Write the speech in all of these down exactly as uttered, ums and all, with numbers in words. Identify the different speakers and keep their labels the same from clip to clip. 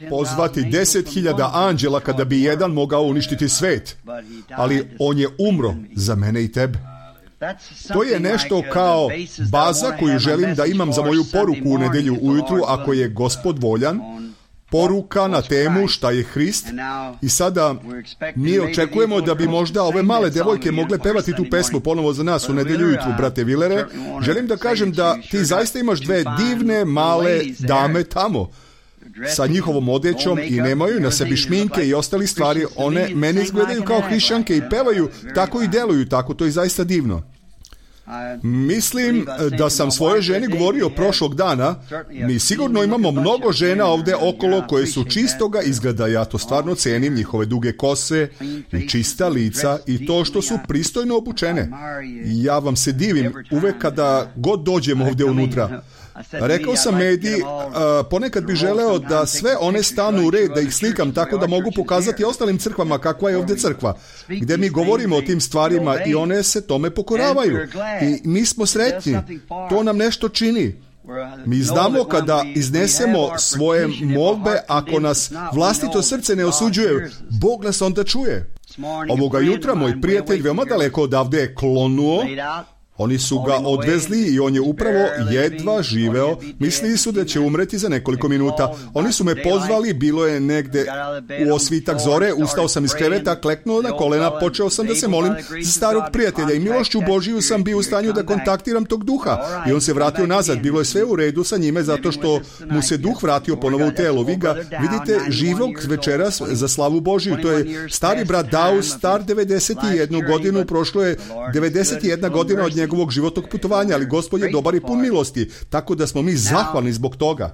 Speaker 1: pozvati deset hiljada anđela kada bi jedan mogao uništiti svet, ali on je umro za mene i tebe. To je nešto kao baza koju želim da imam za moju poruku u nedjelju ujutru, ako je Gospod voljan. Poruka na temu šta je Hrist. I sada mi očekujemo da bi možda ove male devojke mogle pevati tu pesmu ponovo za nas u nedjelju ujutru, brate Willere. Želim da kažem da ti zaista imaš dve divne male dame tamo sa njihovom odećom i nemaju na sebi šminke i ostali stvari. One meni izgledaju kao hrišćanke i pevaju tako i deluju tako. To je zaista divno. Mislim da sam svojoj ženi govorio prošlog dana, mi sigurno imamo mnogo žena ovdje okolo koje su čistoga izgleda, ja to stvarno cenim, njihove duge kose i čista lica i to što su pristojno obučene. Ja vam se divim uvek kada god dođem ovdje unutra. Rekao sam Medi, ponekad bi želeo da sve one stanu u red, da ih slikam tako da mogu pokazati ostalim crkvama kakva je ovdje crkva, gdje mi govorimo o tim stvarima i one se tome pokoravaju. I mi smo sretni, to nam nešto čini. Mi znamo kada iznesemo svoje molbe, ako nas vlastito srce ne osuđuje, Bog nas onda čuje. Ovoga jutra moj prijatelj veoma daleko odavde je klonuo. Oni su ga odvezli i on je upravo jedva živeo. Mislili su da će umreti za nekoliko minuta. Oni su me pozvali, bilo je negde u osvitak zore, ustao sam iz kreveta, kleknuo na kolena, počeo sam da se molim za starog prijatelja i milošću Božiju sam bio u stanju da kontaktiram tog duha. I on se vratio nazad, bilo je sve u redu sa njime zato što mu se duh vratio ponovo u telo. Vi ga vidite živog večeras za slavu Božiju. To je stari brat Dau, star devedeset jednu godinu, prošlo je devedeset jedna godina od njega njegovog životnog putovanja, ali Gospod je dobar i pun milosti, tako da smo mi zahvalni zbog toga.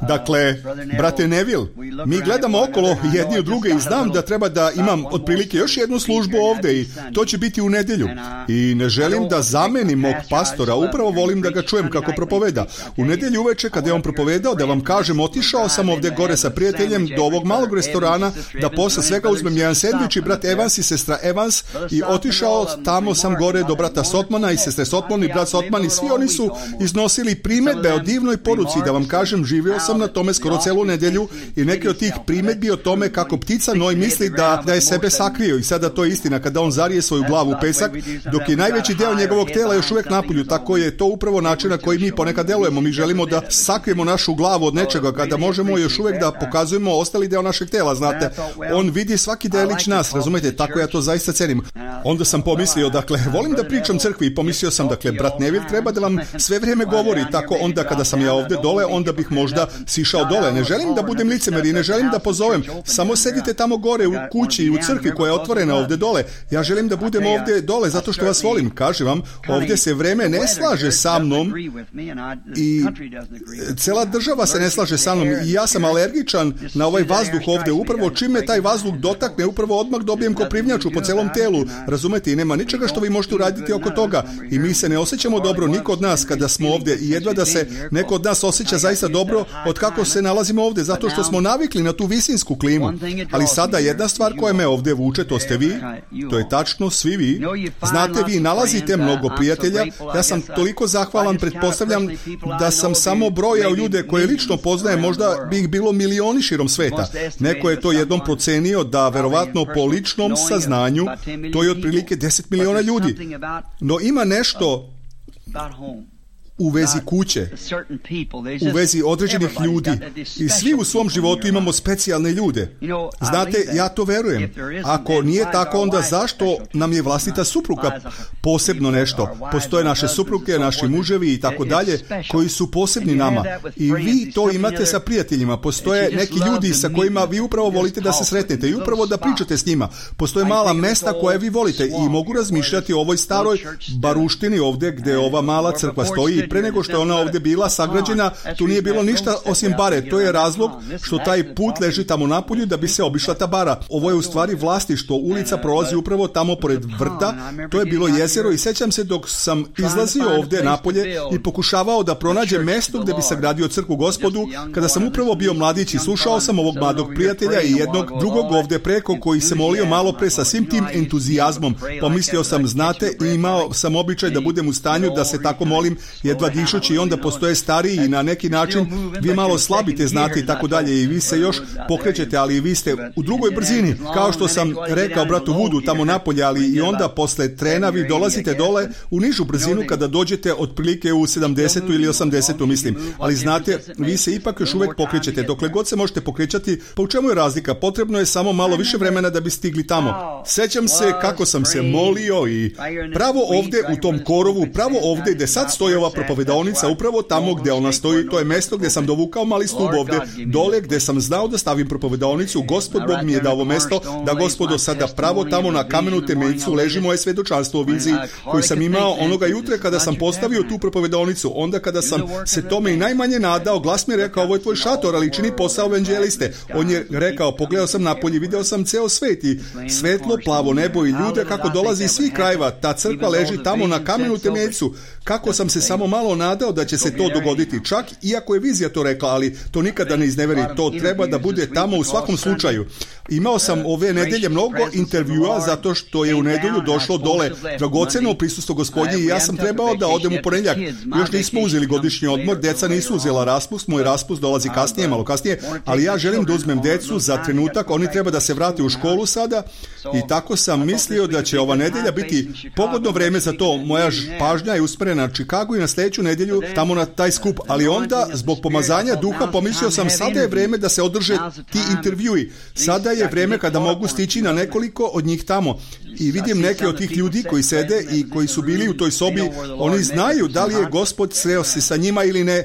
Speaker 1: Dakle, brate Neville, mi gledamo okolo jedni od druge i znam da treba da imam otprilike još jednu službu ovdje i to će biti u nedjelju. I ne želim da zamenim mog pastora, upravo volim da ga čujem kako propoveda. U nedjelju uveče kada je on propovedao, da vam kažem, otišao sam ovdje gore sa prijateljem do ovog malog restorana, da posle svega uzmem jedan sendvič i brat Evans i sestra Evans i otišao tamo sam gore do brata Sotmana i sestre Sotman i brat Sotman i svi oni su iznosili primedbe o divnoj poruci, da vam kažem, živio sam na tome skoro celu nedjelju i neke od tih primedbi o tome kako ptica Noj misli da, da je sebe sakrio i sada to je istina kada on zarije svoju glavu u pesak, dok je najveći deo njegovog tela još uvijek napolju, tako je to upravo način na koji mi ponekad delujemo. Mi želimo da sakrijemo našu glavu od nečega kada možemo još uvijek da pokazujemo ostali deo našeg tela, znate. On vidi svaki delić nas, razumete, tako ja to zaista cenim. Onda sam pomislio, dakle, volim da pričam crkvi i pomislio sam, dakle, brat Neville treba da vam sve vrijeme govori, tako onda kada sam ja ovdje dole, onda bih možda sišao dole. Ne želim da budem licemer i ne želim da pozovem. Samo sedite tamo gore u kući i u crkvi koja je otvorena ovdje dole. Ja želim da budem ovdje dole zato što vas volim. Kažem vam, ovdje se vreme ne slaže sa mnom i cela država se ne slaže sa mnom i ja sam alergičan na ovaj vazduh ovdje. Upravo čim me taj vazduh dotakne, upravo odmah dobijem koprivnjaču po celom telu. Razumete, i nema ničega što vi možete uraditi oko toga. I mi se ne osjećamo dobro, niko od nas kada smo ovdje i jedva da se neko od nas osjeća zaista dobro od kako se nalazimo ovdje, zato što smo navikli na tu visinsku klimu. Ali sada jedna stvar koja me ovdje vuče, to ste vi, to je tačno, svi vi. Znate, vi nalazite mnogo prijatelja. Ja sam toliko zahvalan, pretpostavljam da sam samo brojao ljude koje lično poznajem, možda bi ih bilo milioni širom sveta. Neko je to jednom procenio da verovatno po ličnom saznanju to je otprilike deset miliona ljudi. No ima nešto u vezi kuće, u vezi određenih ljudi i svi u svom životu imamo specijalne ljude. Znate, ja to verujem. Ako nije tako, onda zašto nam je vlastita supruga posebno nešto? Postoje naše supruge, naši muževi i tako dalje koji su posebni nama. I vi to imate sa prijateljima. Postoje neki ljudi sa kojima vi upravo volite da se sretnete i upravo da pričate s njima. Postoje mala mesta koje vi volite i mogu razmišljati o ovoj staroj baruštini ovdje gdje ova mala crkva stoji. Pre nego što je ona ovdje bila sagrađena, tu nije bilo ništa osim bare. To je razlog što taj put leži tamo napolju da bi se obišla ta bara. Ovo je u stvari vlastištvo. Ulica prolazi upravo tamo pored vrta. To je bilo jezero i sećam se dok sam izlazio ovdje napolje i pokušavao da pronađem mesto gdje bi sagradio crkvu Gospodu, kada sam upravo bio mladić i slušao sam ovog mladog prijatelja i jednog drugog ovdje preko koji se molio malo pre sa svim tim entuzijazmom. Pomislio sam, znate, i imao sam običaj da budem u stanju da se tako molim jedan jedva dišući i onda postoje stariji i na neki način vi malo slabite, znate i tako dalje i vi se još pokrećete, ali vi ste u drugoj brzini, kao što sam rekao bratu Vudu tamo napolje, ali i onda posle trena vi dolazite dole u nižu brzinu kada dođete otprilike u sedamdesetu ili osamdesetu, mislim, ali znate, vi se ipak još uvijek pokrećete, dokle god se možete pokrećati, pa u čemu je razlika? Potrebno je samo malo više vremena da bi stigli tamo. Sećam se kako sam se molio i pravo ovdje u tom korovu, pravo ovdje gdje sad stoji ova propovedaonica, upravo tamo gdje ona stoji, to je mjesto gdje sam dovukao mali stup ovdje, dole gdje sam znao da stavim propovedaonicu, Gospod Bog mi je dao ovo mjesto, da Gospodo sada pravo tamo na kamenu temeljcu leži moje svjedočanstvo u viziji koju sam imao onoga jutra kada sam postavio tu propovedaonicu, onda kada sam se tome i najmanje nadao, glas mi je rekao, ovo je tvoj šator, ali čini posao evanđeliste. On je rekao, pogledao sam napolje, video sam ceo svet i svetlo, plavo nebo i ljude kako dolazi iz svih krajeva, ta crkva leži tamo na kamenu temeljcu, kako sam se samo malo nadao da će se to dogoditi, čak iako je vizija to rekla, ali to nikada ne izneveri, to treba da bude tamo u svakom slučaju. Imao sam ove nedelje mnogo intervjua zato što je u nedelju došlo dole dragoceno prisustvo Gospodnje i ja sam trebao da odem u ponedjeljak. Još nismo uzeli godišnji odmor, deca nisu uzela raspust, moj raspust dolazi kasnije, malo kasnije, ali ja želim da uzmem decu za trenutak, oni treba da se vrate u školu sada i tako sam mislio da će ova nedelja biti pogodno vreme za to. Moja pažnja je usmjerena na Chicago i na sljedeću nedjelju tamo na taj skup, ali onda zbog pomazanja duha pomislio sam sada je vreme da se održe ti intervjui. Sada je vreme kada mogu stići na nekoliko od njih tamo i vidim neke od tih ljudi koji sede i koji su bili u toj sobi, oni znaju da li je Gospod sreo se sa njima ili ne.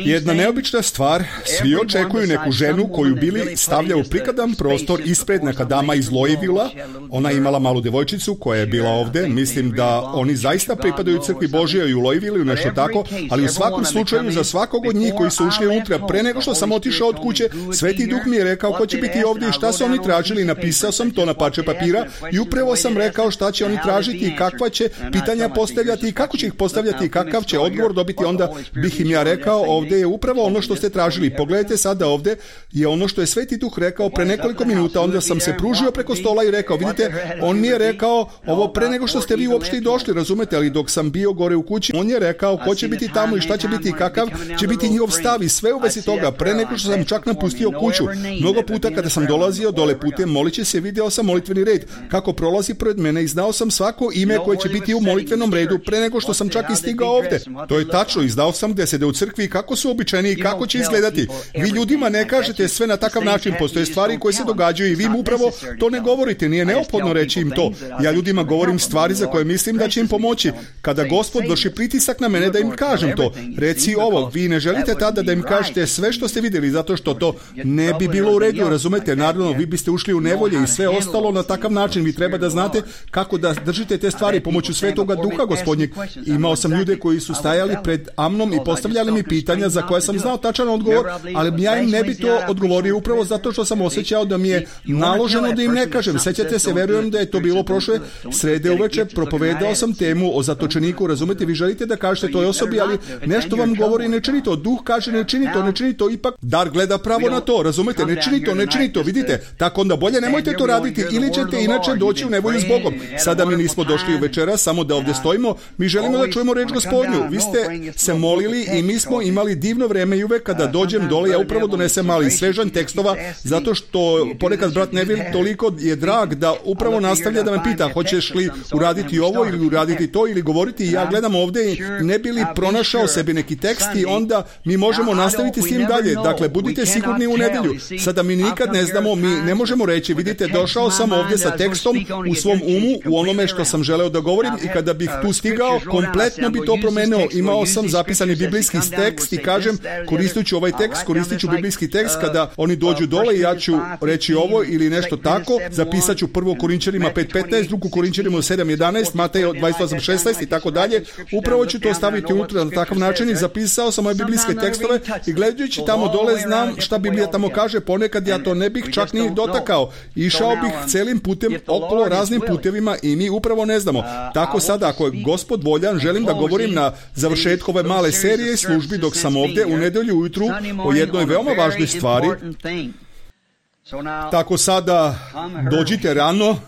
Speaker 1: Jedna neobična stvar, svi očekuju neku ženu koju Bili stavlja u prikladan prostor ispred neka dama iz Louisvilla. Ona je imala malu devojčicu koja je bila ovdje. Mislim da oni zaista pripadaju crkvi Božjoj i u Louisvillu i nešto tako, ali u svakom slučaju za svakog od njih koji su ušli unutra pre nego što sam otišao od kuće, Sveti Duh mi je rekao ko će biti ovdje i šta su oni tražili. Napisao sam to na parče papira i upravo sam rekao šta će oni tražiti i kakva će pitanja postavljati i kako će ih postavljati i kakav će odgovor dobiti. Onda bih im ja rekao, ovdje je upravo ono što ste tražili. Pogledajte sada, ovdje je ono što je Sveti Duh rekao pre nekoliko minuta. Onda sam se pružio preko stola i rekao, vidite, on mi je rekao ovo pre nego što ste vi uopšte i došli, razumete, ali dok sam bio gore u kući, on je rekao ko će biti tamo i šta će biti i kakav će biti njihov stav i sve u vezi toga, pre nego što sam čak napustio kuću. Mnogo puta kada sam dolazio dole putem moliće se, video sam molitveni red kako prolazi pred mene i znao sam svako ime koje će biti u molitvenom redu pre nego što sam čak i stigao ovdje. To je tačno i znao sam gdje sede u crkvi i kako su običajni i kako će izgledati. Vi ljudima ne kažete sve na takav način, postoje stvari koje se događaju i vi mu upravo to ne govorite, nije neophodno reći im to. Ja ljudima govorim stvari za koje mislim da će im pomoći. Kada Gospod vrši pritisak na mene da im kažem to, reci ovo, vi ne želite tada da im kažete sve što ste vidjeli, zato što to ne bi bilo u redu, razumete, naravno vi biste ušli u nevolje i sve ostalo na takav način. Vi treba da znate kako da držite te stvari pomoću Svetoga Duha Gospodnjeg. Imao sam ljude koji su stajali pred Amnom i postavljali mi pitanja za koje sam znao tačan odgovor, ali ja im ne bi to odgovorio upravo zato što sam osjećao da mi je naloženo da im ne kažem. Sećate se, verujem da je to bilo prošle srede uveče, propovedao sam temu o zatočeniku, razumete, vi želite da kažete toj osobi, ali nešto vam govori ne čini to, Duh kaže ne čini to, ne čini to, ipak dar gleda pravo na to, razumete, ne čini to, ne čini to, vidite, tako onda bolje nemojte to raditi ili ćete inače doći u nevolju s Bogom. Sada mi nismo došli u večera samo da ovdje stojimo, mi želimo da čujemo reč Gospodnju. Vi ste se molili i mi smo imali divno vreme i uvek kada dođem dole ja upravo donesem mali svežanj tekstova zato što ponekad brat Neville toliko je drag da upravo nastavlja da me pita hoćeš li uraditi ovo ili uraditi to ili govoriti i ja gledam ovdje i ne bi li pronašao sebi neki tekst i onda mi možemo nastaviti s tim dalje. Dakle, budite sigurni u nedjelju. Sada mi nikad ne znamo, mi ne možemo reći, vidite, došao sam ovdje sa tekstom u svom umu, u onome što sam želeo da govorim i kada bih tu stigao, kompletno bi to promenio. Imao sam zapisani biblijski tekst i kažem, koristit ću ovaj tekst, koristit ću biblijski tekst kada oni dođu dole i ja ću reći ovo ili nešto tako, zapisat ću prvo Korinčanima pet petnaest, drugo Korinčanima sedam jedanaest, Mateja dvadeset osam šesnaest i tako dalje. Upravo ću to staviti unutra na takav način i zapisao sam moje biblijske tekstove i gledajući tamo dole znam šta Biblija tamo kaže, ponekad ja to ne bih čak ni dotakao. Išao bih celim putem okolo raznim putevima i mi upravo ne znamo. Tako sada, ako je Gospod voljan, želim da govorim na završetku ove male serije i službi dok sam ovdje u nedjelju ujutru o jednoj veoma važnoj stvari. Tako sada dođite rano,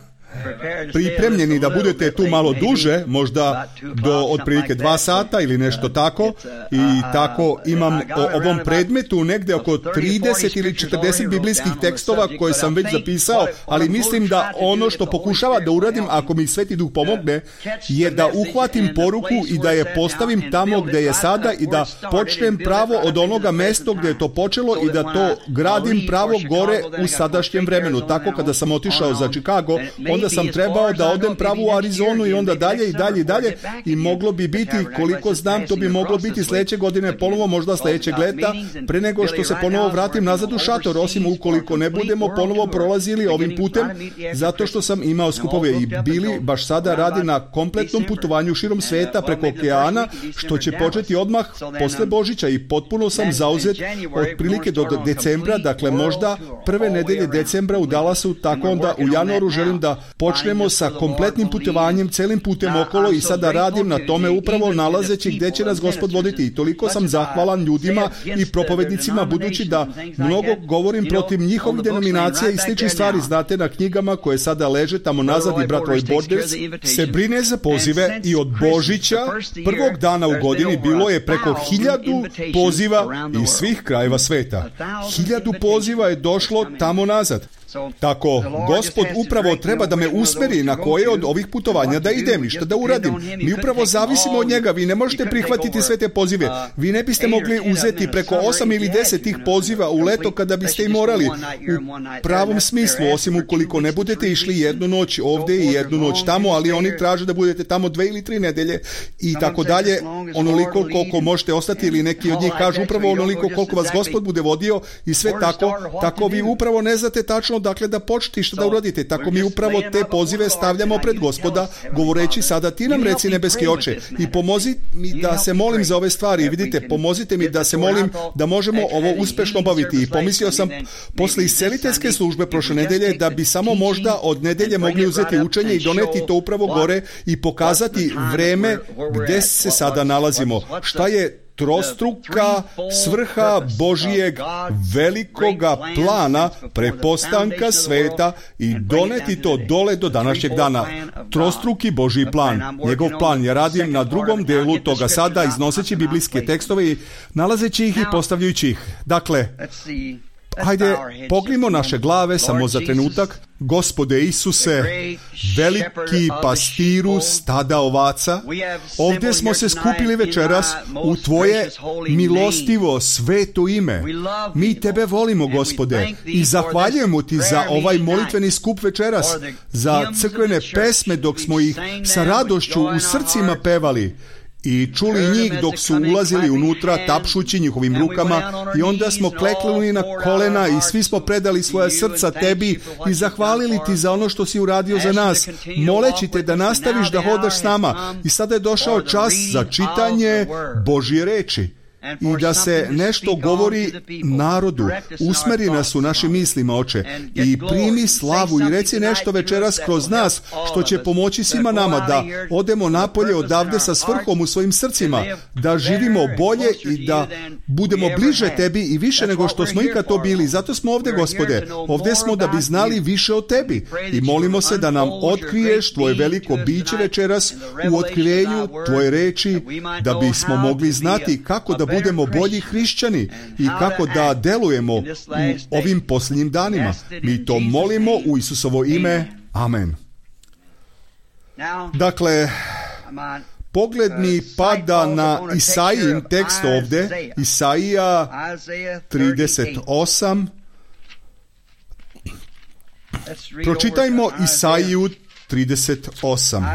Speaker 1: pripremljeni da budete tu malo duže, možda do otprilike dva sata ili nešto tako, i tako imam o ovom predmetu negdje oko trideset ili četrdeset biblijskih tekstova koje sam već zapisao, ali mislim da ono što pokušava da uradim, ako mi Sveti Duh pomogne, je da uhvatim poruku i da je postavim tamo gdje je sada i da počnem pravo od onoga mesta gdje je to počelo i da to gradim pravo gore u sadašnjem vremenu. Tako kada sam otišao za Chicago, onda sam trebao da odem pravo u Arizonu i onda dalje i dalje i dalje, i moglo bi biti, koliko znam, to bi moglo biti sljedeće godine ponovo, možda sljedećeg leta, pre nego što se ponovo vratim nazad u šator, osim ukoliko ne budemo ponovo prolazili ovim putem, zato što sam imao skupove i Bili baš sada radi na kompletnom putovanju širom sveta preko okeana, što će početi odmah posle Božića, i potpuno sam zauzet otprilike do decembra, dakle možda prve nedelje decembra u Dallasu, tako onda u januaru želim da počnemo sa kompletnim putovanjem, celim putem okolo, i sada radim na tome upravo nalazeći gdje će nas Gospod voditi. I toliko sam zahvalan ljudima i propovednicima, budući da mnogo govorim protiv njihovih denominacija i sličnih stvari. Znate, na knjigama koje sada leže tamo nazad, i brat Roy Borders se brine za pozive, i od Božića prvog dana u godini bilo je preko hiljadu poziva iz svih krajeva sveta. Hiljadu poziva je došlo tamo nazad. Tako, Gospod upravo treba da me usmeri na koje od ovih putovanja da idem i šta da uradim. Mi upravo zavisimo od njega. Vi ne možete prihvatiti sve te pozive. Vi ne biste mogli uzeti preko osam ili deset tih poziva u leto kada biste i morali. U pravom smislu, osim ukoliko ne budete išli jednu noć ovdje i jednu noć tamo, ali oni traže da budete tamo dve ili tri nedelje i tako dalje, onoliko koliko možete ostati, ili neki od njih kažu upravo onoliko koliko vas Gospod bude vodio, i sve tako. Tako vi upravo ne znate tačno dakle da počnete što da uradite. Tako mi upravo te pozive stavljamo pred Gospoda, govoreći sada ti nam reci, nebeski Oče, i pomozi mi da se molim za ove stvari. I vidite, pomozite mi da se molim da možemo ovo uspešno obaviti. I pomislio sam posle isceliteljske službe prošle nedelje da bi samo možda od nedelje mogli uzeti učenje i doneti to upravo gore i pokazati vreme gde se sada nalazimo. Šta je trostruka svrha Božijeg velikoga plana prepostanka sveta i doneti to dole do današnjeg dana. Trostruki Božji plan. Njegov plan je radim na drugom delu toga sada, iznoseći biblijske tekstove i nalazeći ih i postavljajući ih. Dakle, hajde, pognimo naše glave samo za trenutak. Gospode Isuse, veliki pastiru stada ovaca, ovdje smo se skupili večeras u Tvoje milostivo sveto ime. Mi Tebe volimo, Gospode, i zahvaljujemo Ti za ovaj molitveni skup večeras, za crkvene pesme dok smo ih sa radošću u srcima pevali i čuli njih dok su ulazili unutra, tapšući njihovim rukama, i onda smo kleknuli na kolena i svi smo predali svoja srca Tebi i zahvalili Ti za ono što si uradio za nas, moleći Te da nastaviš da hodaš s nama. I sada je došao čas za čitanje Božje reči i da se nešto govori narodu. Usmeri nas u našim mislima, Oče, i primi slavu i reci nešto večeras kroz nas što će pomoći svima nama da odemo napolje odavde sa svrhom u svojim srcima, da živimo bolje i da budemo bliže Tebi i više nego što smo ikad to bili. Zato smo ovdje, Gospode. Ovdje smo da bi znali više o Tebi i molimo se da nam otkriješ Tvoje veliko biće večeras u otkrivenju Tvoje reči, da bismo mogli znati kako da budemo bolji hrišćani i kako da delujemo u ovim posljednjim danima. Mi to molimo u Isusovo ime. Amen. Dakle, pogled mi pada na Isaijin tekst ovdje, Isaija trideset osam. Pročitajmo Isaiju trideset osam.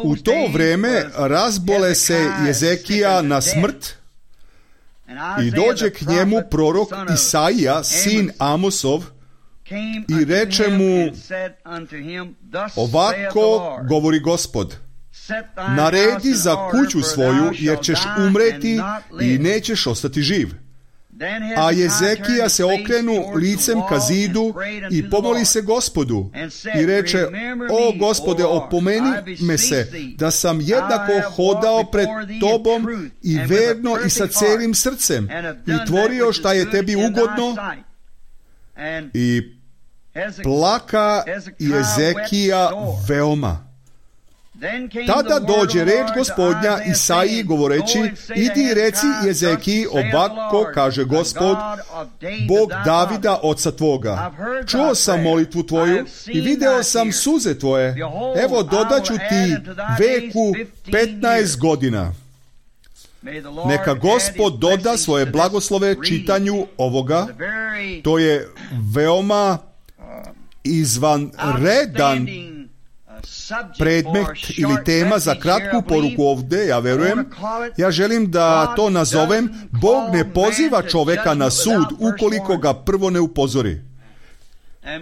Speaker 1: U to vreme razbole se Jezekija na smrt i dođe k njemu prorok Isaija, sin Amosov, i reče mu: ovako govori Gospod, naredi za kuću svoju, jer ćeš umreti i nećeš ostati živ. A Jezekija se okrenu licem ka zidu i pomoli se Gospodu i reče: o Gospode, opomeni me se da sam jednako hodao pred Tobom i verno i sa celim srcem i tvorio šta je Tebi ugodno. I plaka Jezekija veoma. Tada dođe reč Gospodnja Isaiji govoreći, idi i reci Jezekiji, ovako kaže Gospod, Bog Davida oca tvoga. Čuo sam molitvu tvoju i video sam suze tvoje. Evo dodaću ti veku petnaest godina. Neka Gospod doda svoje blagoslove čitanju ovoga. To je veoma izvanredan predmet ili tema za kratku poruku ovdje, ja verujem. Ja želim da to nazovem, Bog ne poziva čovjeka na sud ukoliko ga prvo ne upozori.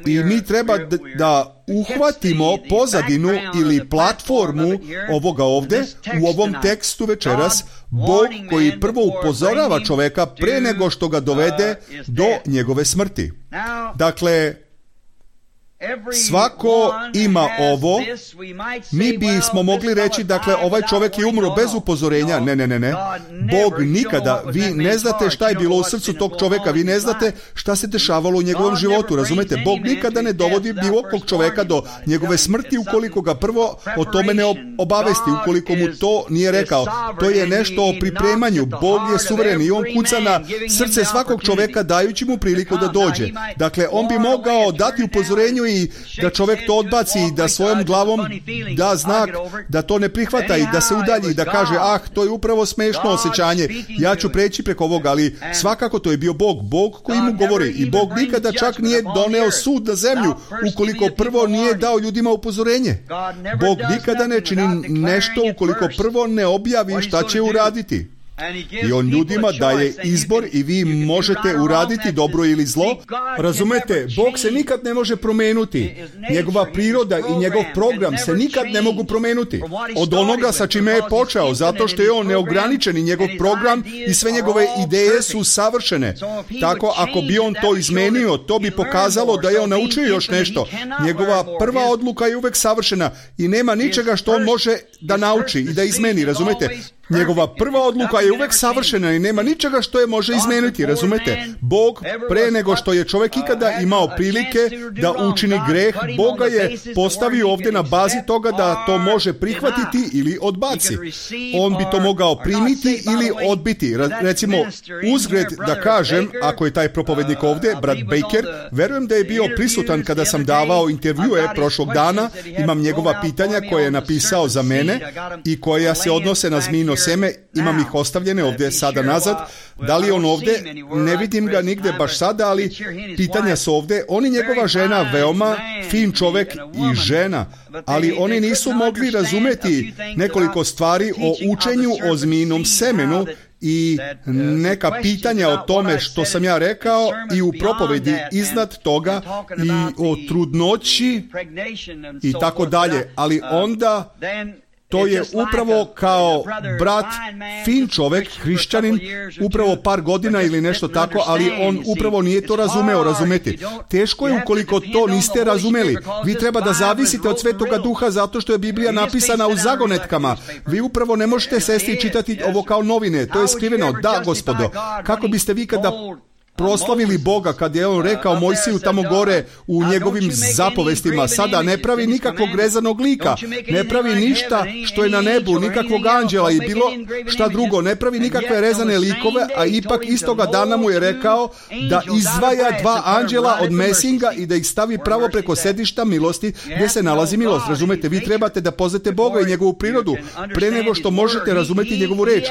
Speaker 1: I mi treba da, da uhvatimo pozadinu ili platformu ovoga ovdje u ovom tekstu večeras. Bog koji prvo upozorava čovjeka pre nego što ga dovede do njegove smrti. Dakle, svako ima ovo. Mi bismo mogli reći, dakle, ovaj čovjek je umro bez upozorenja. Ne, ne, ne, ne. Bog nikada, vi ne znate šta je bilo u srcu tog čovjeka, vi ne znate šta se dešavalo u njegovom životu, razumete? Bog nikada ne dovodi bilo kog čovjeka do njegove smrti ukoliko ga prvo o tome ne obavesti, ukoliko mu to nije rekao. To je nešto o pripremanju. Bog je suveren i on kuca na srce svakog čovjeka dajući mu priliku da dođe. Dakle, on bi mogao dati upozorenju i da čovjek to odbaci i da svojom glavom da znak da to ne prihvata i da se udalji i da kaže, ah, to je upravo smešno osjećanje, ja ću preći preko ovoga, ali svakako to je bio Bog, Bog koji mu govori i Bog nikada čak nije doneo sud na zemlju ukoliko prvo nije dao ljudima upozorenje. Bog nikada ne čini nešto ukoliko prvo ne objavi šta će uraditi. I on ljudima daje izbor i vi možete uraditi dobro ili zlo. Razumete, Bog se nikad ne može promenuti. Njegova priroda i njegov program se nikad ne mogu promenuti. Od onoga sa čime je počeo, zato što je on neograničen i njegov program i sve njegove ideje su savršene. Tako, ako bi on to izmenio, to bi pokazalo da je on naučio još nešto. Njegova prva odluka je uvek savršena i nema ničega što on može da nauči i da izmeni, razumete? Njegova prva odluka je uvek savršena i nema ničega što je može izmeniti, razumete? Bog, pre nego što je čovjek ikada imao prilike da učini greh, Boga je postavio ovdje na bazi toga da to može prihvatiti ili odbaci. On bi to mogao primiti ili odbiti. Recimo, uzgred da kažem, ako je taj propovednik ovdje, brat Baker, verujem da je bio prisutan kada sam davao intervjue prošlog dana. Imam njegova pitanja koje je napisao za mene i koja se odnose na zmijino seme, imam ih ostavljene ovdje sada nazad. Da li on ovdje? Ne vidim ga nigdje baš sada, ali pitanja su ovdje. On i njegova žena, veoma fin čovjek i žena, ali oni nisu mogli razumjeti nekoliko stvari o učenju o zmijinom semenu i neka pitanja o tome što sam ja rekao i u propovedi iznad toga i o trudnoći i tako dalje, ali onda to je upravo kao brat, fin čovjek, hrišćanin, upravo par godina ili nešto tako, ali on upravo nije to razumeo, razumeti. Teško je ukoliko to niste razumeli. Vi treba da zavisite od Svetoga Duha zato što je Biblija napisana u zagonetkama. Vi upravo ne možete sesti i čitati ovo kao novine. To je skriveno. Da, Gospodo. Kako biste vi kada proslavili Boga kad je on rekao Mojsiju tamo gore u njegovim zapovestima, sada ne pravi nikakvog rezanog lika, ne pravi ništa što je na nebu, nikakvog anđela i bilo šta drugo, ne pravi nikakve rezane likove, a ipak istoga dana mu je rekao da izdvaja dva anđela od mesinga i da ih stavi pravo preko sedišta milosti gdje se nalazi milost. Razumete, vi trebate da poznate Boga i njegovu prirodu pre nego što možete razumeti njegovu reč.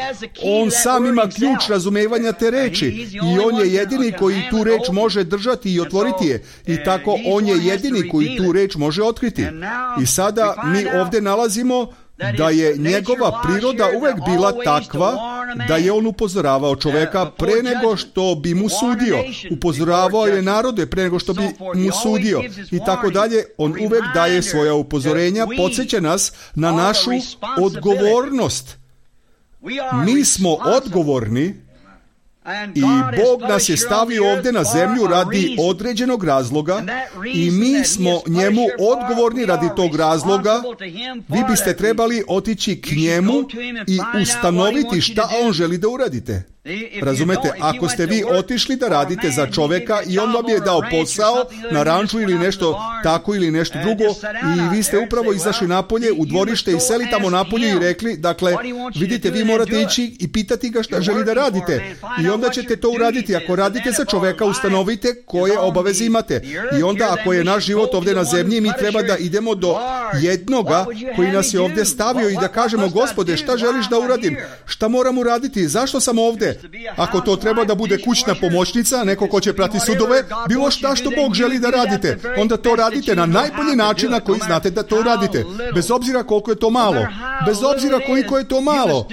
Speaker 1: On sam ima ključ razumevanja te reči i on je jedini koji tu reč može držati i otvoriti je. I tako on je jedini koji tu reč može otkriti. I sada mi ovdje nalazimo da je njegova priroda uvek bila takva da je on upozoravao čovjeka pre nego što bi mu sudio. Upozoravao je narode pre nego što bi mu sudio. I tako dalje. On uvek daje svoja upozorenja, podsjeća nas na našu odgovornost. Mi smo odgovorni i Bog nas je stavio ovdje na zemlju radi određenog razloga i mi smo njemu odgovorni radi tog razloga. Vi biste trebali otići k njemu i ustanoviti šta on želi da uradite. Razumete, ako ste vi otišli da radite za čoveka i on vam je dao posao na ranču ili nešto tako ili nešto drugo i vi ste upravo izašli napolje u dvorište i seli tamo napolje i rekli, dakle, vidite, vi morate ići i pitati ga šta želi da radite i onda ćete to uraditi. Ako radite za čoveka, ustanovite koje obaveze imate i onda ako je naš život ovdje na zemlji, mi treba da idemo do jednoga koji nas je ovdje stavio i da kažemo, Gospode, šta želiš da uradim? Šta moram uraditi? Zašto sam ovdje? Ako to treba da bude kućna pomoćnica, neko ko će prati sudove, bilo šta što Bog želi da radite, onda to radite na najbolji način na koji znate da to radite. Bez obzira koliko je to malo. Bez obzira koliko je to malo.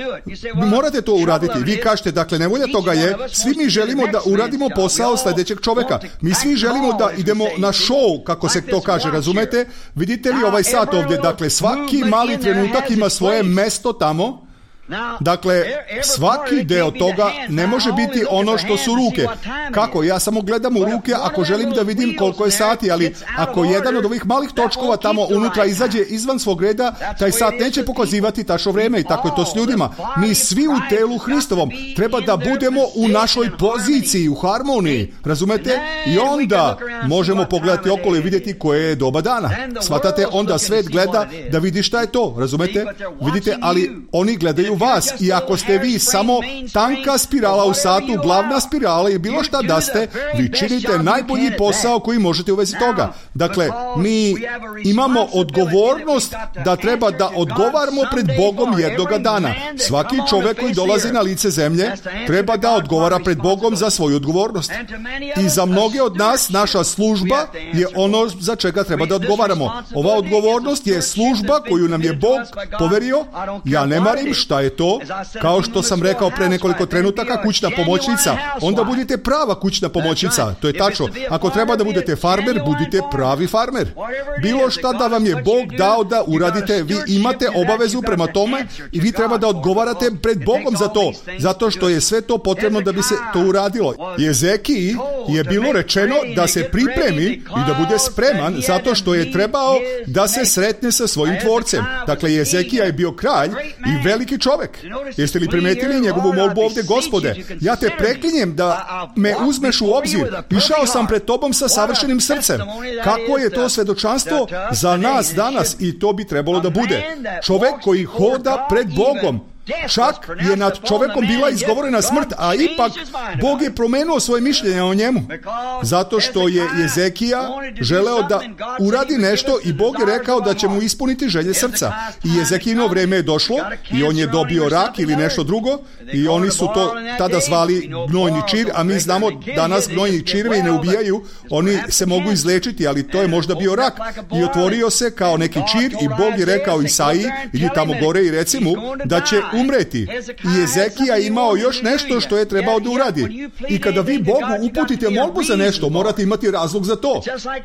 Speaker 1: Morate to uraditi. Vi kažete, dakle, nevolja toga je, svi mi želimo da uradimo posao sljedećeg čoveka. Mi svi želimo da idemo na show, kako se to kaže, razumete? Vidite li ovaj sat ovdje? Dakle, svaki mali trenutak ima svoje mesto tamo. Dakle, svaki deo toga ne može biti ono što su ruke. Kako? Ja samo gledam u ruke ako želim da vidim koliko je sati, ali ako jedan od ovih malih točkova tamo unutra izađe izvan svog reda, taj sat neće pokazivati tačno vreme i tako je to s ljudima. Mi svi u telu Hristovom treba da budemo u našoj poziciji, u harmoniji, razumete? I onda možemo pogledati okolo i vidjeti koje je doba dana. Shvatate? Onda svet gleda da vidi šta je to, razumete? Vidite, ali oni gledaju vas i ako ste vi samo tanka spirala u satu, glavna spirala i bilo šta da ste, vi činite najbolji posao koji možete u vezi toga. Dakle, mi imamo odgovornost da treba da odgovaramo pred Bogom jednoga dana. Svaki čovjek koji dolazi na lice zemlje treba da odgovara pred Bogom za svoju odgovornost. I za mnoge od nas naša služba je ono za čega treba da odgovaramo. Ova odgovornost je služba koju nam je Bog poverio. Ja ne marim šta je to, kao što sam rekao pre nekoliko trenutaka, kućna pomoćnica. Onda budite prava kućna pomoćnica. To je tačno. Ako treba da budete farmer, budite pravi farmer. Bilo šta da vam je Bog dao da uradite, vi imate obavezu prema tome i vi treba da odgovarate pred Bogom za to. Zato što je sve to potrebno da bi se to uradilo. Jezekiji je bilo rečeno da se pripremi i da bude spreman zato što je trebao da se sretne sa svojim tvorcem. Dakle, Jezekija je bio kralj i veliki čovjek. Jeste li primetili njegovu molbu ovdje? Gospode, ja te preklinjem da me uzmeš u obzir. Išao sam pred tobom sa savršenim srcem. Kako je to svedočanstvo za nas danas i to bi trebalo da bude. Čovjek koji hoda pred Bogom. Čak je nad čovjekom bila izgovorena smrt, a ipak Bog je promenuo svoje mišljenje o njemu. Zato što je Jezekija želeo da uradi nešto i Bog je rekao da će mu ispuniti želje srca. I Jezekijino vrijeme je došlo i on je dobio rak ili nešto drugo i oni su to tada zvali gnojni čir, a mi znamo danas gnojni čirvi ne ubijaju, oni se mogu izlečiti, ali to je možda bio rak. I otvorio se kao neki čir i Bog je rekao Isaiji, idi tamo gore i reci mu da će umreti. I Jezekija je imao još nešto što je trebao da uradi. I kada vi Bogu uputite molbu za nešto, morate imati razlog za to.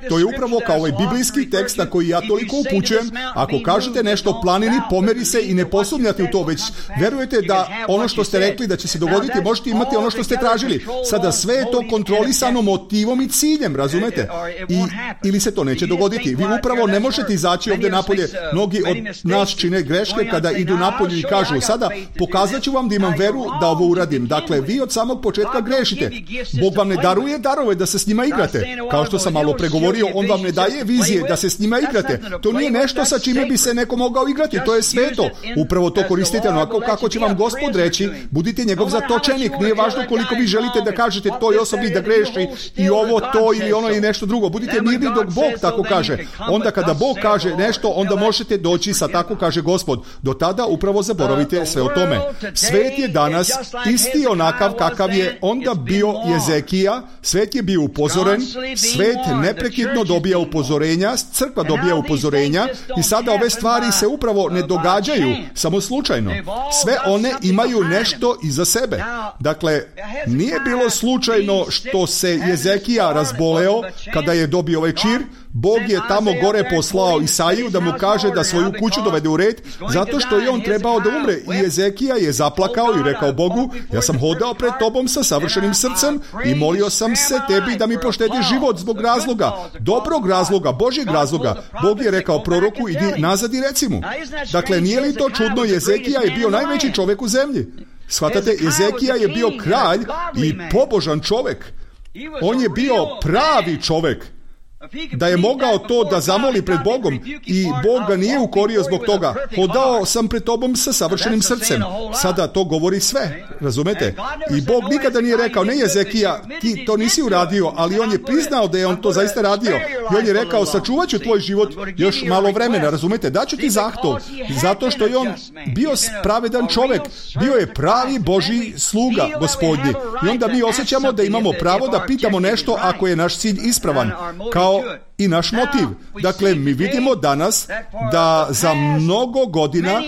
Speaker 1: To je upravo kao ovaj biblijski tekst na koji ja toliko upućujem. Ako kažete nešto planini, pomeri se i ne posumnjate u to, već verujete da ono što ste rekli da će se dogoditi, možete imati ono što ste tražili. Sada sve je to kontrolisano motivom i ciljem, razumete? I, ili se to neće dogoditi. Vi upravo ne možete izaći ovdje napolje. Mnogi od nas čine greške kada idu napolje i kažu, sada pokazat ću vam da imam veru da ovo uradim. Dakle, vi od samog početka grešite. Bog vam ne daruje darove da se s njima igrate. Kao što sam malo pregovorio, on vam ne daje vizije da se s njima igrate. To nije nešto sa čime bi se neko mogao igrati. To je sveto. Upravo to koristite onako kako će vam Gospod reći. Budite njegov zatočenik. Nije važno koliko vi želite da kažete toj osobi da greši i ovo, to ili ono i nešto drugo. Budite mirni dok Bog tako kaže. Onda kada Bog kaže nešto, onda možete doći sa tako kaže Gospod. Do tada upravo zaboravite sve o tome. Svet je danas isti onakav kakav je onda bio Jezekija. Svet je bio upozoren. Svet neprekidno dobija upozorenja. Crkva dobija upozorenja. I sada ove stvari se upravo ne događaju samo slučajno. Sve one imaju nešto iza sebe. Dakle, nije bilo slučajno što se Jezekija razboleo kada je dobio ovaj čir. Bog je tamo gore poslao Isaiju da mu kaže da svoju kuću dovede u red, zato što je on trebao da umre. I Jezekija je zaplakao i rekao Bogu, ja sam hodao pred tobom sa savršenim srcem i molio sam se tebi da mi poštediš život zbog razloga, dobrog razloga, Božjeg razloga. Bog je rekao proroku, idi nazad i reci mu. Dakle, nije li to čudno? Jezekija je bio najveći čovjek u zemlji. Shvatate, Ezekija je bio kralj i pobožan čovjek. On je bio pravi čovjek. Da je mogao to da zamoli pred Bogom i Bog ga nije ukorio zbog toga. Hodao sam pred tobom sa savršenim srcem. Sada to govori sve, razumete? I Bog nikada nije rekao, ne Ezekija, ti to nisi uradio, ali on je priznao da je on to zaista radio. I on je rekao, sačuvat ću tvoj život još malo vremena, razumete? Daću ti zahtov, zato što je on bio pravedan čovjek. Bio je pravi Božji sluga, Gospodnji. I onda mi osjećamo da imamo pravo da pitamo nešto ako je naš cilj ispravan, kao i naš motiv. Dakle, mi vidimo danas da za mnogo godina,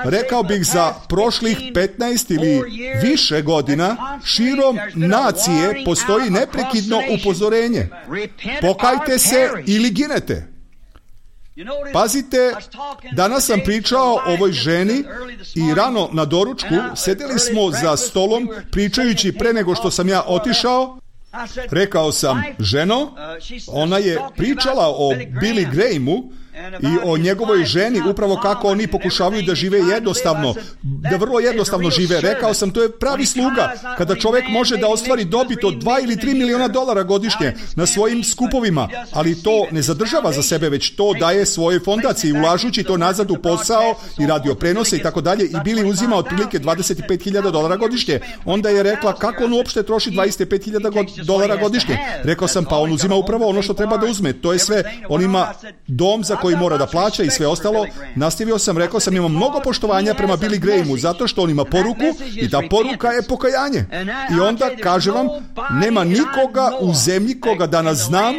Speaker 1: rekao bih za prošlih petnaest ili više godina, širom nacije postoji neprekidno upozorenje. Pokajte se ili ginete. Pazite, danas sam pričao o ovoj ženi i rano na doručku sedeli smo za stolom pričajući pre nego što sam ja otišao. Rekao sam, ženo, ona je pričala o Billy Grahamu i o njegovoj ženi, upravo kako oni pokušavaju da žive jednostavno, da vrlo jednostavno žive. Rekao sam, to je pravi sluga, kada čovjek može da ostvari dobit od dva ili tri miliona dolara godišnje na svojim skupovima, ali to ne zadržava za sebe, već to daje svojoj fondaciji, ulažući to nazad u posao i radio prenose i tako dalje, i Billy uzima otprilike dvadeset pet hiljada dolara godišnje. Onda je rekla, kako on uopšte troši dvadeset pet hiljada dolara godišnje? Rekao sam, pa on uzima upravo ono što treba da uzme, to je sve. On ima dom za koji mora da plaća i sve ostalo. Nastavio sam, rekao sam, imam mnogo poštovanja prema Billy Grahamu, zato što on ima poruku i ta poruka je pokajanje. I onda, kažem vam, nema nikoga u zemlji koga danas znam,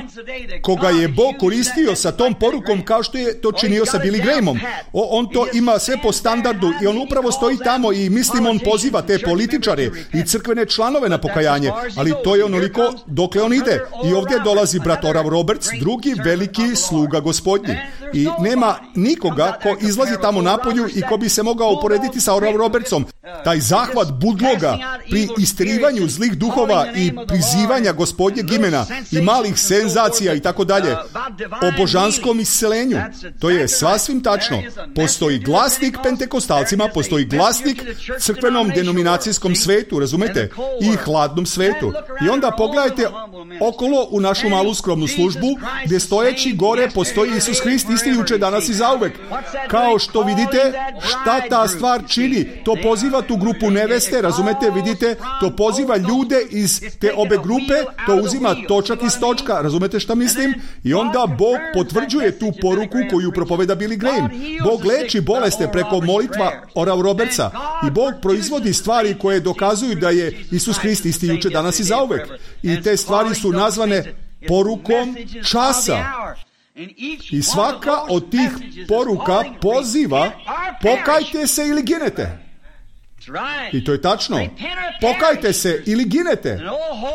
Speaker 1: koga je Bog koristio sa tom porukom kao što je to činio sa Billy Grahamom. O, on to ima sve po standardu i on upravo stoji tamo i mislim on poziva te političare i crkvene članove na pokajanje, ali to je onoliko dokle on ide. I ovdje dolazi brat Oral Roberts, drugi veliki sluga Gospodnji. I nema nikoga ko izlazi tamo napolju i ko bi se mogao uporediti sa Oral Robertsom. Taj zahvat budloga pri istjerivanju zlih duhova i prizivanja Gospodnjeg imena i malih senzacija i tako dalje, o božanskom iscelenju, to je sasvim tačno. Postoji glasnik pentekostalcima, postoji glasnik crkvenom denominacijskom svetu, razumete, i hladnom svetu. I onda pogledajte okolo u našu malu skromnu službu, gdje stojeći gore postoji Isus Hrist, isti juče, danas i zauvek. Kao što vidite, šta ta stvar čini? To poziva tu grupu neveste, razumete, vidite, to poziva ljude iz te obe grupe, to uzima točak iz točka, razumete šta mislim? I onda Bog potvrđuje tu poruku koju propoveda Billy Graham. Bog leči boleste preko molitva Oral Robertsa i Bog proizvodi stvari koje dokazuju da je Isus Hrist isti juče, danas i zauvek. I te stvari su nazvane porukom časa. I svaka od tih poruka poziva, pokajte se ili ginete. I to je tačno. Pokajte se ili ginete.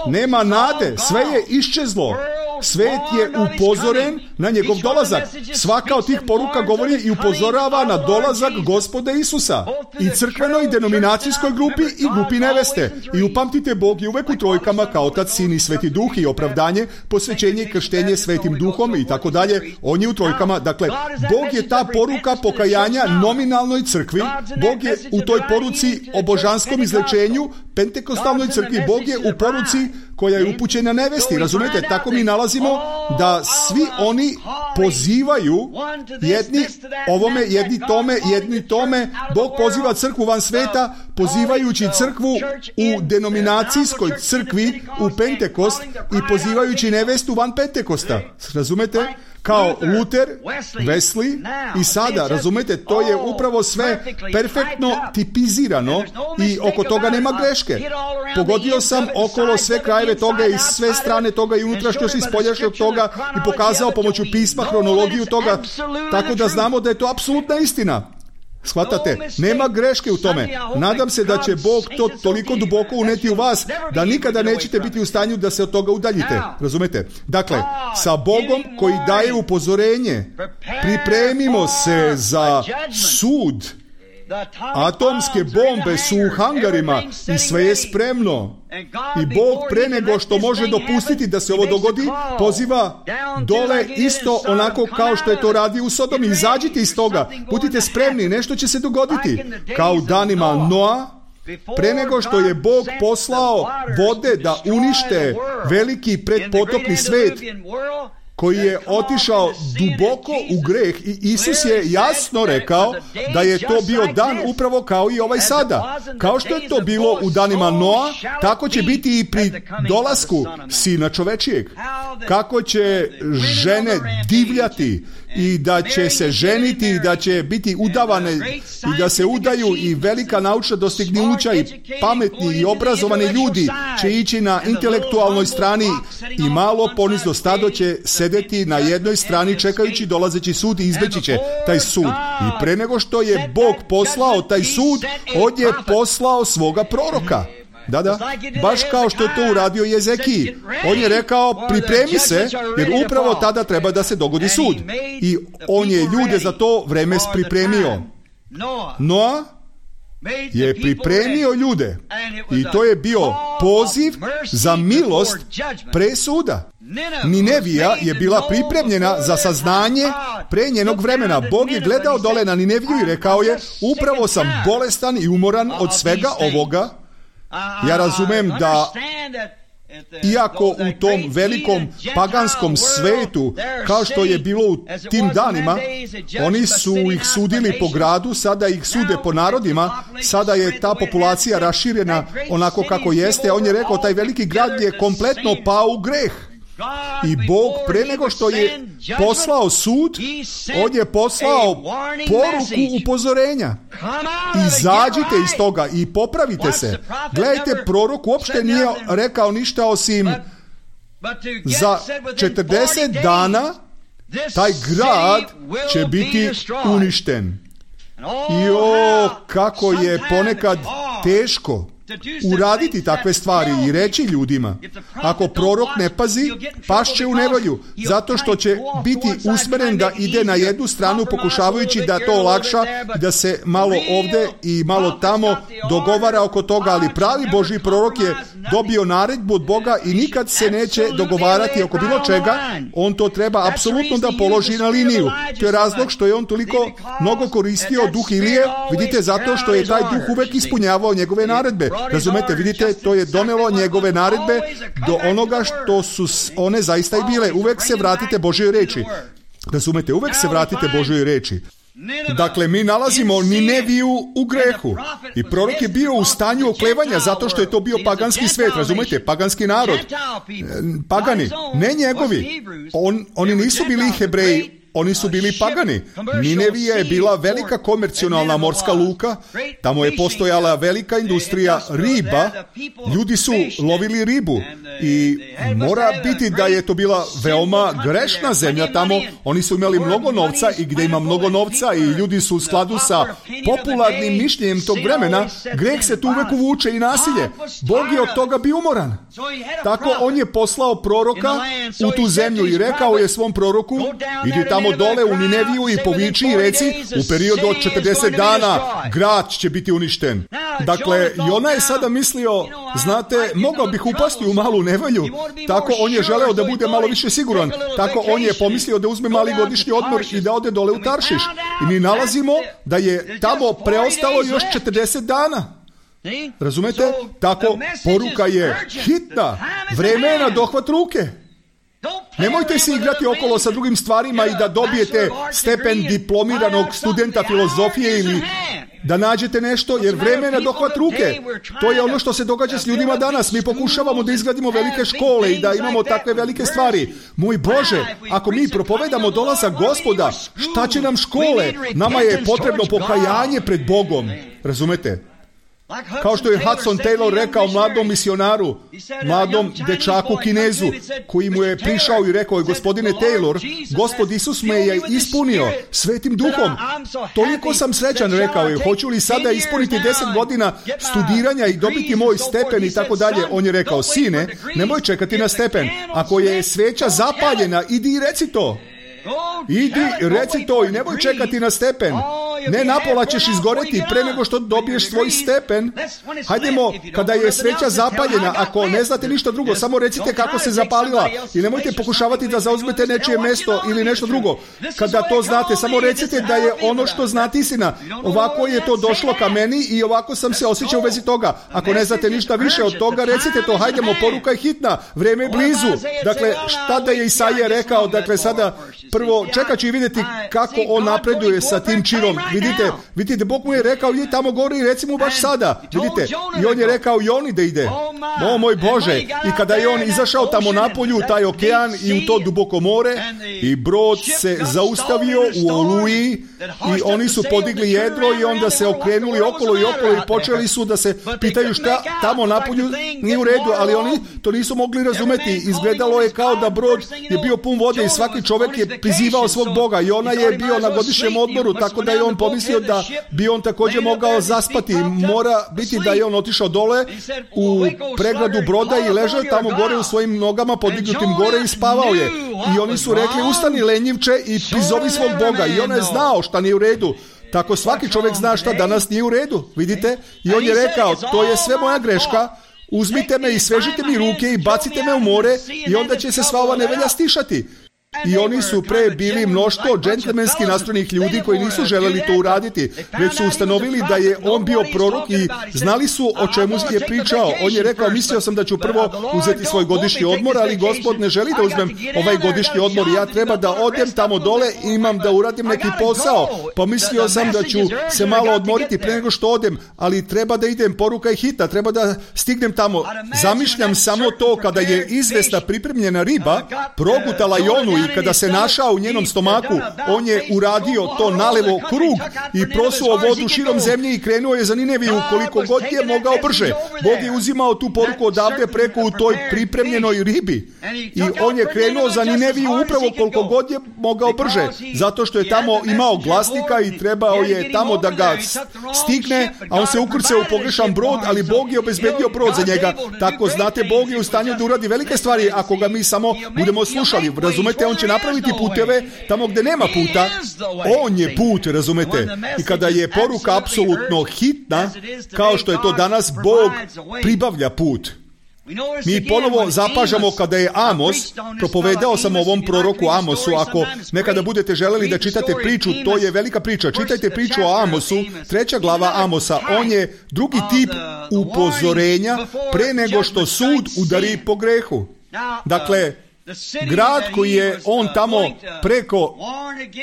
Speaker 1: Nema nade, sve je iščezlo. Svet je upozoren na njegov dolazak. Svaka od tih poruka govori i upozorava na dolazak Gospoda Isusa. I crkvenoj denominacijskoj grupi i grupi neveste. I upamtite, Bog je uvek u trojkama kao Otac, Sin i Sveti Duh, i opravdanje, posvećenje i krštenje Svetim Duhom i tako dalje. On je u trojkama. Dakle, Bog je ta poruka pokajanja nominalnoj crkvi. Bog je u toj poruci o božanskom izlečenju pentekostalnoj crkvi. Bog je u poruci koja je upućena nevesti. Razumete, tako mi nalazimo da svi oni pozivaju jedni ovome, jedni tome, jedni tome. Bog poziva crkvu van sveta, pozivajući crkvu u denominacijskoj crkvi u Pentekost i pozivajući nevestu van Pentekosta. Razumete? Kao Luther, Wesley i sada, razumete, to je upravo sve perfektno tipizirano i oko toga nema greške. Pogodio sam okolo sve krajeve toga i sve strane toga i unutrašnjost i spoljašnjost toga i pokazao pomoću pisma hronologiju toga, tako da znamo da je to apsolutna istina. Shvatate, nema greške u tome. Nadam se da će Bog to toliko duboko uneti u vas da nikada nećete biti u stanju da se od toga udaljite. Razumete? Dakle, sa Bogom koji daje upozorenje, pripremimo se za sud Atomske bombe su u hangarima i sve je spremno. I Bog pre nego što može dopustiti da se ovo dogodi, poziva dole isto onako kao što je to radio u Sodomi. Izađite iz toga, budite spremni, nešto će se dogoditi. Kao u danima Noa, pre nego što je Bog poslao vode da unište veliki predpotopni svet koji je otišao duboko u greh, i Isus je jasno rekao da je to bio dan upravo kao i ovaj sada. Kao što je to bilo u danima Noa, tako će biti i pri dolasku Sina čovečijeg. Kako će žene divljati i da će se ženiti i da će biti udavane i da se udaju, i velika naučna dostignuća i pametni i obrazovani ljudi će ići na intelektualnoj strani, i malo ponizno stado će sedeti na jednoj strani čekajući dolazeći sud i izbeći će taj sud. I pre nego što je Bog poslao taj sud, on je poslao svoga proroka. Da, da, baš kao što je to uradio Jezekiji. On je rekao, pripremi se, jer upravo tada treba da se dogodi sud. I on je ljude za to vreme pripremio. Noa je pripremio ljude, i to je bio poziv za milost pre suda. Ninevija je bila pripremljena za saznanje pre njenog vremena. Bog je gledao dole na Nineviju i rekao je, upravo sam bolestan i umoran od svega ovoga. Ja razumem da iako u tom velikom paganskom svetu, kao što je bilo u tim danima, oni su ih sudili po gradu, sada ih sude po narodima, sada je ta populacija raširena onako kako jeste. On je rekao, taj veliki grad je kompletno pao u greh. I Bog pre nego što je poslao sud, on je poslao poruku upozorenja. Izađite iz toga i popravite se. Gledajte, prorok uopšte nije rekao ništa osim za četrdeset dana taj grad će biti uništen. I o, kako je ponekad teško uraditi takve stvari i reći ljudima, ako prorok ne pazi, pašće u nevolju, zato što će biti usmeren da ide na jednu stranu pokušavajući da to olakša, da se malo ovde i malo tamo dogovara oko toga, ali pravi Božji prorok je dobio naredbu od Boga i nikad se neće dogovarati oko bilo čega. On to treba apsolutno da položi na liniju. To je razlog što je on toliko mnogo koristio duh Ilije, vidite, zato što je taj duh uvek ispunjavao njegove naredbe. Razumete, vidite, to je donelo njegove naredbe do onoga što su one zaista i bile. Uvek se vratite Božjoj reči. Razumete, uvek se vratite Božjoj reči. Dakle, mi nalazimo Nineviju u grehu i prorok je bio u stanju oklevanja zato što je to bio paganski svet, razumete, paganski narod, pagani, ne njegovi. On, oni nisu bili Hebreji, oni su bili pagani. Ninevija je bila velika komercionalna morska luka, tamo je postojala velika industrija riba, ljudi su lovili ribu i mora biti da je to bila veoma grešna zemlja tamo. Oni su imali mnogo novca i gde ima mnogo novca i ljudi su u skladu sa popularnim mišljenjem tog vremena, greh se tu uvek uvuče i nasilje. Bog je od toga bio umoran. Tako on je poslao proroka u tu zemlju i rekao je svom proroku, idi tamo dole u Nineviju i poviči i reci, u periodu od četrdeset dana grad će biti uništen. Dakle, Jona je sada mislio, znate, mogao bih upasti u malu nevolju. Tako on je želeo da bude malo više siguran. Tako on je pomislio da uzme mali godišnji odmor i da ode dole u Taršiš. I mi nalazimo da je tamo preostalo još četrdeset dana. Razumete? Tako poruka je hitna. Vreme je na dohvat ruke. Nemojte se igrati okolo sa drugim stvarima i da dobijete stepen diplomiranog studenta filozofije ili da nađete nešto, jer vreme je na dohvat ruke. To je ono što se događa s ljudima danas. Mi pokušavamo da izgradimo velike škole i da imamo takve velike stvari. Moj Bože, ako mi propovedamo dolazak Gospoda, šta će nam škole? Nama je potrebno pokajanje pred Bogom. Razumete? Kao što je Hudson Taylor rekao mladom misionaru, mladom dečaku Kinezu, koji mu je prišao i rekao, gospodine Taylor, Gospod Isus me je ispunio Svetim Duhom. Toliko sam srećan, rekao je, hoću li sada ispuniti deset godina studiranja i dobiti moj stepen i tako dalje. On je rekao, sine, nemoj čekati na stepen. Ako je sveća zapaljena, idi i reci to. Idi, reci to i nemoj čekati na stepen. Ne, napola ćeš izgoreti pre nego što dobiješ svoj stepen. Hajdemo, kada je sveća zapaljena, ako ne znate ništa drugo, samo recite kako se zapalila i nemojte pokušavati da zauzmete nečije mesto ili nešto drugo. Kada to znate, samo recite da je ono što znate istina. Ovako je to došlo ka meni i ovako sam se osjećao u vezi toga. Ako ne znate ništa više od toga, recite to. Hajdemo, poruka je hitna, vreme je blizu. Dakle, šta da je Isaija rekao? Dakle, sada prvo čekat ću i vidjeti kako on napreduje sa tim činom. Vidite, vidite, Bog mu je rekao i tamo gore i reci mu baš sada. Vidite, i on je rekao Joni da ide. O moj Bože, i kada je on izašao tamo napolju, taj okean i u to duboko more, i brod se zaustavio u oluji i oni su podigli jedro i onda se okrenuli okolo i okolo i počeli su da se pitaju šta tamo napolju nije u redu, ali oni to nisu mogli razumeti. Izgledalo je kao da brod je bio pun vode i svaki čovjek je prizivao svog Boga i ona je bio na godišnjem odmoru, tako da je on pomislio da bi on također mogao zaspati. Mora biti da je on otišao dole u pregradu broda i ležao tamo gore u svojim nogama podignutim gore i spavao je. I oni su rekli ustani lenjivče i prizovi svog Boga i on je znao šta nije u redu. Tako svaki čovjek zna šta danas nije u redu, vidite? I on je rekao, to je sve moja greška, uzmite me i svežite mi ruke i bacite me u more i onda će se sva ova nevolja stišati. I oni su pre bili mnoštvo džentlmenski nastrojenih ljudi koji nisu želeli to uraditi, već su ustanovili da je on bio prorok i znali su o čemu je pričao. On je rekao, mislio sam da ću prvo uzeti svoj godišnji odmor, ali Gospod ne želi da uzmem ovaj godišnji odmor. Ja treba da odem tamo dole i imam da uradim neki posao. Pomislio sam da ću se malo odmoriti pre nego što odem, ali treba da idem, poruka je hitna, treba da stignem tamo. Zamišljam samo to kada je izvesna pripremljena riba progutala Jonu i kada se našao u njenom stomaku, on je uradio to nalevo krug i prosuo vodu širom zemlje i krenuo je za Nineviju koliko god je mogao brže. Bog je uzimao tu poruku odavde preko u toj pripremljenoj ribi i on je krenuo za Nineviju upravo koliko god je mogao brže, zato što je tamo imao glasnika i trebao je tamo da ga stigne, a on se ukrcao u pogrešan brod, ali Bog je obezbedio brod za njega. Tako znate, Bog je u stanju da uradi velike stvari ako ga mi samo budemo slušali. Razumete, on će napraviti puteve tamo gdje nema puta. On je put, razumete. I kada je poruka apsolutno hitna, kao što je to danas, Bog pribavlja put. Mi ponovo zapažamo kada je Amos, propovedao sam o ovom proroku Amosu, ako nekada budete želeli da čitate priču, to je velika priča, čitajte priču o Amosu, treća glava Amosa, on je drugi tip upozorenja pre nego što sud udari po grehu. Dakle, grad koji je on tamo preko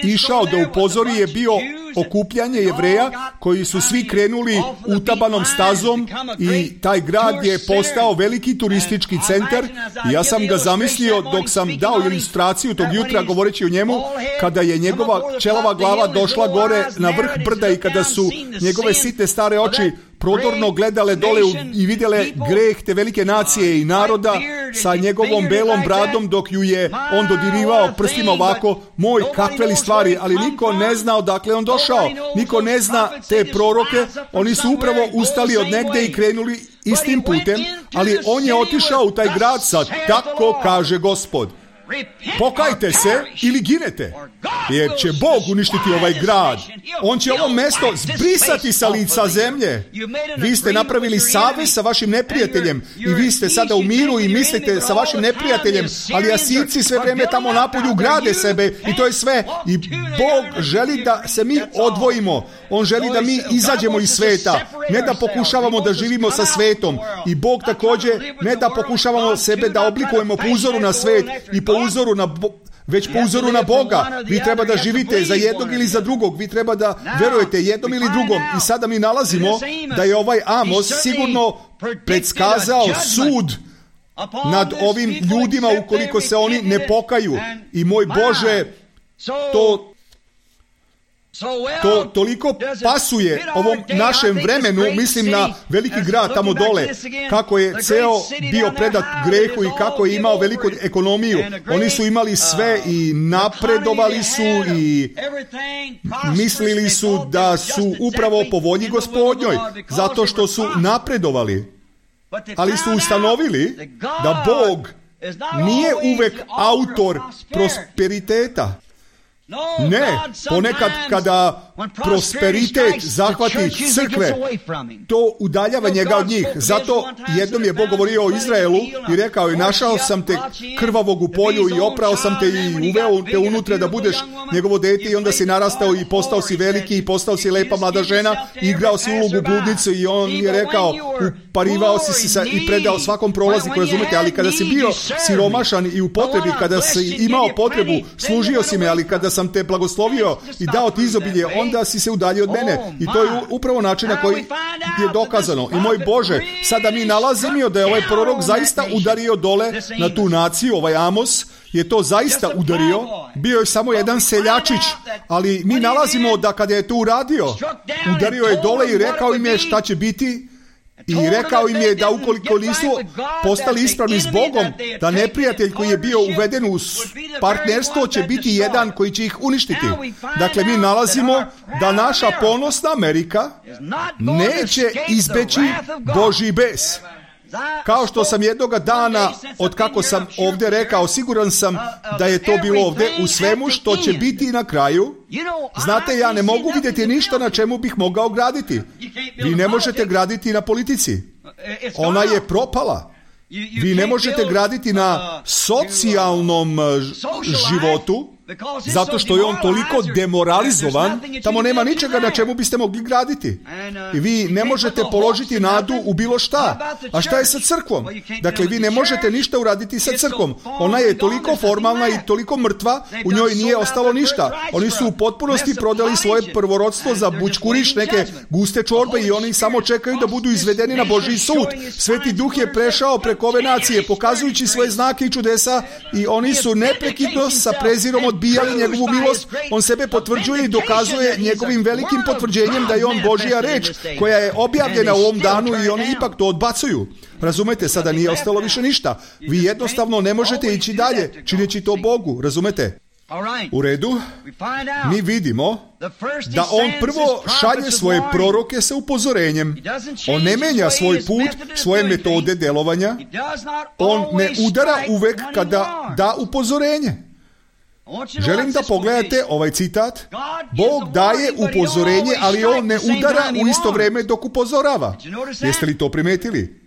Speaker 1: išao da upozori je bio okupljanje Jevreja koji su svi krenuli utabanom stazom i taj grad je postao veliki turistički centar. I ja sam ga zamislio dok sam dao ilustraciju tog jutra govoreći o njemu, kada je njegova ćelava glava došla gore na vrh brda i kada su njegove sitne stare oči prodorno gledale dole i vidjele greh te velike nacije i naroda sa njegovom belom bradom dok ju je on dodirivao prstima ovako, moj, kakve li stvari, ali niko ne zna odakle on došao, niko ne zna te proroke, oni su upravo ustali od negde i krenuli istim putem, ali on je otišao u taj grad sa tako kaže Gospod. Pokajte se ili ginete, jer će Bog uništiti ovaj grad. On će ovo mesto zbrisati sa lica zemlje. Vi ste napravili savez sa vašim neprijateljem i vi ste sada u miru i mislite sa vašim neprijateljem, ali Asirci sve vreme tamo napolju grade sebe i to je sve. I Bog želi da se mi odvojimo. On želi da mi izađemo iz sveta, ne da pokušavamo da živimo sa svetom. I Bog također ne da pokušavamo sebe da oblikujemo po uzoru na svet i po uzoru na Bo- već po uzoru na Boga. Vi treba da živite za jednog ili za drugog. Vi treba da verujete jednom ili drugom. I sada mi nalazimo da je ovaj Amos sigurno predskazao sud nad ovim ljudima ukoliko se oni ne pokaju. I moj Bože, to To toliko pasuje ovom našem vremenu, mislim na veliki grad tamo dole, kako je ceo bio predat grehu i kako je imao veliku ekonomiju. Oni su imali sve i napredovali su i mislili su da su upravo po volji Gospodnjoj, zato što su napredovali. Ali su ustanovili da Bog nije uvek autor prosperiteta. Ne, ponekad kada prosperitet zahvati crkve, to udaljava njega od njih. Zato jednom je Bog govorio o Izraelu i rekao i našao sam te krvavog u polju i oprao sam te i uveo te unutra da budeš njegovo dete i onda si narastao i postao si veliki i postao si lepa mlada žena i igrao si ulogu bludnicu i on je rekao uparivao si se i predao svakom prolazniku, razumete, ali kada si bio siromašan i u potrebi, kada si imao potrebu, služio si me, ali kada sam te blagoslovio i dao ti izobilje, onda si se udaljio od mene. I to je upravo način na koji je dokazano. I moj Bože, sada mi nalazimo da je ovaj prorok zaista udario dole na tu naciju, ovaj Amos je to zaista udario. Bio je samo jedan seljačić, ali mi nalazimo da kada je to uradio, udario je dole i rekao im je šta će biti. I rekao im je da ukoliko nisu postali ispravni s Bogom, da neprijatelj koji je bio uveden u partnerstvo će biti jedan koji će ih uništiti. Dakle, mi nalazimo da naša ponosna Amerika neće izbeći Božji bes. Kao što sam jednoga dana, od kako sam ovdje rekao, siguran sam da je to bilo ovdje u svemu što će biti na kraju. Znate, ja ne mogu vidjeti ništa na čemu bih mogao graditi. Vi ne možete graditi na politici. Ona je propala. Vi ne možete graditi na socijalnom životu, zato što je on toliko demoralizovan, tamo nema ničega na čemu biste mogli graditi. I vi ne možete položiti nadu u bilo šta. A šta je sa crkvom? Dakle, vi ne možete ništa uraditi sa crkvom. Ona je toliko formalna i toliko mrtva, u njoj nije ostalo ništa. Oni su u potpunosti prodali svoje prvorodstvo za bućkuriš, neke guste čorbe i oni samo čekaju da budu izvedeni na Božji sud. Sveti Duh je prešao preko ove nacije, pokazujući svoje znake i čudesa i oni su neprekidno sa prezirom odbijali njegovu milost. On sebe potvrđuje i dokazuje njegovim velikim potvrđenjem da je on Božja reč koja je objavljena u ovom danu i oni ipak to odbacuju. Razumete, sada nije ostalo više ništa. Vi jednostavno ne možete ići dalje čineći to Bogu, razumete? U redu, mi vidimo da on prvo šalje svoje proroke sa upozorenjem. On ne menja svoj put, svoje metode delovanja. On ne udara uvek kada da upozorenje. Želim da pogledate ovaj citat. Bog daje upozorenje, ali on ne udara u isto vrijeme dok upozorava. Jeste li to primetili?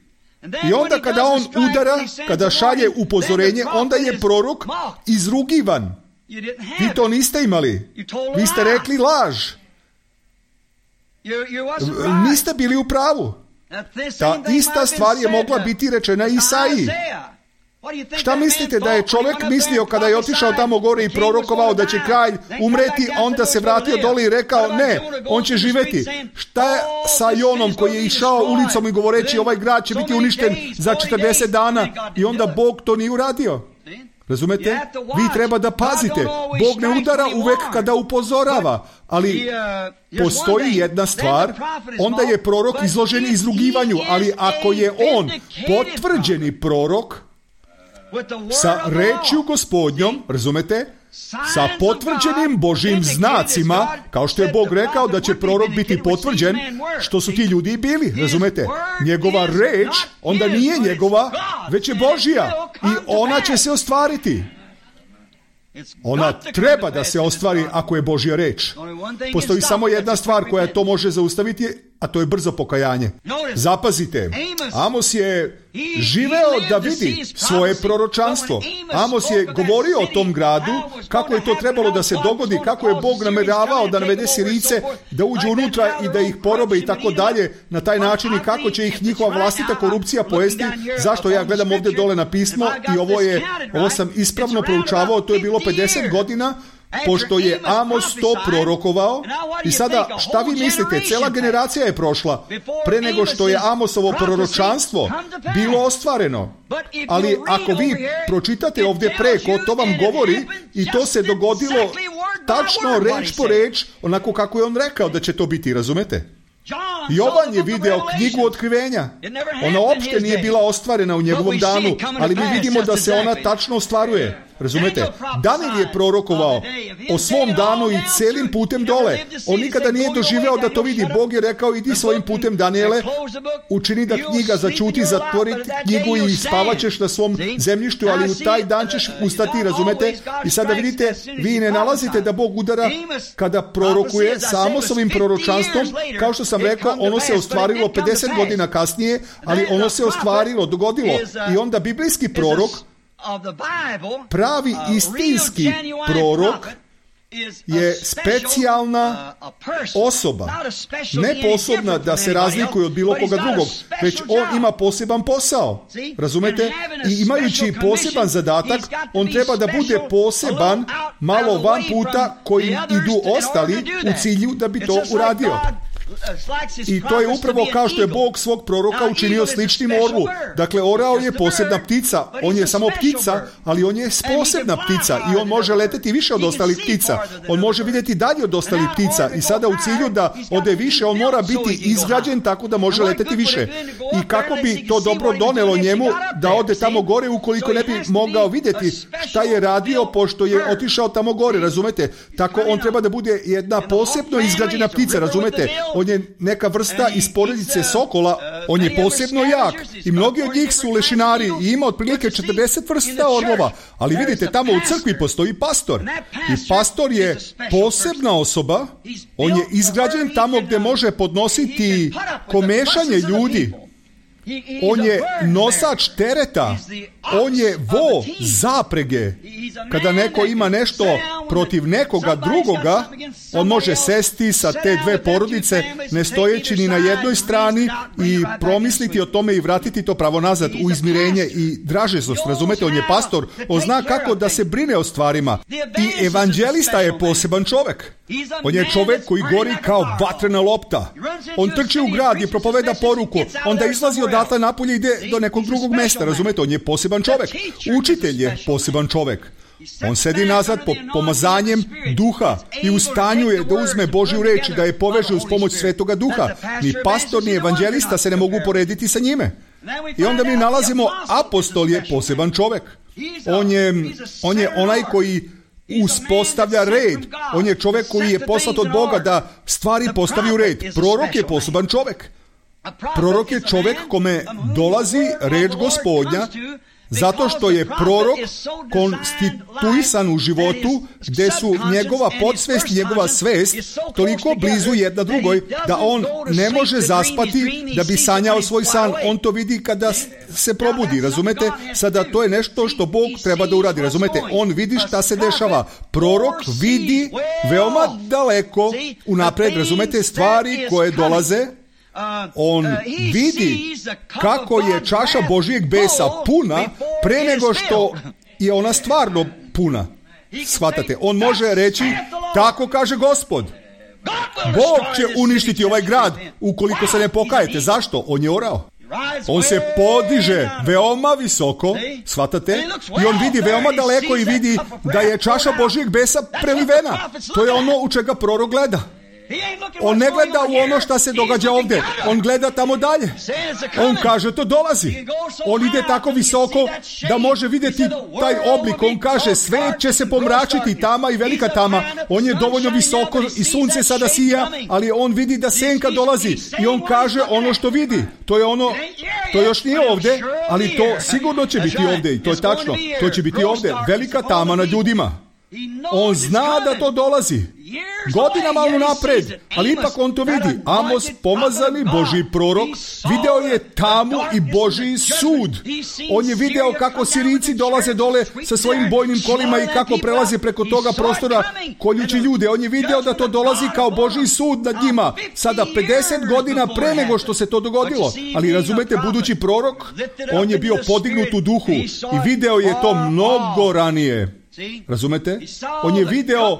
Speaker 1: I onda kada on udara, kada šalje upozorenje, onda je prorok izrugivan. Vi to niste imali. Vi ste rekli laž. Niste bili u pravu. Ta ista stvar je mogla biti rečena Isaiji. Šta mislite da je čovjek mislio kada je otišao tamo gore i prorokovao da će kralj umreti, a onda se vratio dole i rekao ne, on će živjeti. Šta je sa Jonom koji je išao ulicom i govoreći ovaj grad će biti uništen za četrdeset dana i onda Bog to nije uradio? Razumete? Vi treba da pazite. Bog ne udara uvek kada upozorava, ali postoji jedna stvar, onda je prorok izložen izrugivanju, ali ako je on potvrđeni prorok sa rečju Gospodnjom, razumete, sa potvrđenim Božjim znacima, kao što je Bog rekao da će prorok biti potvrđen, što su ti ljudi i bili, razumete? Njegova reč onda nije njegova, već je Božja i ona će se ostvariti. Ona treba da se ostvari ako je Božja reč. Postoji samo jedna stvar koja to može zaustaviti, a to je brzo pokajanje. Zapazite, Amos je živeo da vidi svoje proročanstvo. Amos je govorio o tom gradu, kako je to trebalo da se dogodi, kako je Bog nameravao da navede Sirijce, da uđu unutra i da ih porobe i tako dalje, na taj način i kako će ih njihova vlastita korupcija pojesti. Zašto ja gledam ovdje dole na pismo i ovo je, ovo sam ispravno proučavao, to je bilo pedeset godina, pošto je Amos to prorokovao. I sada, šta vi mislite? Cela generacija je prošla pre nego što je Amosovo proročanstvo bilo ostvareno. Ali ako vi pročitate ovdje preko, to vam govori i to se dogodilo tačno reč po reč, onako kako je on rekao da će to biti, razumete? Jovan je video knjigu otkrivenja. Ona uopšte nije bila ostvarena u njegovom danu, ali mi vidimo da se ona tačno ostvaruje. Razumete? Daniel je prorokovao o svom danu i celim putem dole. On nikada nije doživeo da to vidi. Bog je rekao, idi svojim putem, Daniele, učini da knjiga začuti, zatvori knjigu i spavaćeš na svom zemljištu, ali u taj dan ćeš ustati, razumete? I sada vidite, vi ne nalazite da Bog udara kada prorokuje samo s ovim proročanstvom. Kao što sam rekao, ono se ostvarilo pedeset godina kasnije, ali ono se ostvarilo, dogodilo. I onda biblijski prorok, pravi istinski prorok, je specijalna osoba, ne posebna da se razlikuje od bilo koga drugog, već on ima poseban posao, razumete? I imajući poseban zadatak, on treba da bude poseban malo van puta koji idu ostali u cilju da bi to uradio. I to je upravo kao što je Bog svog proroka učinio sličnim orlu. Dakle, orao je posebna ptica. On je samo ptica, ali on je posebna ptica i on može leteti više od ostalih ptica. On može vidjeti dalje od ostalih ptica i sada u cilju da ode više, on mora biti izgrađen tako da može leteti više. I kako bi to dobro donelo njemu da ode tamo gore ukoliko ne bi mogao vidjeti šta je radio pošto je otišao tamo gore, razumete? Tako on treba da bude jedna posebno izgrađena ptica, razumete? On je neka vrsta iz porodice sokola, on je posebno jak i mnogi od njih su lešinari i ima otprilike četrdeset vrsta orlova, ali vidite, tamo u crkvi postoji pastor i pastor je posebna osoba, on je izgrađen tamo gdje može podnositi komešanje ljudi. On je nosač tereta, on je vo zaprege. Kada neko ima nešto protiv nekoga drugoga, on može sesti sa te dve porodice, ne stojeći ni na jednoj strani, i promisliti o tome i vratiti to pravo nazad u izmirenje i dražezost. Razumete, on je pastor, on zna kako da se brine o stvarima. I evanđelista je poseban čovjek. On je čovjek koji gori kao vatrena lopta. On trči u grad i propoveda poruku, onda izlazi odatle napolje i ide do nekog drugog mesta. Razumete, on je poseban čovjek. Učitelj je poseban čovjek. On sedi nazad po pomazanjem duha i u stanju je da uzme Božju reč i da je poveže uz pomoć Svetoga duha. Ni pastor, ni evanđelista se ne mogu porediti sa njime. I onda mi nalazimo, apostol je poseban čovjek. On je, on je onaj koji uspostavlja red. On je čovjek koji je poslat od Boga da stvari postavi u red. Prorok je poseban čovjek. Prorok je čovjek kome dolazi reč Gospodnja, zato što je prorok konstituisan u životu gdje su njegova podsvest i njegova svest toliko blizu jedna drugoj da on ne može zaspati da bi sanjao svoj san. On to vidi kada se probudi, razumete? Sada to je nešto što Bog treba da uradi, razumete? On vidi šta se dešava. Prorok vidi veoma daleko unapred, razumete, stvari koje dolaze. On vidi kako je čaša Božijeg besa puna pre nego što je ona stvarno puna. Shvatate? On može reći, tako kaže Gospod. Bog će uništiti ovaj grad ukoliko se ne pokajete. Zašto? On je orao. On se podiže veoma visoko, shvatate? I on vidi veoma daleko i vidi da je čaša Božijeg besa prelivena. To je ono u čega prorok gleda. On ne gleda u ono što se događa ovdje. On gleda tamo dalje. On kaže, to dolazi. On ide tako visoko da može vidjeti taj oblik. On kaže, sve će se pomračiti, tama i velika tama. On je dovoljno visoko i sunce sada sija, ali on vidi da senka dolazi. I on kaže ono što vidi. To je ono, to još nije ovdje, ali to sigurno će biti ovdje. I to je tačno. To će biti ovdje. Velika tama nad ljudima. On zna da to dolazi. Godinama unapred, ali ipak on to vidi. Amos, pomazani Božji prorok, video je tamu i Božji sud. On je video kako Sirijci dolaze dole sa svojim bojnim kolima i kako prelaze preko toga prostora koljući ljude. On je video da to dolazi kao Božji sud nad njima. Sada pedeset godina pre nego što se to dogodilo. Ali razumete, budući prorok, on je bio podignut u duhu i video je to mnogo ranije. Razumete? On je video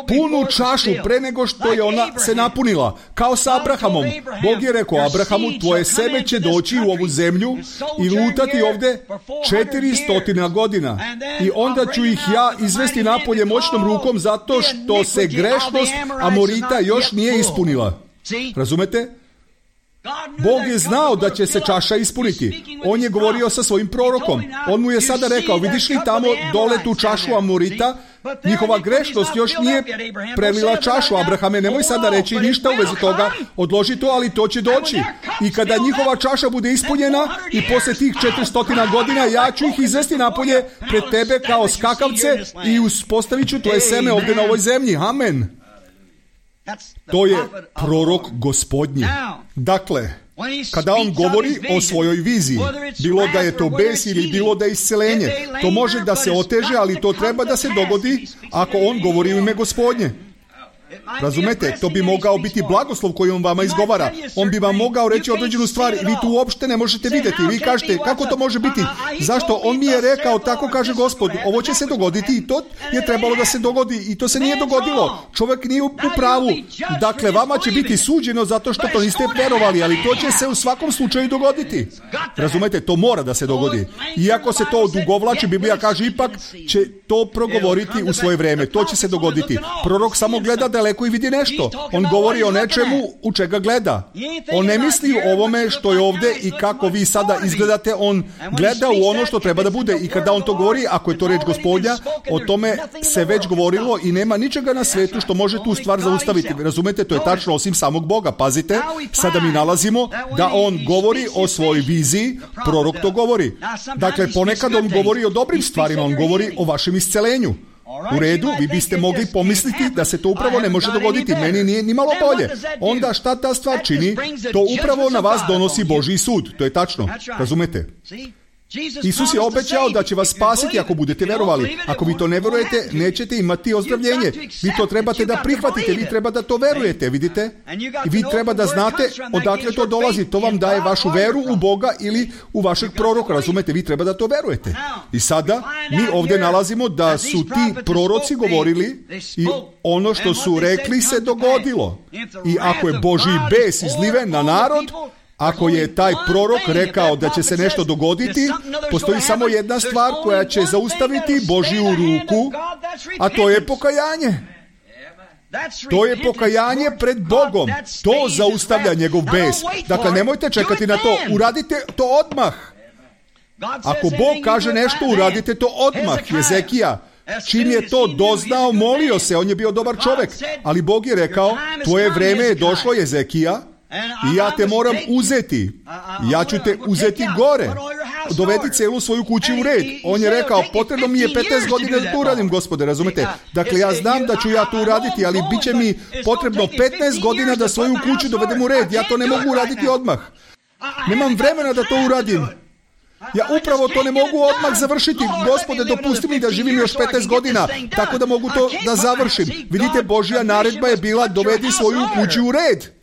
Speaker 1: punu čašu pre nego što je ona se napunila. Kao sa Abrahamom. Bog je rekao Abrahamu, tvoje seme će doći u ovu zemlju i lutati ovdje četiristo godina. I onda ću ih ja izvesti napolje moćnom rukom zato što se grešnost Amorita još nije ispunila. Razumete? Bog je znao da će se čaša ispuniti. On je govorio sa svojim prorokom. On mu je sada rekao, vidiš li tamo dole tu čašu Amorita? Njihova grešnost još nije prelila čašu. Abrahame, nemoj sada reći ništa u vezi toga, odloži to, ali to će doći. I kada njihova čaša bude ispunjena i posle tih četiristo godina, ja ću ih izvesti napolje pred tebe kao skakavce i uspostavit ću tvoje seme ovdje na ovoj zemlji. Amen. To je prorok Gospodnji. Dakle, kada on govori o svojoj viziji, bilo da je to bes ili bilo da je isceljenje, to može da se oteže, ali to treba da se dogodi ako on govori u ime Gospodnje. Razumete, to bi mogao biti blagoslov koji on vama izgovara. On bi vam mogao reći određenu stvar i vi tu uopšte ne možete vidjeti. Vi kažete, kako to može biti? Zašto? On mi je rekao, tako kaže Gospod, ovo će se dogoditi i to je trebalo da se dogodi i to se nije dogodilo. Čovjek nije u pravu. Dakle, vama će biti suđeno zato što to niste verovali, ali to će se u svakom slučaju dogoditi. Razumete, to mora da se dogodi. Iako se to odugovlači, Biblija kaže, ipak će to progovoriti u svoje vreme. To će se dogoditi. Prorok samo gleda daleko i vidi nešto. On govori o nečemu u čega gleda. On ne misli o ovome što je ovdje i kako vi sada izgledate. On gleda u ono što treba da bude. I kada on to govori, ako je to reč Gospodnja, o tome se već govorilo i nema ničega na svetu što može tu stvar zaustaviti. Razumete, to je tačno osim samog Boga. Pazite, sada mi nalazimo da on govori o svojoj viziji, prorok to govori. Dakle, ponekad on govori o dobrim stvarima, on govori o vašem iscelenju. U redu, vi biste mogli pomisliti da se to upravo ne može dogoditi. Meni nije ni malo bolje. Onda šta ta stvar čini? To upravo na vas donosi Božji sud. To je tačno. Razumete? Isus je obećao da će vas spasiti ako budete verovali. Ako vi to ne verujete, nećete imati ozdravljenje. Vi to trebate da prihvatite, vi treba da to verujete, vidite? I vi treba da znate odakle to dolazi. To vam daje vašu veru u Boga ili u vašeg proroka, razumete? Vi treba da to verujete. I sada mi ovdje nalazimo da su ti proroci govorili i ono što su rekli se dogodilo. I ako je Božji bes izliven na narod, ako je taj prorok rekao da će se nešto dogoditi, postoji samo jedna stvar koja će zaustaviti Božju ruku, a to je pokajanje. To je pokajanje pred Bogom. To zaustavlja njegov bes. Dakle, nemojte čekati na to. Uradite to odmah. Ako Bog kaže nešto, uradite to odmah. Jezekija, čim je to doznao, molio se. On je bio dobar čovjek. Ali Bog je rekao, tvoje vreme je došlo, Jezekija, i ja te moram uzeti. Ja ću te uzeti gore. Dovedi celu svoju kuću u red. On je rekao, potrebno mi je petnaest godina da to uradim, Gospode, razumete? Dakle, ja znam da ću ja to uraditi, ali bit će mi potrebno petnaest godina da svoju kuću dovedem u red. Ja to ne mogu uraditi odmah. Nemam vremena da to uradim. Ja upravo to ne mogu odmah završiti. Gospode, dopusti mi da živim još petnaest godina, tako da mogu to da završim. Vidite, Božja naredba je bila, dovedi svoju kuću u red.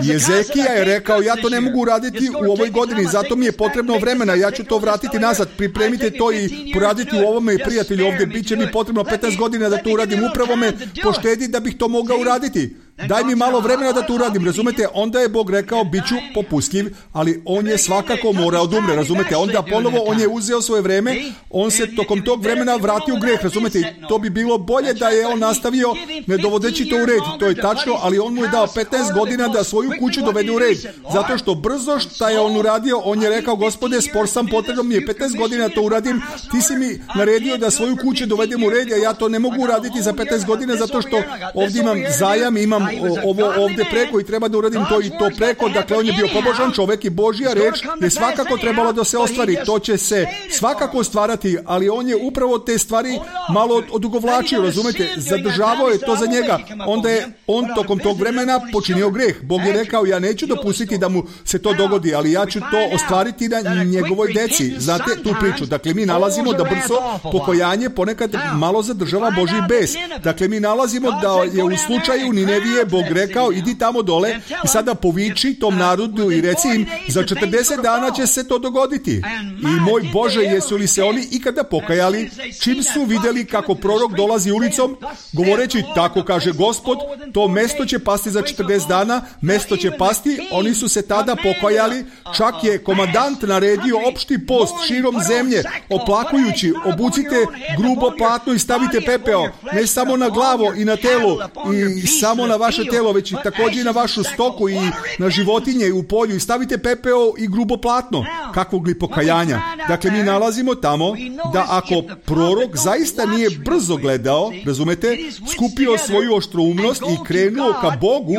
Speaker 1: Jezekija je rekao, ja to ne mogu uraditi u ovoj godini, zato mi je potrebno vremena, ja ću to vratiti nazad, pripremite to i poraditi u ovome, prijatelji, ovdje bit će mi potrebno petnaest godina da to uradim, upravo me poštedi da bih to mogao uraditi. Daj mi malo vremena da to uradim, razumete? Onda je Bog rekao, bit ću popustljiv, ali on je svakako morao da umre, razumete? Onda ponovo on je uzeo svoje vreme, on se tokom tog vremena vratio u greh, razumete? I to bi bilo bolje da je on nastavio ne dovodeći to u red, to je tačno, ali on mu je dao petnaest godina da svoju kuću dovede u red, zato što brzo šta je on uradio, on je rekao, Gospode, spor sam, potrebno mi je petnaest godina to uradim, ti si mi naredio da svoju kuću dovedem u red, a ja to ne mogu uraditi za petnaest godina, zato što ovdje imam zajam, imam ovo ovdje preko i treba da uradim to i to preko. Dakle, on je bio pobožan čovjek i Božja reč je svakako trebala da se ostvari. To će se svakako ostvarati, ali on je upravo te stvari malo odugovlačio, razumete? Zadržavao je to za njega. Onda je on tokom tog vremena počinio greh. Bog je rekao, ja neću dopustiti da mu se to dogodi, ali ja ću to ostvariti na njegovoj deci. Znate tu priču? Dakle, mi nalazimo da brzo pokajanje ponekad malo zadržava Božji bes. Dakle, mi nalazimo da je u slučaju Ninevije Bog rekao, idi tamo dole i sada poviči tom narodu i reci im, za četrdeset dana će se to dogoditi. I moj Bože, jesu li se oni ikada pokajali, čim su vidjeli kako prorok dolazi ulicom, govoreći, tako kaže Gospod, to mesto će pasti za četrdeset dana, mesto će pasti, oni su se tada pokajali, čak je komandant naredio opšti post širom zemlje, oplakujući, obucite grubo platno i stavite pepeo, ne samo na glavo i na telo, i samo na vaše telo, već i također i na vašu stoku i na životinje i u polju i stavite pepeo i grubo platno. Kakvog li pokajanja? Dakle, mi nalazimo tamo da ako prorok zaista nije brzo gledao, razumete, skupio svoju oštroumnost i krenuo ka Bogu,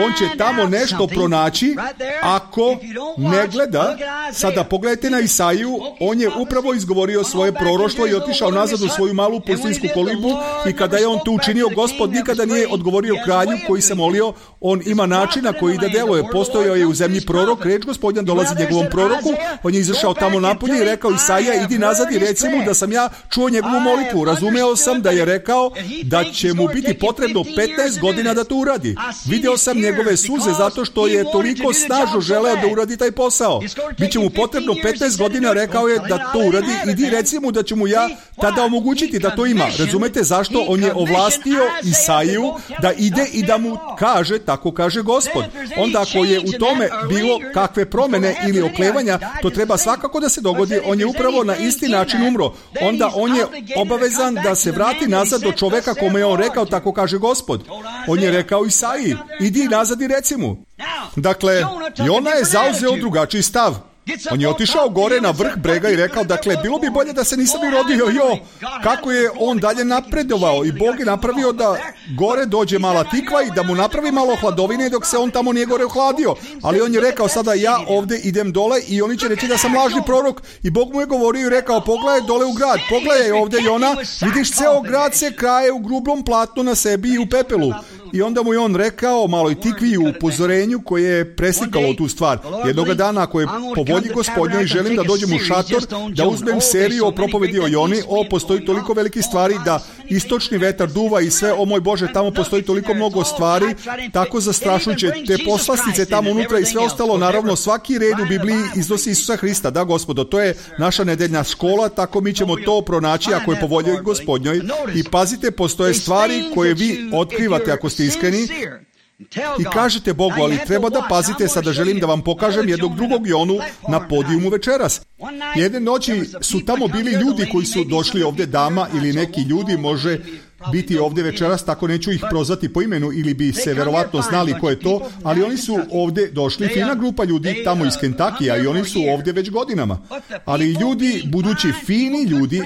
Speaker 1: on će tamo nešto pronaći. Ako ne gleda, sada pogledajte na Isaiju, on je upravo izgovorio svoje proroštvo i otišao nazad u svoju malu pustinsku kolibu i kada je on to učinio, Gospod nikada nije odgovorio kralju koji se molio, on ima način na koji da deluje. Postojao je u zemlji prorok, reč Gospodnja dolazi njegovom proroku, on je izašao tamo napolje i rekao Isaija, idi nazad i reci mu da sam ja čuo njegovu molitvu. Razumeo sam da je rekao da će mu biti potrebno petnaest godina da to uradi. Video sam njegove suze zato što je toliko snažno želeo da uradi taj posao. Biće mu potrebno petnaest godina, rekao je da to uradi, idi reci mu da će mu ja tada omogućiti da to ima. Razumete zašto? On je ovlastio Isaiju da ide i da mu kaže, tako kaže Gospod. Onda ako je u tome bilo kakve promene ili oklevanja, to treba svakako da se dogodi. On je upravo na isti način umro. Onda on je obavezan da se vrati nazad do čoveka kome je on rekao, tako kaže Gospod. On je rekao Isaiji, idi nazad i reci mu. Dakle, Jona je zauzeo drugačiji stav. On je otišao gore na vrh brega i rekao, dakle, bilo bi bolje da se nisam i rodio, jo, kako je on dalje napredovao i Bog je napravio da gore dođe mala tikva i da mu napravi malo hladovine dok se on tamo nije gore ohladio. Ali on je rekao, sada ja ovdje idem dole i oni će reći da sam lažni prorok i Bog mu je govorio i rekao, pogledaj dole u grad, pogledaj ovdje Jona, vidiš ceo grad se kraje u grublom platnu na sebi i u pepelu. I onda mu je on rekao maloj tikvi u upozorenju koje je preslikalo tu stvar. Jednoga dana ako je po volji Gospodnjoj želim da dođem u šator, da uzmem seriju o propovedi o Joni, o postoji toliko veliki stvari da istočni vetar duva i sve, o moj Bože, tamo postoji toliko mnogo stvari, tako zastrašujuće, te poslastice tamo unutra i sve ostalo, naravno svaki red u Bibliji iznosi Isusa Hrista, da Gospodo, to je naša nedeljna škola, tako mi ćemo to pronaći ako je po volji Gospodnjoj. I pazite, postoje stvari koje vi otkrivate ako ste iskreni i kažete Bogu, ali treba da pazite, sada želim da vam pokažem jednog drugog Jonu na podijumu večeras. Jedne noći su tamo bili ljudi koji su došli ovdje, dama ili neki ljudi, može biti ovdje večeras, tako neću ih prozvati po imenu ili bi se verovatno znali ko je to, ali oni su ovdje došli, fina grupa ljudi tamo iz Kentakija i oni su ovdje već godinama. Ali ljudi, budući fini ljudi,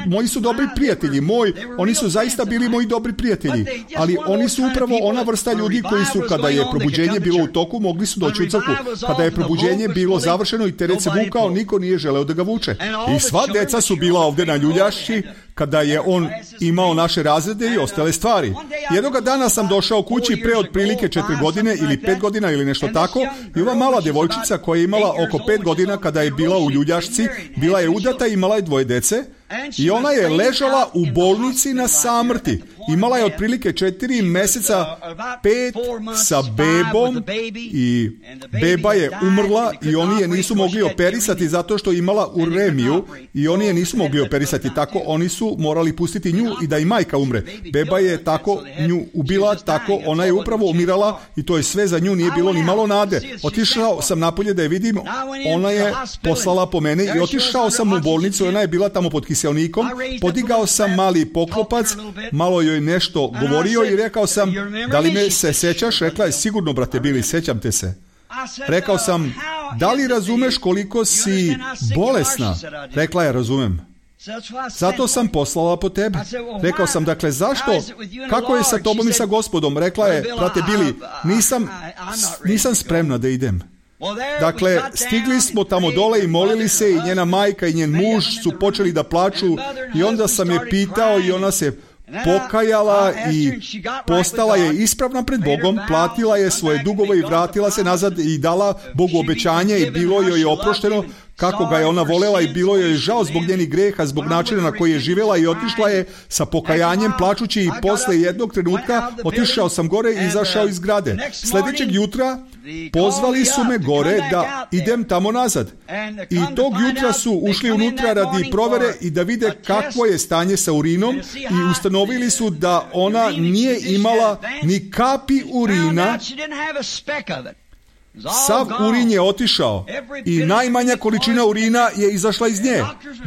Speaker 1: moji su dobri prijatelji, moj, oni su zaista bili moji dobri prijatelji, ali oni su upravo ona vrsta ljudi koji su, kada je probuđenje bilo u toku, mogli su doći u crkvu. Kada je probuđenje bilo završeno i teret se vukao, niko nije želeo da ga vuče. I sva deca su bila ovdje na ljuljašći, kada je on imao naše razrede i ostale stvari. Jednoga dana sam došao kući pre otprilike četiri godine ili pet godina ili nešto tako i ova mala devojčica koja je imala oko pet godina kada je bila u ljuljašci, bila je udata i imala je dvoje dece i ona je ležala u bolnici na samrti. Imala je otprilike četiri meseca, pet sa bebom i beba je umrla i oni je nisu mogli operisati zato što je imala uremiju i oni je nisu mogli operisati. Tako oni su morali pustiti nju i da i majka umre. Beba je tako nju ubila, tako ona je upravo umirala i to je sve, za nju nije bilo ni malo nade. Otišao sam napolje da je vidim, ona je poslala po mene i otišao sam u bolnicu, ona je bila tamo pod kiselnikom, podigao sam mali poklopac, malo joj nešto govorio i rekao sam, da li me se sećaš? Rekla je, sigurno brate Bili, sećam te se. Rekao sam, da li razumeš koliko si bolesna? Rekla je, razumem. Zato sam poslala po tebe. Rekao sam, dakle, zašto? Kako je sa tobom i sa Gospodom? Rekla je, brate Bili, nisam, nisam spremna da idem. Dakle, stigli smo tamo dole i molili se i njena majka i njen muž su počeli da plaču i onda sam je pitao i ona se pokajala i postala je ispravna pred Bogom, platila je svoje dugove i vratila se nazad i dala Bogu obećanje i bilo joj je oprošteno kako ga je ona volela i bilo joj je žao zbog njenih greha, zbog načina na koji je živjela i otišla je sa pokajanjem plačući i posle jednog trenutka otišao sam gore i izašao iz zgrade. Sljedećeg jutra pozvali su me gore da idem tamo nazad. I tog jutra su ušli unutra radi provere i da vide kakvo je stanje sa urinom i ustanovili su da ona nije imala ni kapi urina. Sav urin je otišao i najmanja količina urina je izašla iz nje.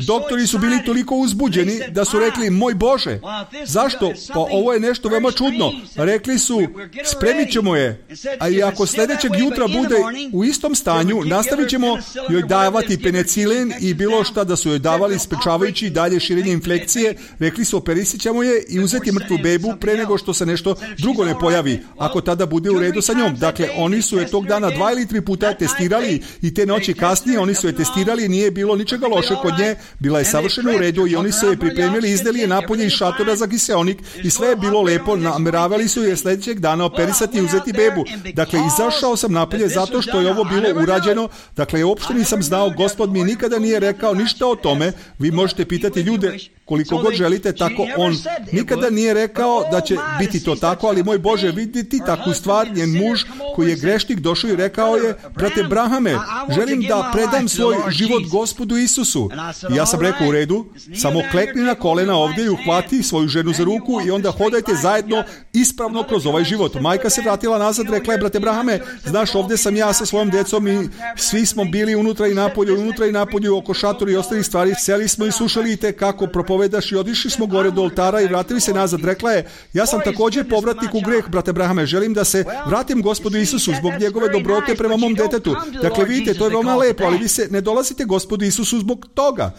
Speaker 1: Doktori su bili toliko uzbuđeni da su rekli, moj Bože, zašto? Pa ovo je nešto veoma čudno. Rekli su, spremit ćemo je, a i ako sljedećeg jutra bude u istom stanju, nastavit ćemo joj davati penicilin i bilo šta da su joj davali sprečavajući dalje širenje infekcije. Rekli su, operisit ćemo je i uzeti mrtvu bebu pre nego što se nešto drugo ne pojavi, ako tada bude u redu sa njom. Dakle, oni su je tog dana dva ili tri puta testirali i te noći kasnije oni su je testirali, nije bilo ničega loše kod nje, bila je savršeno u redu i oni su je pripremili, izdali je napolje iz šatora za kiseonik i sve je bilo lepo, nameravali su je sljedećeg dana operisati i uzeti bebu. Dakle, izašao sam napolje zato što je ovo bilo urađeno, dakle, uopšte nisam znao, Gospod mi nikada nije rekao ništa o tome, vi možete pitati ljude koliko god želite, tako on nikada nije rekao da će biti to tako, ali moj Bože, vidjeti takvu stvar, njen muž koji je grešnik došao i rekao je, brate Brahame, želim da predam svoj život Gospodu Isusu. I ja sam rekao, u redu, samo klekni na kolena ovdje i uhvati svoju ženu za ruku i onda hodajte zajedno ispravno kroz ovaj život. Majka se vratila nazad, rekla je, brate Brahame, znaš, ovdje sam ja sa svojom djecom i svi smo bili unutra i napolju, unutra i napolju, oko šatora i ostalih stvari, seli smo i slušali i te kako propovedaš i odišli smo gore do oltara i vratili se nazad. Rekla je, ja sam također povratnik u greh, brate Brahame, želim da se vratim Gospodu Isusu zbog njegove dobrote prema mom detetu. Dakle, vidite, to je veoma lepo, ali vi se ne dolazite Gospodu Isusu zbog toga.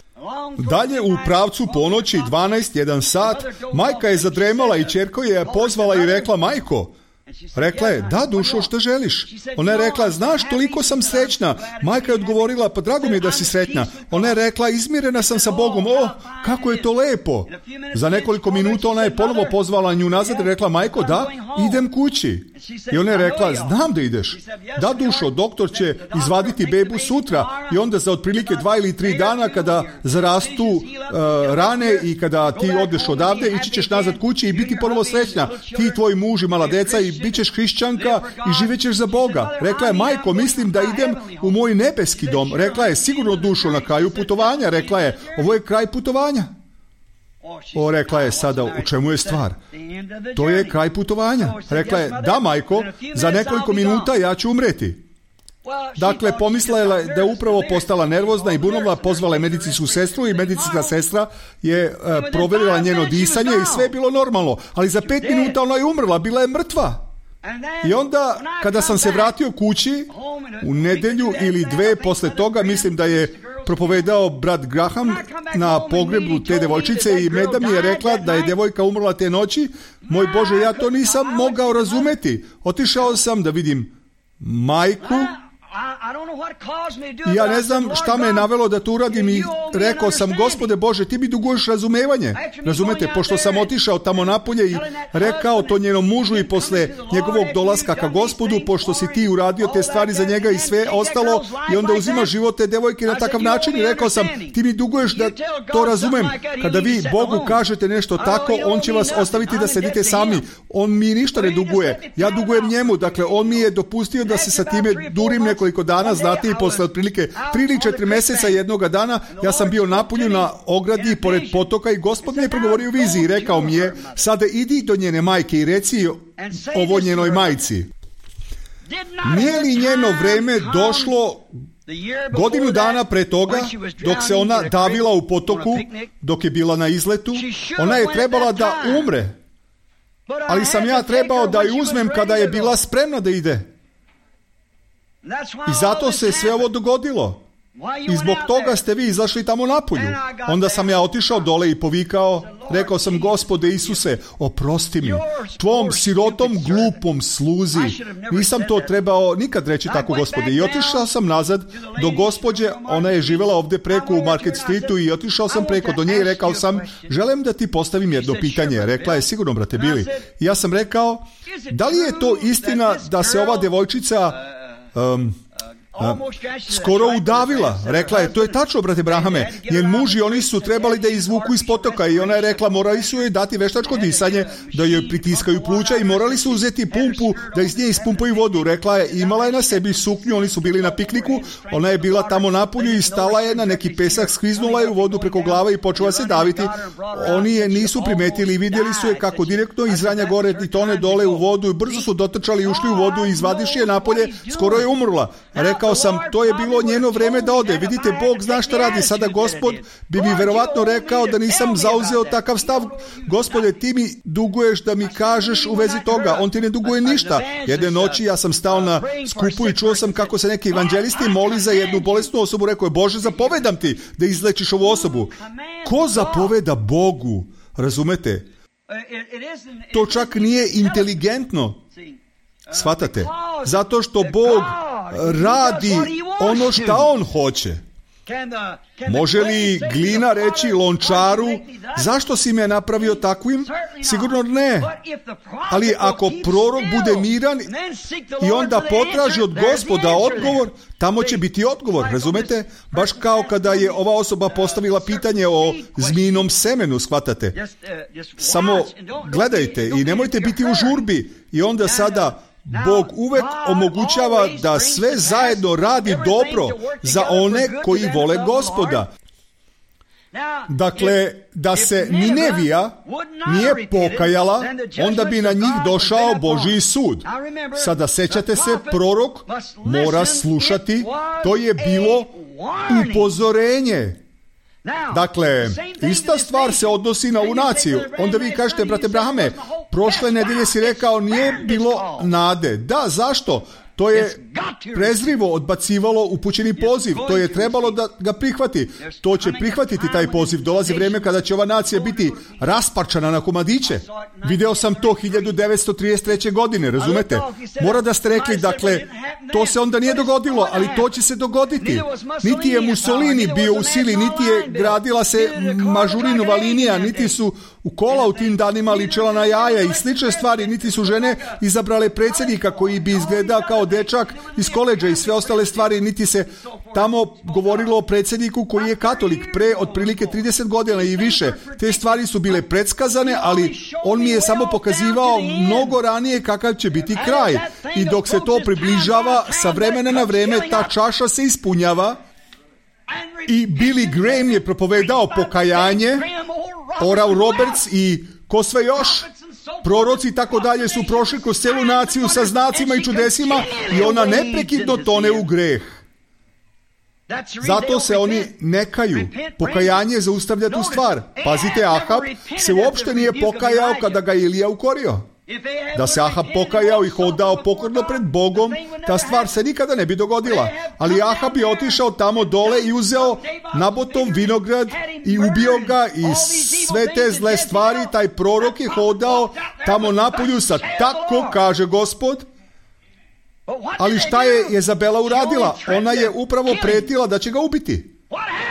Speaker 1: Dalje u pravcu ponoći, dvanaest, jedan sat, majka je zadremala i ćerko je pozvala i rekla, majko, rekla je, da dušo, što želiš? Ona je rekla, znaš, toliko sam srećna. Majka je odgovorila, pa drago mi je da si sretna. Ona je rekla, izmirena sam sa Bogom. O, kako je to lepo. Za nekoliko minuta ona je ponovo pozvala nju nazad i rekla, majko, da, idem kući. I ona je rekla, znam da ideš. Da dušo, doktor će izvaditi bebu sutra i onda za otprilike dva ili tri dana kada zarastu uh, rane i kada ti odeš odavde, ići ćeš nazad kući i biti ponovo srećna. Ti, tvoj muž i mala deca i bit ćeš hrišćanka i živjet ćeš za Boga. Rekla je, majko, mislim da idem u moj nebeski dom. Rekla je, sigurno dušo, na kraju putovanja. Rekla je, ovo je kraj putovanja. O, rekla je, sada u čemu je stvar? To je kraj putovanja. Rekla je, da majko, za nekoliko minuta ja ću umreti. Dakle, pomislila je da je upravo postala nervozna i bunovla, pozvala je medicinsku sestru i medicinska sestra je e, provjerila njeno disanje i sve je bilo normalno. Ali za pet minuta ona je umrla, bila je mrtva. I onda, kada sam se vratio kući, u nedjelju ili dve posle toga, mislim da je propovedao brat Graham na pogrebu te devojčice i Meda mi je rekla da je devojka umrla te noći. Moj Bože, ja to nisam mogao razumeti. Otišao sam da vidim majku. I ja ne znam šta me je navelo da to uradim i rekao sam, Gospode Bože, ti mi duguješ razumevanje. Razumete, pošto sam otišao tamo napolje i rekao to njenom mužu i posle njegovog dolaska ka Gospodu, pošto si ti uradio te stvari za njega i sve ostalo i onda uzima život te devojke na takav način i rekao sam, ti mi duguješ da to razumem. Kada vi Bogu kažete nešto tako, on će vas ostaviti da sedite sami. On mi ništa ne duguje. Ja dugujem njemu, dakle on mi je dopustio da se sa time durim neko koliko dana, znate, i posle otprilike tri ili četiri mjeseca jednoga dana ja sam bio napolju na ogradi pored potoka i Gospod mi je progovorio u viziji i rekao mi je, sada idi do njene majke i reci ovo njenoj majci. Nije li njeno vreme došlo godinu dana pre toga, dok se ona davila u potoku, dok je bila na izletu? Ona je trebala da umre, ali sam ja trebao da ju uzmem kada je bila spremna da ide. I zato se sve ovo dogodilo. I zbog toga ste vi izašli tamo napolju. Onda sam ja otišao dole i povikao, rekao sam, Gospode Isuse, oprosti mi, tvom sirotom glupom sluzi. Nisam to trebao nikad reći tako, Gospode. I otišao sam nazad do gospođe, ona je živjela ovdje preko u Market Streetu i otišao sam preko do nje i rekao sam, želim da ti postavim jedno pitanje. Rekla je, sigurno, brate Bili. I ja sam rekao, da li je to istina da se ova devojčica Um, skoro udavila. Rekla je, to je tačno, brate Brahame. Njen muž i oni su trebali da izvuku iz potoka i ona je rekla, morali su joj dati veštačko disanje, da joj pritiskaju pluća i morali su uzeti pumpu da iz nje ispumpaju vodu. Rekla je, imala je na sebi suknju, oni su bili na pikniku, ona je bila tamo napolju i stala je na neki pesak, skliznula je u vodu preko glave i počela se daviti. Oni je nisu primetili i vidjeli su je kako direktno iz ranja gore i tone dole u vodu i brzo su dotrčali i ušli u vodu i izvadiši je napolje, skoro je umrla. Rekao sam, to je bilo njeno vreme da ode. Vidite, Bog zna šta radi. Sada Gospod bi mi verovatno rekao da nisam zauzeo takav stav. Gospode, ti mi duguješ da mi kažeš u vezi toga. On ti ne duguje ništa. Jedne noći ja sam stao na skupu i čuo sam kako se neki evanđelisti moli za jednu bolesnu osobu. Rekao je, Bože, zapovedam ti da izlečiš ovu osobu. Ko zapoveda Bogu? Razumete? To čak nije inteligentno. Shvatate? Zato što Bog radi ono šta On hoće. Može li glina reći lončaru, zašto si me napravio takvim? Sigurno ne. Ali ako prorok bude miran i onda potraži od Gospoda odgovor, tamo će biti odgovor, razumete? Baš kao kada je ova osoba postavila pitanje o zmijinom semenu, shvatate? Samo gledajte i nemojte biti u žurbi i onda sada Bog uvek omogućava da sve zajedno radi dobro za one koji vole Gospoda. Dakle, da se Ninevija nije pokajala, onda bi na njih došao Božji sud. Sada sećate se, prorok mora slušati, to je bilo upozorenje. Dakle, ista stvar se odnosi na ovu naciju. Onda vi kažete, brate Brahame, prošle nedelje si rekao nije bilo nade. Da, zašto? To je prezrivo odbacivalo upućeni poziv. To je trebalo da ga prihvati. To će prihvatiti taj poziv. Dolazi vrijeme kada će ova nacija biti rasparčana na komadiće. Video sam to hiljadu devetsto trideset treće. godine, razumete? Mora da ste rekli, dakle, to se onda nije dogodilo, ali to će se dogoditi. Niti je Mussolini bio u sili, niti je gradila se Mažurinova linija, niti su u kola u tim danima ličela na jaja i slične stvari, niti su žene izabrale predsjednika koji bi izgledao kao dečak iz koledža i sve ostale stvari, niti se tamo govorilo o predsjedniku koji je katolik pre otprilike trideset godina i više. Te stvari su bile predskazane, ali on mi je samo pokazivao mnogo ranije kakav će biti kraj. I dok se to približava, sa vremena na vreme ta čaša se ispunjava. I Billy Graham je propovedao pokajanje, Oral Roberts i ko sve još, proroci i tako dalje su prošli kroz celu naciju sa znacima i čudesima i ona neprekidno tone u greh. Zato se oni ne kaju. Pokajanje zaustavlja tu stvar. Pazite, Ahab se uopšte nije pokajao kada ga Ilija ukorio. Da se Ahab pokajao i hodao pokorno pred Bogom, ta stvar se nikada ne bi dogodila. Ali Ahab je otišao tamo dole i uzeo Nabotov vinograd i ubio ga i sve te zle stvari. Taj prorok je hodao tamo napolju sa tako kaže Gospod. Ali šta je Jezabela uradila? Ona je upravo pretila da će ga ubiti.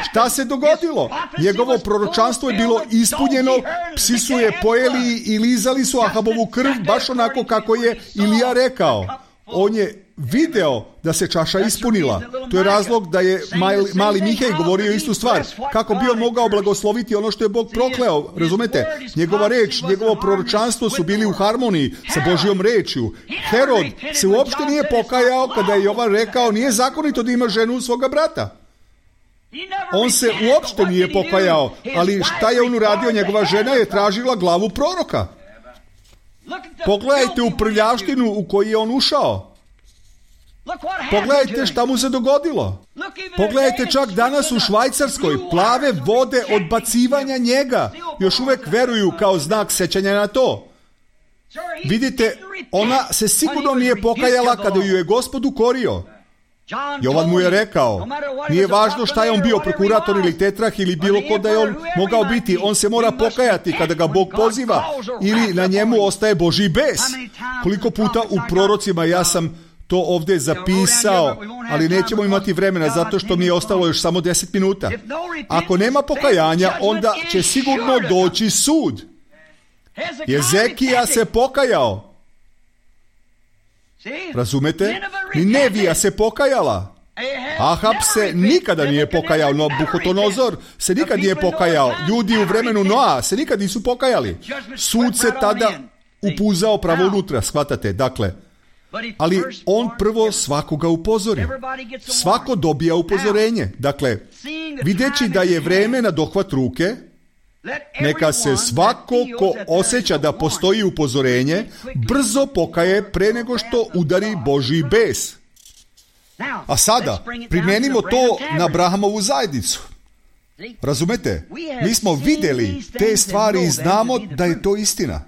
Speaker 1: Šta se dogodilo? Njegovo proročanstvo je bilo ispunjeno, psi su je pojeli i lizali su Ahabovu krv, baš onako kako je Ilija rekao. On je video da se čaša ispunila. To je razlog da je mali, mali Mihej govorio istu stvar. Kako bi on mogao blagosloviti ono što je Bog prokleo? Razumete? Njegova reč, njegovo proročanstvo su bili u harmoniji sa Božjom rečju. Herod se uopšte nije pokajao kada je Jovan rekao nije zakonito da ima ženu svoga brata. On se uopšte nije pokajao, ali šta je on uradio? Njegova žena je tražila glavu proroka. Pogledajte u prljavštinu u koju je on ušao. Pogledajte šta mu se dogodilo. Pogledajte čak danas u Švajcarskoj, plave vode odbacivanja njega još uvek veruju kao znak sećanja na to. Vidite, ona se sigurno nije pokajala kada ju je Gospod ukorio. Jovan mu je rekao, nije važno šta je on bio, prokurator ili tetrah ili bilo ko da je on mogao biti, on se mora pokajati kada ga Bog poziva ili na njemu ostaje Božji bes. Koliko puta u prorocima ja sam to ovdje zapisao, ali nećemo imati vremena zato što mi je ostalo još samo deset minuta. Ako nema pokajanja, onda će sigurno doći sud. Jezekija se pokajao. Razumete? Ninevija se pokajala. Ahab se nikada nije pokajao, Nabuhodonozor se nikad nije pokajao, ljudi u vremenu Noa se nikad nisu pokajali. Sud se tada upuzao pravo unutra, shvatate, dakle. Ali on prvo svakoga upozori. Svako dobija upozorenje. Dakle, videći da je vreme na dohvat ruke, neka se svako ko osjeća da postoji upozorenje, brzo pokaje pre nego što udari Božji bes. A sada, primijenimo to na Abrahamovu zajednicu. Razumete? Mi smo vidjeli te stvari i znamo da je to istina.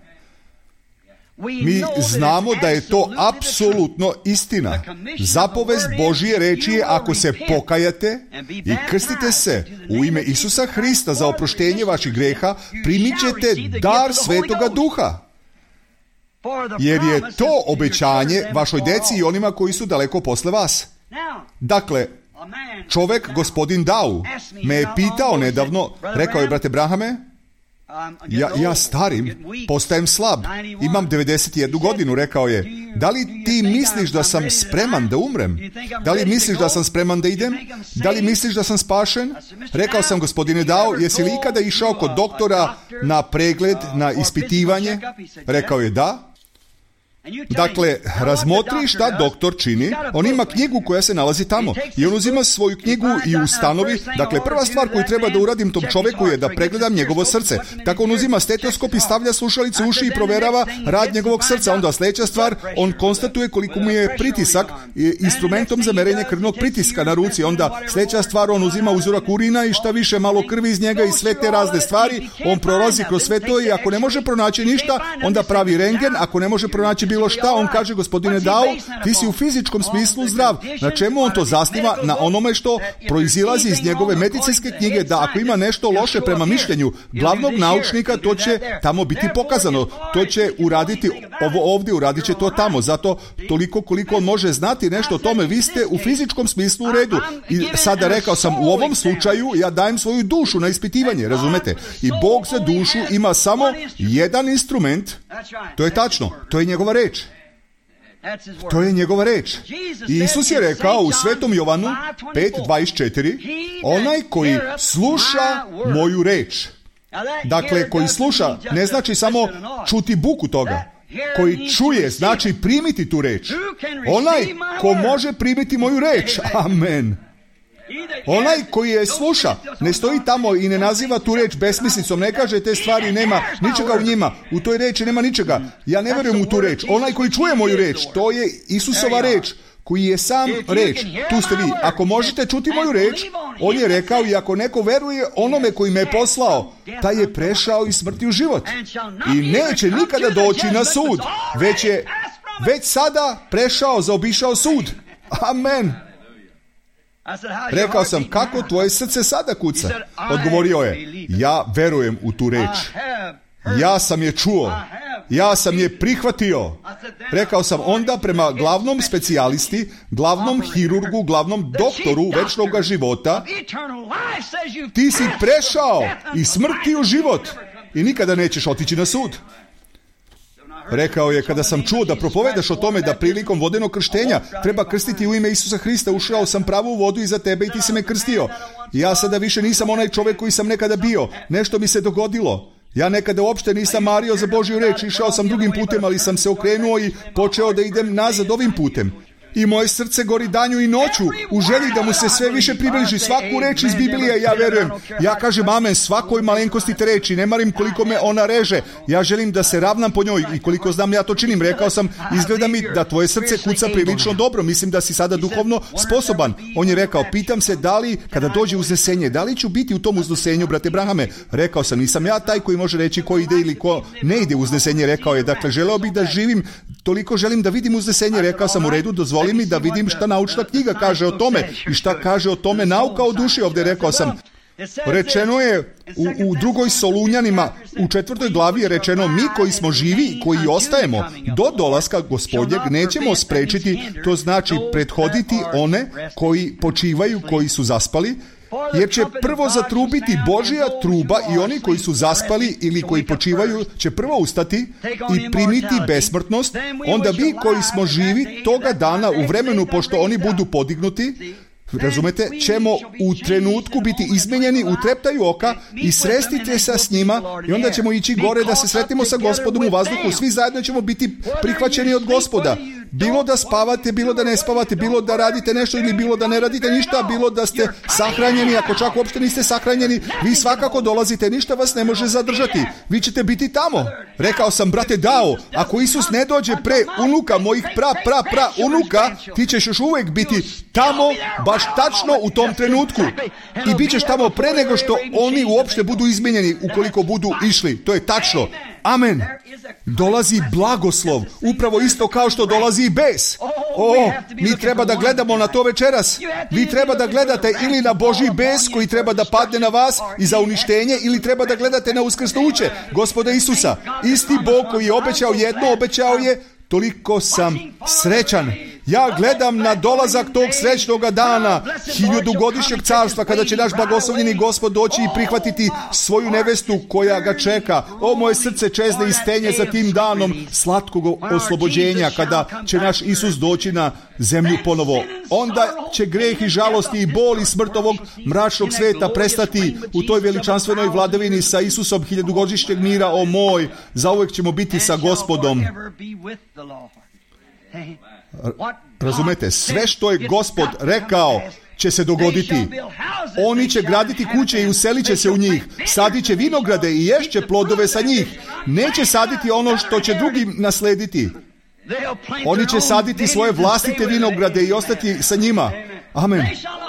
Speaker 1: Mi znamo da je to apsolutno istina. Zapovest Božje reči je, ako se pokajate i krstite se u ime Isusa Hrista za oproštenje vaših greha, primit ćete dar Svetoga Duha. Jer je to obećanje vašoj deci i onima koji su daleko posle vas. Dakle, čovjek, gospodin Dau, me je pitao nedavno, rekao je, brate Brahame, Ja, ja starim, postajem slab, imam devedeset jednu godinu, rekao je, da li ti misliš da sam spreman da umrem? Da li misliš da sam spreman da idem? Da li misliš da sam spašen? Rekao sam, gospodine Dao, jesi li ikada išao kod doktora na pregled, na ispitivanje? Rekao je, da. Dakle, razmotri šta doktor čini, on ima knjigu koja se nalazi tamo i on uzima svoju knjigu i ustanovi, dakle, prva stvar koju treba da uradim tom čoveku je da pregledam njegovo srce. Tako on uzima stetoskop i stavlja slušalice u uši i proverava rad njegovog srca. Onda sljedeća stvar, on konstatuje koliko mu je pritisak instrumentom za merenje krvnog pritiska na ruci. Onda sljedeća stvar, on uzima uzorak urina i šta više malo krvi iz njega i sve te razne stvari, on prolazi kroz sve to i ako ne može pronaći ništa, onda pravi rentgen, ako ne može pronaći bilo šta, on kaže, gospodine Dao, ti si u fizičkom smislu zdrav. Na čemu on to zasniva? Na onome što proizilazi iz njegove medicinske knjige, da ako ima nešto loše prema mišljenju glavnog naučnika, to će tamo biti pokazano. To će uraditi ovo ovdje, uradit će to tamo. Zato toliko koliko on može znati nešto o tome, vi ste u fizičkom smislu u redu. I sada rekao sam, u ovom slučaju ja dajem svoju dušu na ispitivanje, razumete? I Bog za dušu ima samo jedan instrument, to je tačno, to je njegova reč. To je njegova reč. I Isus je rekao u Svetom Jovanu pet dvadeset četiri, onaj koji sluša moju reč. Dakle, koji sluša ne znači samo čuti buku toga. Koji čuje znači primiti tu reč. Onaj ko može primiti moju reč. Amen. Onaj koji je sluša, ne stoji tamo i ne naziva tu reč besmislicom, ne kaže te stvari, nema ničega u njima, u toj reči nema ničega. Ja ne vjerujem u tu reč. Onaj koji čuje moju reč, to je Isusova reč, koji je sam reč. Tu ste vi. Ako možete čuti moju reč, on je rekao, i ako neko veruje onome koji me je poslao, taj je prešao iz smrti u život. I neće nikada doći na sud, već je već sada prešao, zaobišao sud. Amen. Rekao sam, kako tvoje srce sada kuca? Odgovorio je, ja verujem u tu reč. Ja sam je čuo. Ja sam je prihvatio. Rekao sam, onda prema glavnom specijalisti, glavnom hirurgu, glavnom doktoru večnog života, ti si prešao iz smrti u život i nikada nećeš otići na sud. Rekao je, kada sam čuo da propovedaš o tome da prilikom vodenog krštenja treba krstiti u ime Isusa Hrista, ušao sam pravu vodu iza tebe i ti si me krstio. Ja sada više nisam onaj čovjek koji sam nekada bio. Nešto mi se dogodilo. Ja nekada uopšte nisam mario za Božju reč, išao sam drugim putem, ali sam se okrenuo i počeo da idem nazad ovim putem. I moje srce gori danju i noću u želji da mu se sve više približi. Svaku reč iz Biblije ja verujem. Ja kažem amen svakoj malenkosti te reči. Ne marim koliko me ona reže. Ja želim da se ravnam po njoj i koliko znam ja to činim. Rekao sam, izgleda mi da tvoje srce kuca prilično dobro. Mislim da si sada duhovno sposoban. On je rekao, pitam se da li kada dođe uznesenje, da li ću biti u tom uznesenju, brate Brahame? Rekao sam, nisam ja taj koji može reći ko ide ili ko ne ide uznesenje. Rekao je, dakle, želeo bih da živim, toliko želim da vidim uznesenje. Rekao sam, u redu, dozvoli mi da vidim šta naučna knjiga kaže o tome i šta kaže o tome nauka o duši. Ovdje rekao sam, rečeno je u, u drugoj Solunjanima, u četvrtoj glavi je rečeno, mi koji smo živi, koji ostajemo do dolaska Gospodnjeg, nećemo sprečiti, to znači prethoditi one koji počivaju, koji su zaspali, jer će prvo zatrubiti Božja truba i oni koji su zaspali ili koji počivaju će prvo ustati i primiti besmrtnost. Onda vi koji smo živi toga dana u vremenu, pošto oni budu podignuti, razumete, ćemo u trenutku biti izmenjeni u treptaju oka i srestite se s njima i onda ćemo ići gore da se sretimo sa Gospodom u vazduhu. Svi zajedno ćemo biti prihvaćeni od Gospoda. Bilo da spavate, bilo da ne spavate, bilo da radite nešto ili bilo da ne radite ništa, bilo da ste sahranjeni, ako čak uopšte niste sahranjeni, vi svakako dolazite, ništa vas ne može zadržati. Vi ćete biti tamo. Rekao sam, brate Dao, ako Isus ne dođe pre unuka mojih pra, pra, pra unuka, ti ćeš još uvijek biti tamo, baš tačno u tom trenutku. I bit ćeš tamo pre nego što oni uopšte budu izmenjeni, ukoliko budu išli. To je tačno. Amen. Dolazi blagoslov, upravo isto kao što dolazi i bes. O, mi treba da gledamo na to večeras. Vi treba da gledate ili na Božji bes koji treba da padne na vas i za uništenje, ili treba da gledate na uskrsnuće Gospoda Isusa. Isti Bog koji je obećao jedno, obećao je, toliko sam srećan. Ja gledam na dolazak tog srećnog dana, hiljadugodišnjeg carstva, kada će naš blagoslovljeni Gospod doći i prihvatiti svoju nevestu koja ga čeka. O, moje srce čezne i stenje za tim danom slatkog oslobođenja, kada će naš Isus doći na zemlju ponovo. Onda će greh i žalosti i bol i smrt ovog mračnog sveta prestati u toj veličanstvenoj vladavini sa Isusom hiljadugodišnjeg mira. O moj, zauvek ćemo biti sa Gospodom. Razumete, sve što je Gospod rekao će se dogoditi. Oni će graditi kuće i uselit će se u njih. Sadit će vinograde i ješće plodove sa njih. Neće saditi ono što će drugi naslediti. Oni će saditi svoje vlastite vinograde i ostati sa njima. Amen.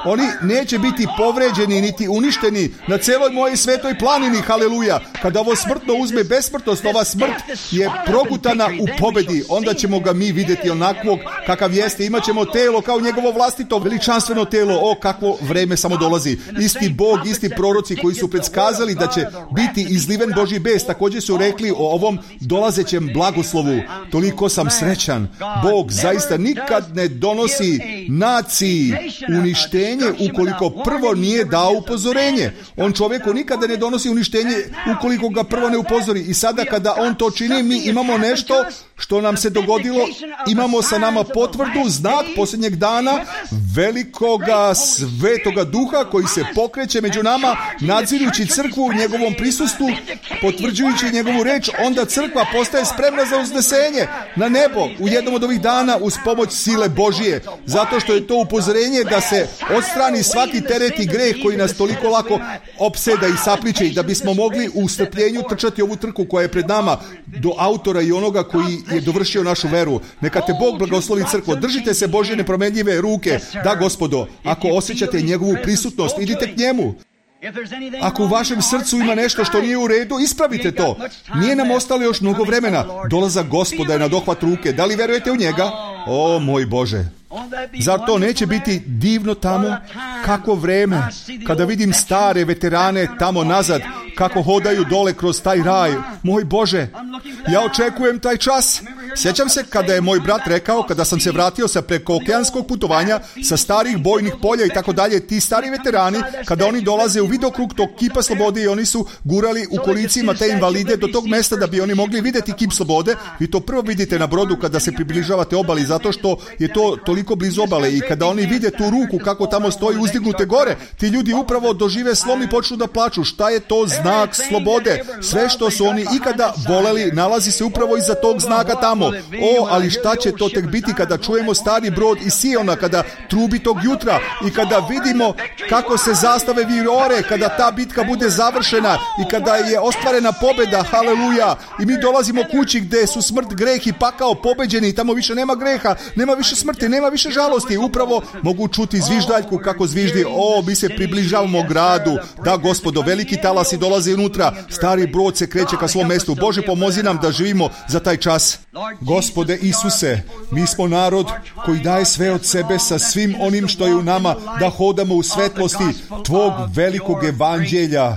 Speaker 1: Oni neće biti povređeni niti uništeni na celoj mojoj svetoj planini. Haleluja. Kada ovo smrtno uzme besmrtnost, ova smrt je progutana u pobedi. Onda ćemo ga mi vidjeti onakvog kakav jeste. Imaćemo telo kao njegovo vlastito veličanstveno telo. O, kakvo vreme samo dolazi. Isti Bog, isti proroci koji su predskazali da će biti izliven Božji bes, također su rekli o ovom dolazećem blagoslovu. Toliko sam srećan. Bog zaista nikad ne donosi naciji uništenje ukoliko prvo nije dao upozorenje. On čovjeku nikada ne donosi uništenje ukoliko ga prvo ne upozori. I sada kada on to čini, mi imamo nešto što nam se dogodilo. Imamo sa nama potvrdu, znak posljednjeg dana velikoga svetoga duha koji se pokreće među nama, nadzirući crkvu u njegovom prisustvu, potvrđujući njegovu reč. Onda crkva postaje spremna za uznesenje na nebo u jednom od ovih dana uz pomoć sile Božije. Zato što je to upozorenje da se odstrani svaki teret i greh koji nas toliko lako opseda i sapliče, i da bismo mogli u strpljenju trčati ovu trku koja je pred nama do autora i onoga koji je dovršio našu veru. Neka te Bog blagoslovi, crkvo. Držite se Božje nepromenljive ruke. Da, Gospodo, ako osjećate njegovu prisutnost, idite k njemu. Ako u vašem srcu ima nešto što nije u redu, ispravite to. Nije nam ostalo još mnogo vremena. Dolazak Gospoda je na dohvat ruke. Da li verujete u njega? O, moj Bože. Zar to neće biti divno tamo? Kako vreme, kada vidim stare veterane tamo nazad, kako hodaju dole kroz taj raj. Moj Bože, ja očekujem taj čas. Sjećam se kada je moj brat rekao, kada sam se vratio sa preko okeanskog putovanja, sa starih bojnih polja i tako dalje, ti stari veterani, kada oni dolaze u vidokrug tog kipa slobode i oni su gurali u kolicima te invalide do tog mesta da bi oni mogli vidjeti kip slobode. Vi to prvo vidite na brodu kada se približavate obali, zato što je to toliko blizu obale, i kada oni vide tu ruku kako tamo stoji uzdignute gore, ti ljudi upravo dožive slom i počnu da plaču. Šta je to znak slobode? Sve što su oni ikada voleli nalazi se upravo iza tog znaka tamo. O, ali šta će to tek biti kada čujemo stari brod iz Siona, kada trubi tog jutra i kada vidimo kako se zastave virore, kada ta bitka bude završena i kada je ostvarena pobjeda, haleluja, i mi dolazimo kući gdje su smrt, greh i pakao pobeđeni i tamo više nema greha, nema više smrti, nema više žalosti. Upravo mogu čuti zviždaljku kako zviždi. O, mi se približavamo gradu. Da, Gospodo, veliki talasi dolaze unutra. Stari brod se kreće ka svom mestu. Bože, pomozi nam da živimo za taj čas. Gospode Isuse, mi smo narod koji daje sve od sebe sa svim onim što je u nama, da hodamo u svetlosti tvog velikog evanđelja,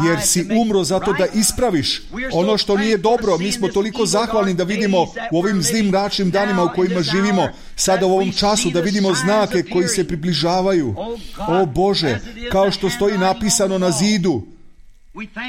Speaker 1: jer si umro zato da ispraviš ono što nije dobro. Mi smo toliko zahvalni da vidimo u ovim zlim mračnim danima u kojima živimo, sada u ovom času, da vidimo znake koji se približavaju. O Bože, kao što stoji napisano na zidu,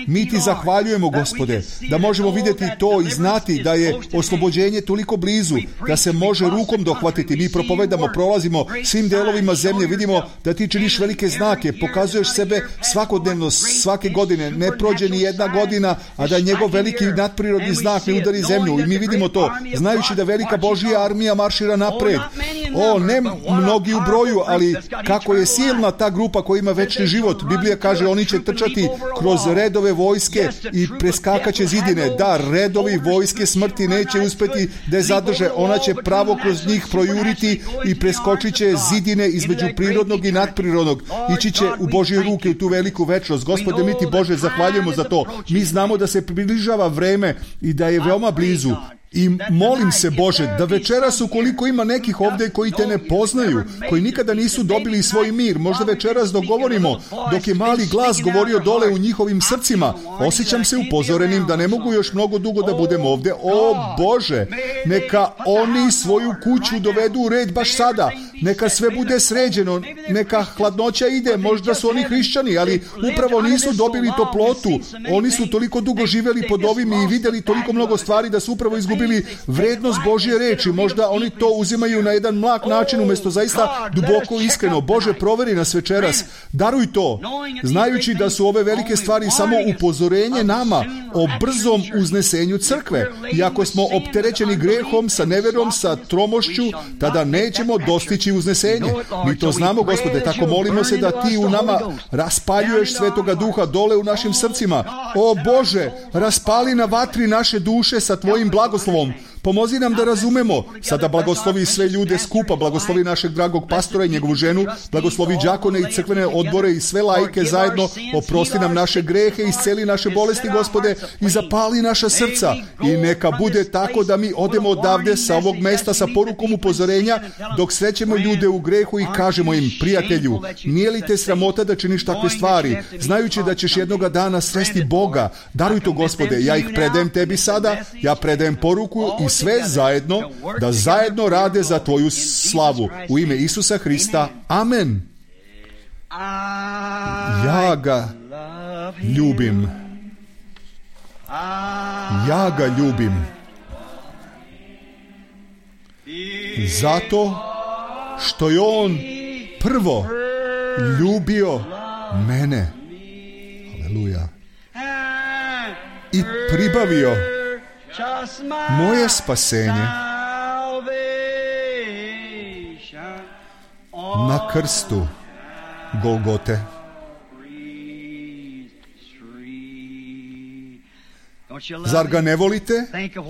Speaker 1: Mi ti zahvaljujemo, Gospode, da možemo vidjeti to i znati da je oslobođenje toliko blizu, da se može rukom dohvatiti. Mi propovedamo, prolazimo svim delovima zemlje, vidimo da ti činiš velike znake, pokazuješ sebe svakodnevno, svake godine. Ne prođe ni jedna godina, a da njegov veliki nadprirodni znak ne udari zemlju. I mi vidimo to, znajući da velika Božja armija maršira napred. O, ne mnogi u broju, ali kako je silna ta grupa koja ima večni život. Biblija kaže, oni će trčati kroz redove vojske i preskakaće zidine. Da, redovi vojske smrti neće uspjeti da je zadrže. Ona će pravo kroz njih projuriti i preskočit će zidine između prirodnog i nadprirodnog. Ići će u Božje ruke u tu veliku večnost. Gospode, mi ti, Bože, zahvaljujemo za to. Mi znamo da se približava vreme i da je veoma blizu. I molim se, Bože, da večeras, ukoliko ima nekih ovdje koji te ne poznaju, koji nikada nisu dobili svoj mir, možda večeras dok govorimo, dok je mali glas govorio dole u njihovim srcima, osjećam se upozorenim da ne mogu još mnogo dugo da budem ovdje. O Bože, neka oni svoju kuću dovedu u red baš sada, neka sve bude sređeno, neka hladnoća ide, možda su oni hrišćani, ali upravo nisu dobili toplotu, oni su toliko dugo živjeli pod ovim i vidjeli toliko mnogo stvari da su upravo izgubili bili vrednost Božje reči. Možda oni to uzimaju na jedan mlak način umjesto zaista duboko iskreno. Bože, proveri nas večeras. Daruj to, znajući da su ove velike stvari samo upozorenje nama o brzom uznesenju crkve. I ako smo opterećeni grehom, sa neverom, sa tromošću, tada nećemo dostići uznesenje. Mi to znamo, Gospode, tako molimo se da ti u nama raspaljuješ Svetoga Duha dole u našim srcima. O Bože, raspali na vatri naše duše sa tvojim blagoslovom. Pomozi nam da razumemo. Sada blagoslovi sve ljude skupa, blagoslovi našeg dragog pastora i njegovu ženu, blagoslovi đakone i crkvene odbore i sve laike zajedno, oprosti nam naše grehe, isceli naše bolesti, Gospode, i zapali naša srca. I neka bude tako da mi odemo odavde sa ovog mesta sa porukom upozorenja, dok srećemo ljude u grehu i kažemo im, prijatelju, nije li te sramota da činiš takve stvari, znajući da ćeš jednoga dana sresti Boga? Daruj to, Gospode, ja ih predajem tebi sada, ja predajem poruku i sve zajedno, da zajedno rade za tvoju slavu. U ime Isusa Hrista. Amen. Ja ga ljubim. Ja ga ljubim. Zato što je on prvo ljubio mene. Aleluja. I pribavio moje spasenje na krstu Golgote. Zar ga ne volite?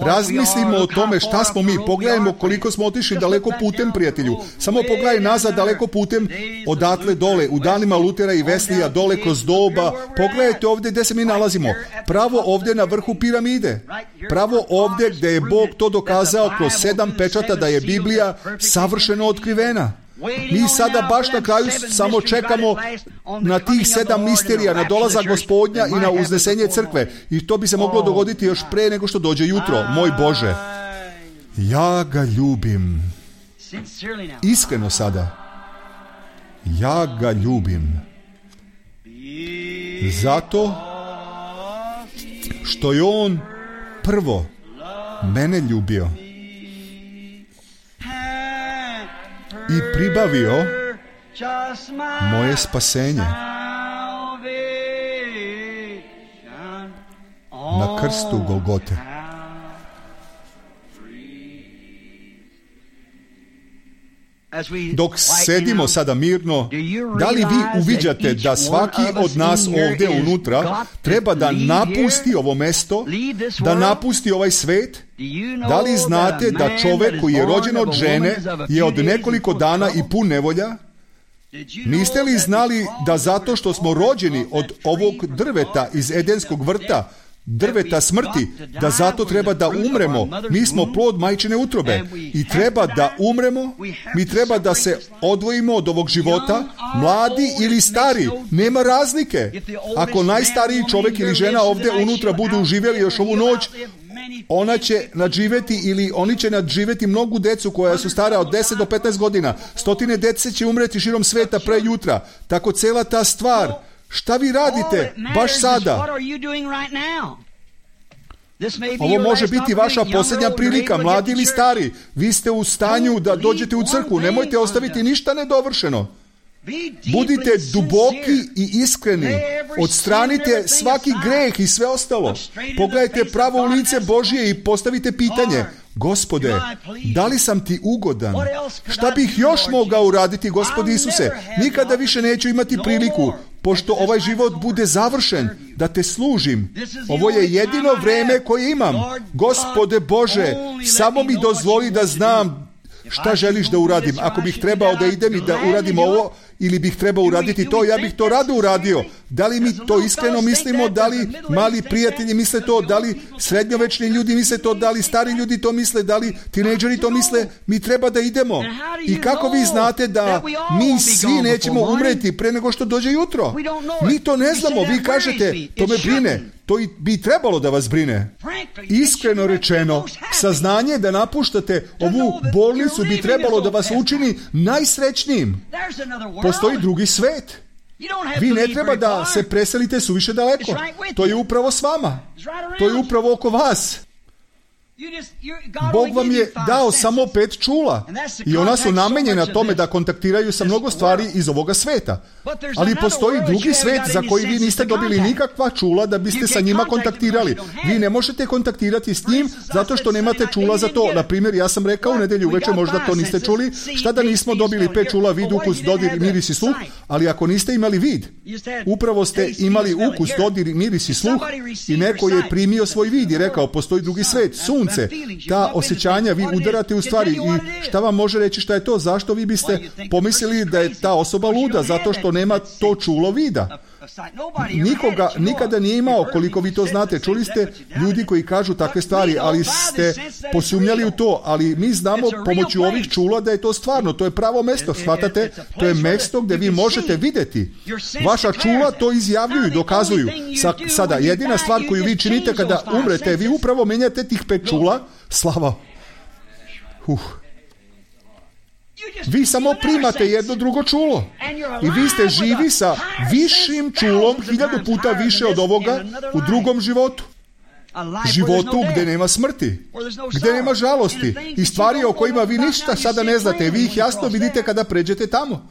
Speaker 1: Razmislimo o tome šta smo mi. Pogledajmo koliko smo otišli daleko putem, prijatelju. Samo pogledaj nazad daleko putem, odatle dole, u danima Lutera i Veslija, dole kroz doba. Pogledajte ovdje gdje se mi nalazimo. Pravo ovdje na vrhu piramide. Pravo ovdje gdje je Bog to dokazao kroz sedam pečata da je Biblija savršeno otkrivena. Mi sada baš na kraju samo čekamo na tih sedam misterija, na dolazak Gospodnja i na uznesenje crkve. I to bi se moglo dogoditi još pre nego što dođe jutro. Moj Bože, ja ga ljubim. Iskreno sada. Ja ga ljubim. Zato što je on prvo mene ljubio i pribavio moje spasenje na krstu Golgote. Dok sedimo sada mirno, da li vi uviđate da svaki od nas ovdje unutra treba da napusti ovo mesto, da napusti ovaj svet? Da li znate da čovjek koji je rođen od žene je od nekoliko dana i pun nevolja? Niste li znali da zato što smo rođeni od ovog drveta iz Edenskog vrta, drveta smrti, da zato treba da umremo? Mi smo plod majčine utrobe i treba da umremo, mi treba da se odvojimo od ovog života, mladi ili stari, nema razlike. Ako najstariji čovjek ili žena ovdje unutra budu živjeli još ovu noć, ona će nadživjeti ili oni će nadživjeti mnogu decu koja su stara od deset do petnaest godina. Stotine dece će umreti širom sveta pre jutra. Tako cela ta stvar Šta vi radite baš sada? Ovo može biti vaša posljednja prilika, mladi ili stari. Vi ste u stanju da dođete u crkvu. Nemojte ostaviti ništa nedovršeno. Budite duboki i iskreni. Odstranite svaki greh i sve ostalo. Pogledajte pravo u lice Božje i postavite pitanje: Gospode, da li sam ti ugodan? Šta bih još mogao uraditi, Gospodi Isuse? Nikada više neću imati priliku, pošto ovaj život bude završen, da te služim. Ovo je jedino vreme koje imam. Gospode Bože, samo mi dozvoli da znam šta želiš da uradim. Ako bih trebao da idem i da uradim ovo, ili bih trebao uraditi to, ja bih to rado uradio. Da li mi to iskreno mislimo? Da li mali prijatelji misle to? Da li srednjovečni ljudi misle to? Da li stari ljudi to misle? Da li tinejdžeri to misle? Mi treba da idemo. I kako vi znate da mi svi nećemo umreti pre nego što dođe jutro? Mi to ne znamo. Vi kažete, to me brine. To i bi trebalo da vas brine. Iskreno rečeno, saznanje da napuštate ovu bolnicu bi trebalo da vas učini najsrećnijim. Postoji drugi svet. Vi ne treba da se preselite suviše daleko. To je upravo s vama. To je upravo oko vas. Bog vam je dao samo pet čula i ona su namenjena tome da kontaktiraju sa mnogo stvari iz ovoga sveta. Ali postoji drugi svet za koji vi niste dobili nikakva čula da biste sa njima kontaktirali. Vi ne možete kontaktirati s njim zato što nemate čula za to. Na primjer, ja sam rekao u nedelju uveče, možda to niste čuli, šta da nismo dobili pet čula, vid, ukus, dodir, miris i sluh, ali ako niste imali vid, upravo ste imali ukus, dodir, miris i sluh i neko je primio svoj vid i rekao, postoji drugi svet, sunce. Ta osjećanja vi udarate u stvari i šta vam može reći šta je to? Zašto vi biste pomislili da je ta osoba luda? Zato što nema to čulo vida. Nikoga nikada nije imao, koliko vi to znate. Čuli ste ljudi koji kažu takve stvari, ali ste posumnjali u to. Ali mi znamo pomoću ovih čula da je to stvarno. To je pravo mesto, shvatate? To je mesto gdje vi možete vidjeti. Vaša čula to izjavljuju i dokazuju. Sa, sada, jedina stvar koju vi činite kada umrete, vi upravo menjate tih pet čula. Slava. Uh. Vi samo primate jedno drugo čulo i vi ste živi sa višim čulom, hiljadu puta više od ovoga u drugom životu. Životu gdje nema smrti, gdje nema žalosti i stvari o kojima vi ništa sada ne znate. Vi ih jasno vidite kada pređete tamo.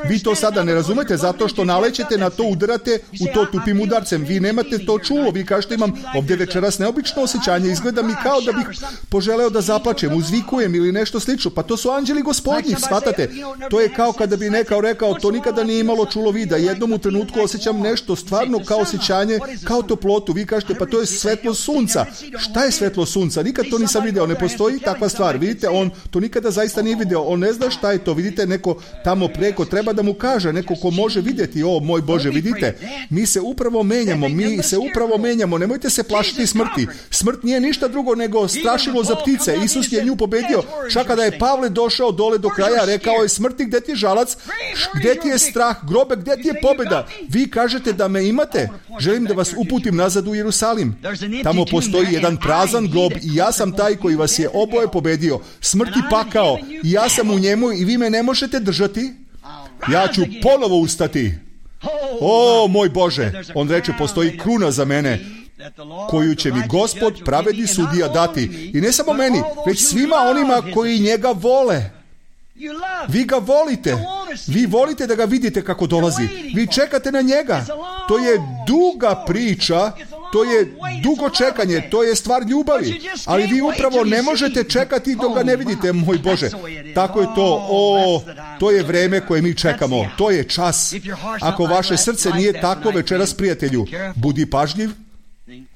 Speaker 1: Vi to sada ne razumete zato što nalećete na to, udarate u to tupim udarcem. Vi nemate to čulo. Vi kažete, imam ovdje večeras neobično osjećanje, izgleda mi kao da bih poželeo da zaplačem, uzvikujem ili nešto slično. Pa to su anđeli gospodnji, shvatate? To je kao kada bi nekao rekao, to nikada nije imalo čulo vida. Jednom u trenutku osjećam nešto stvarno kao osjećanje, kao toplotu. Vi kažete, pa to je svetlo sunca. Šta je svetlo sunca? Nikad to nisam video, ne postoji takva stvar. Vidite, on to nikada zaista nije video, on ne zna šta je to. Vidite, neko tamo preko treba da mu kaže, neko ko može vidjeti, o moj Bože, vidite, mi se upravo menjamo, mi se upravo menjamo, nemojte se plašiti smrti. Smrt nije ništa drugo nego strašilo za ptice. Isus je nju pobedio. Čak kada je Pavle došao dole do kraja, rekao je, smrti, gdje ti je žalac, gdje ti je strah, grobe, gdje ti je pobjeda? Vi kažete da me imate? Želim da vas uputim nazad u Jerusalim. Tamo postoji jedan prazan grob i ja sam taj koji vas je oboje pobedio. Smrt i pakao. I ja sam u njemu i vi me ne možete držati. Ja ću ponovo ustati. O, moj Bože. On reče, postoji kruna za mene koju će mi Gospod, pravedni sudija, dati. I ne samo meni, već svima onima koji njega vole. Vi ga volite. Vi volite da ga vidite kako dolazi. Vi čekate na njega. To je duga priča. To je dugo čekanje. To je stvar ljubavi. Ali vi upravo ne možete čekati dok ga ne vidite, moj Bože. Tako je to. O, to je vreme koje mi čekamo. To je čas. Ako vaše srce nije tako večeras, prijatelju, budi pažljiv.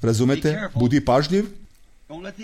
Speaker 1: Razumete? Budi pažljiv.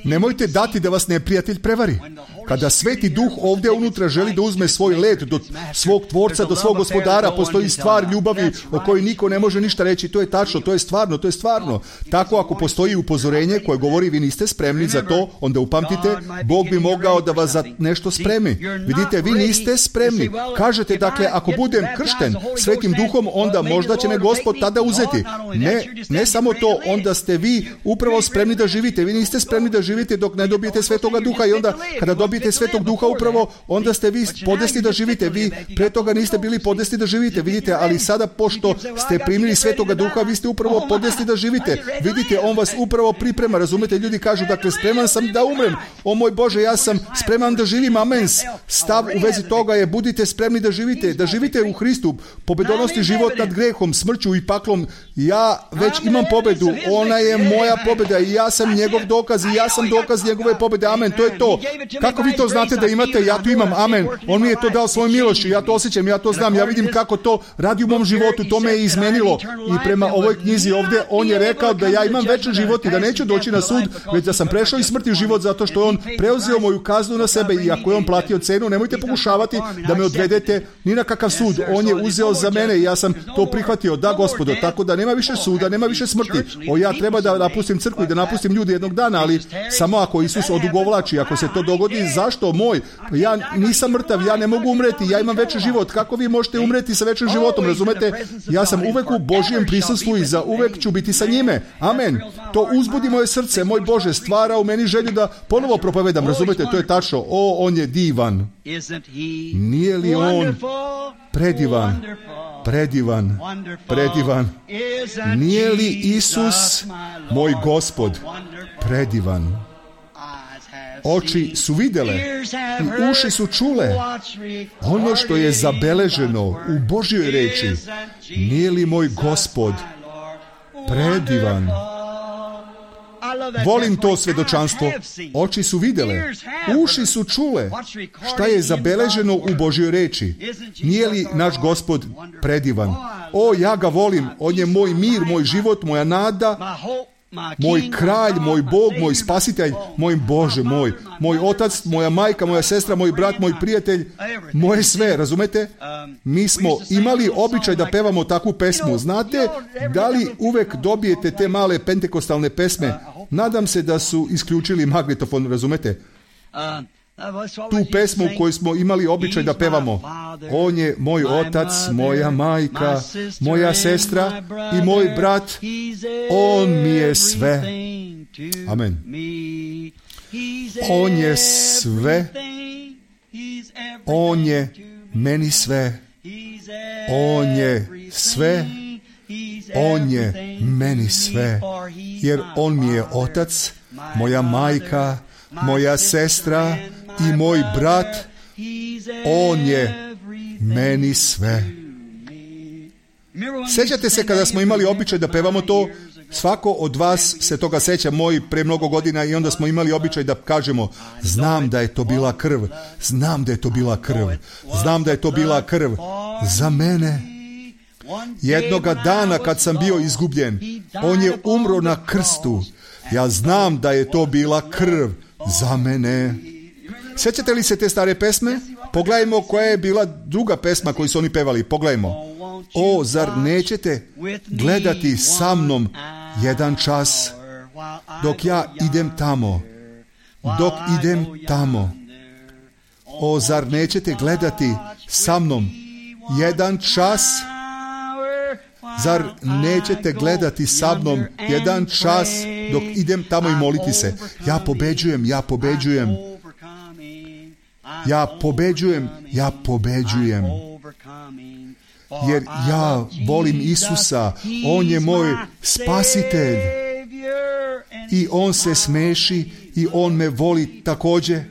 Speaker 1: Nemojte dati da vas neprijatelj prevari. Kada Sveti Duh ovdje unutra želi da uzme svoj let do svog tvorca, do svog gospodara, postoji stvar ljubavi o kojoj niko ne može ništa reći. To je tačno, to je stvarno, to je stvarno. Tako ako postoji upozorenje koje govori vi niste spremni za to, onda upamtite, Bog bi mogao da vas za nešto spremi. Vidite, vi niste spremni. Kažete, dakle, ako budem kršten Svetim Duhom, onda možda će me Gospod tada uzeti. Ne, ne samo to, onda ste vi upravo spremni da živite. Vi niste spremni spremni da živite dok ne dobijete Svetoga Duha i onda kada dobijete Svetog Duha upravo onda ste vi podesni da živite. Vi pre toga niste bili podesni da živite, vidite, ali sada pošto ste primili Svetoga Duha, vi ste upravo podesni da živite. Vidite, on vas upravo priprema, razumete? Ljudi kažu, dakle, spreman sam da umrem. O moj Bože, ja sam spreman da živim, amen. Stav u vezi toga je, budite spremni da živite, da živite u Hristu, pobedonosni život nad grehom, smrću i paklom. Ja već imam pobedu, ona je moja pobeda i ja sam njegov dokaz i ja sam dokaz njegove pobede, amen. To je to. Kako vi to znate da imate? Ja to imam, amen. On mi je to dao svojom milošću, ja to osjećam, ja to znam, ja vidim kako to radi u mom životu, to me je izmenilo. I prema ovoj knjizi ovdje, on je rekao da ja imam večni život i da neću doći na sud, već da sam prešao iz smrti u život zato što je on preuzeo moju kaznu na sebe i ako je on platio cenu, nemojte pokušavati da me odvedete ni na kakav sud. On je uzeo za mene i ja sam to prihvatio. Da, Gospodo, tako da nema više suda, nema više smrti. O, ja treba da napustim crkvu i da napustim ljude jednog dana, ali samo ako Isus odugovlači, ako se to dogodi, zašto moj? Ja nisam mrtav, ja ne mogu umreti, ja imam večni život. Kako vi možete umreti sa večnim životom, razumete? Ja sam uvek u Božijem prisustvu i za uvek ću biti sa njime. Amen. To uzbudi moje srce, moj Bože, stvara u meni želju da ponovo propovedam, razumete? To je tačno. O, on je divan. Nije li on predivan? Predivan, predivan. Nije li Isus, moj Gospod, predivan? Oči su vidjele i uši su čule ono što je zabeleženo u Božjoj reči. Nije li moj Gospod predivan? Volim to svjedočanstvo. Oči su vidjele, uši su čule šta je zabeleženo u Božjoj reči. Nije li naš Gospod predivan? O, ja ga volim. On je moj mir, moj život, moja nada, moj kralj, moj Bog, moj spasitelj, moj Bože moj, moj otac, moja majka, moja sestra, moj brat, moj prijatelj, moje sve, razumete? Mi smo imali običaj da pevamo takvu pesmu. Znate, da li uvek dobijete te male pentekostalne pesme? Nadam se da su isključili magnetofon, razumete? Tu pesmu koju smo imali običaj da pevamo. On je moj otac, moja majka, moja sestra i moj brat. On mi je sve. Amen. On je sve. On je meni sve. On je sve. On je meni sve. Jer on mi je otac, moja majka, moja sestra i moj brat. On je meni sve. Sjećate se kada smo imali običaj da pevamo to? Svako od vas se toga seća, moj pre mnogo godina, i onda smo imali običaj da kažemo, znam da je to bila krv, znam da je to bila krv, znam da je to bila krv za mene. Jednoga dana kad sam bio izgubljen, on je umro na krstu. Ja znam da je to bila krv za mene. Sjećate li se te stare pesme? Pogledajmo koja je bila druga pesma koju su oni pevali. Pogledajmo. O, zar nećete gledati sa mnom jedan čas dok ja idem tamo? Dok idem tamo. O, zar nećete gledati sa mnom jedan čas? Zar nećete gledati sa mnom jedan čas dok idem tamo i moliti se? Ja pobeđujem, ja pobeđujem. Ja pobeđujem, ja pobeđujem. Jer ja volim Isusa, on je moj spasitelj. I on se smeši i on me voli također.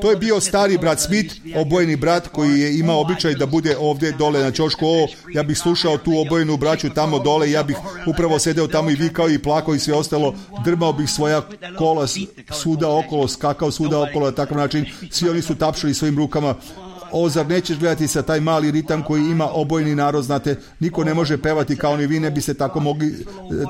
Speaker 1: To je bio stari brat Smith, obojeni brat koji je imao običaj da bude ovdje dole na ćošku. O, ja bih slušao tu obojenu braću tamo dole, ja bih upravo sedeo tamo i vikao i plakao i sve ostalo. Drmao bih svoja kola svuda okolo, skakao svuda okolo na takav način. Svi oni su tapšali svojim rukama. O, zar nećeš gledati sa taj mali ritam koji ima obojeni narod, znate, niko ne može pevati kao ni vi, ne biste tako mogli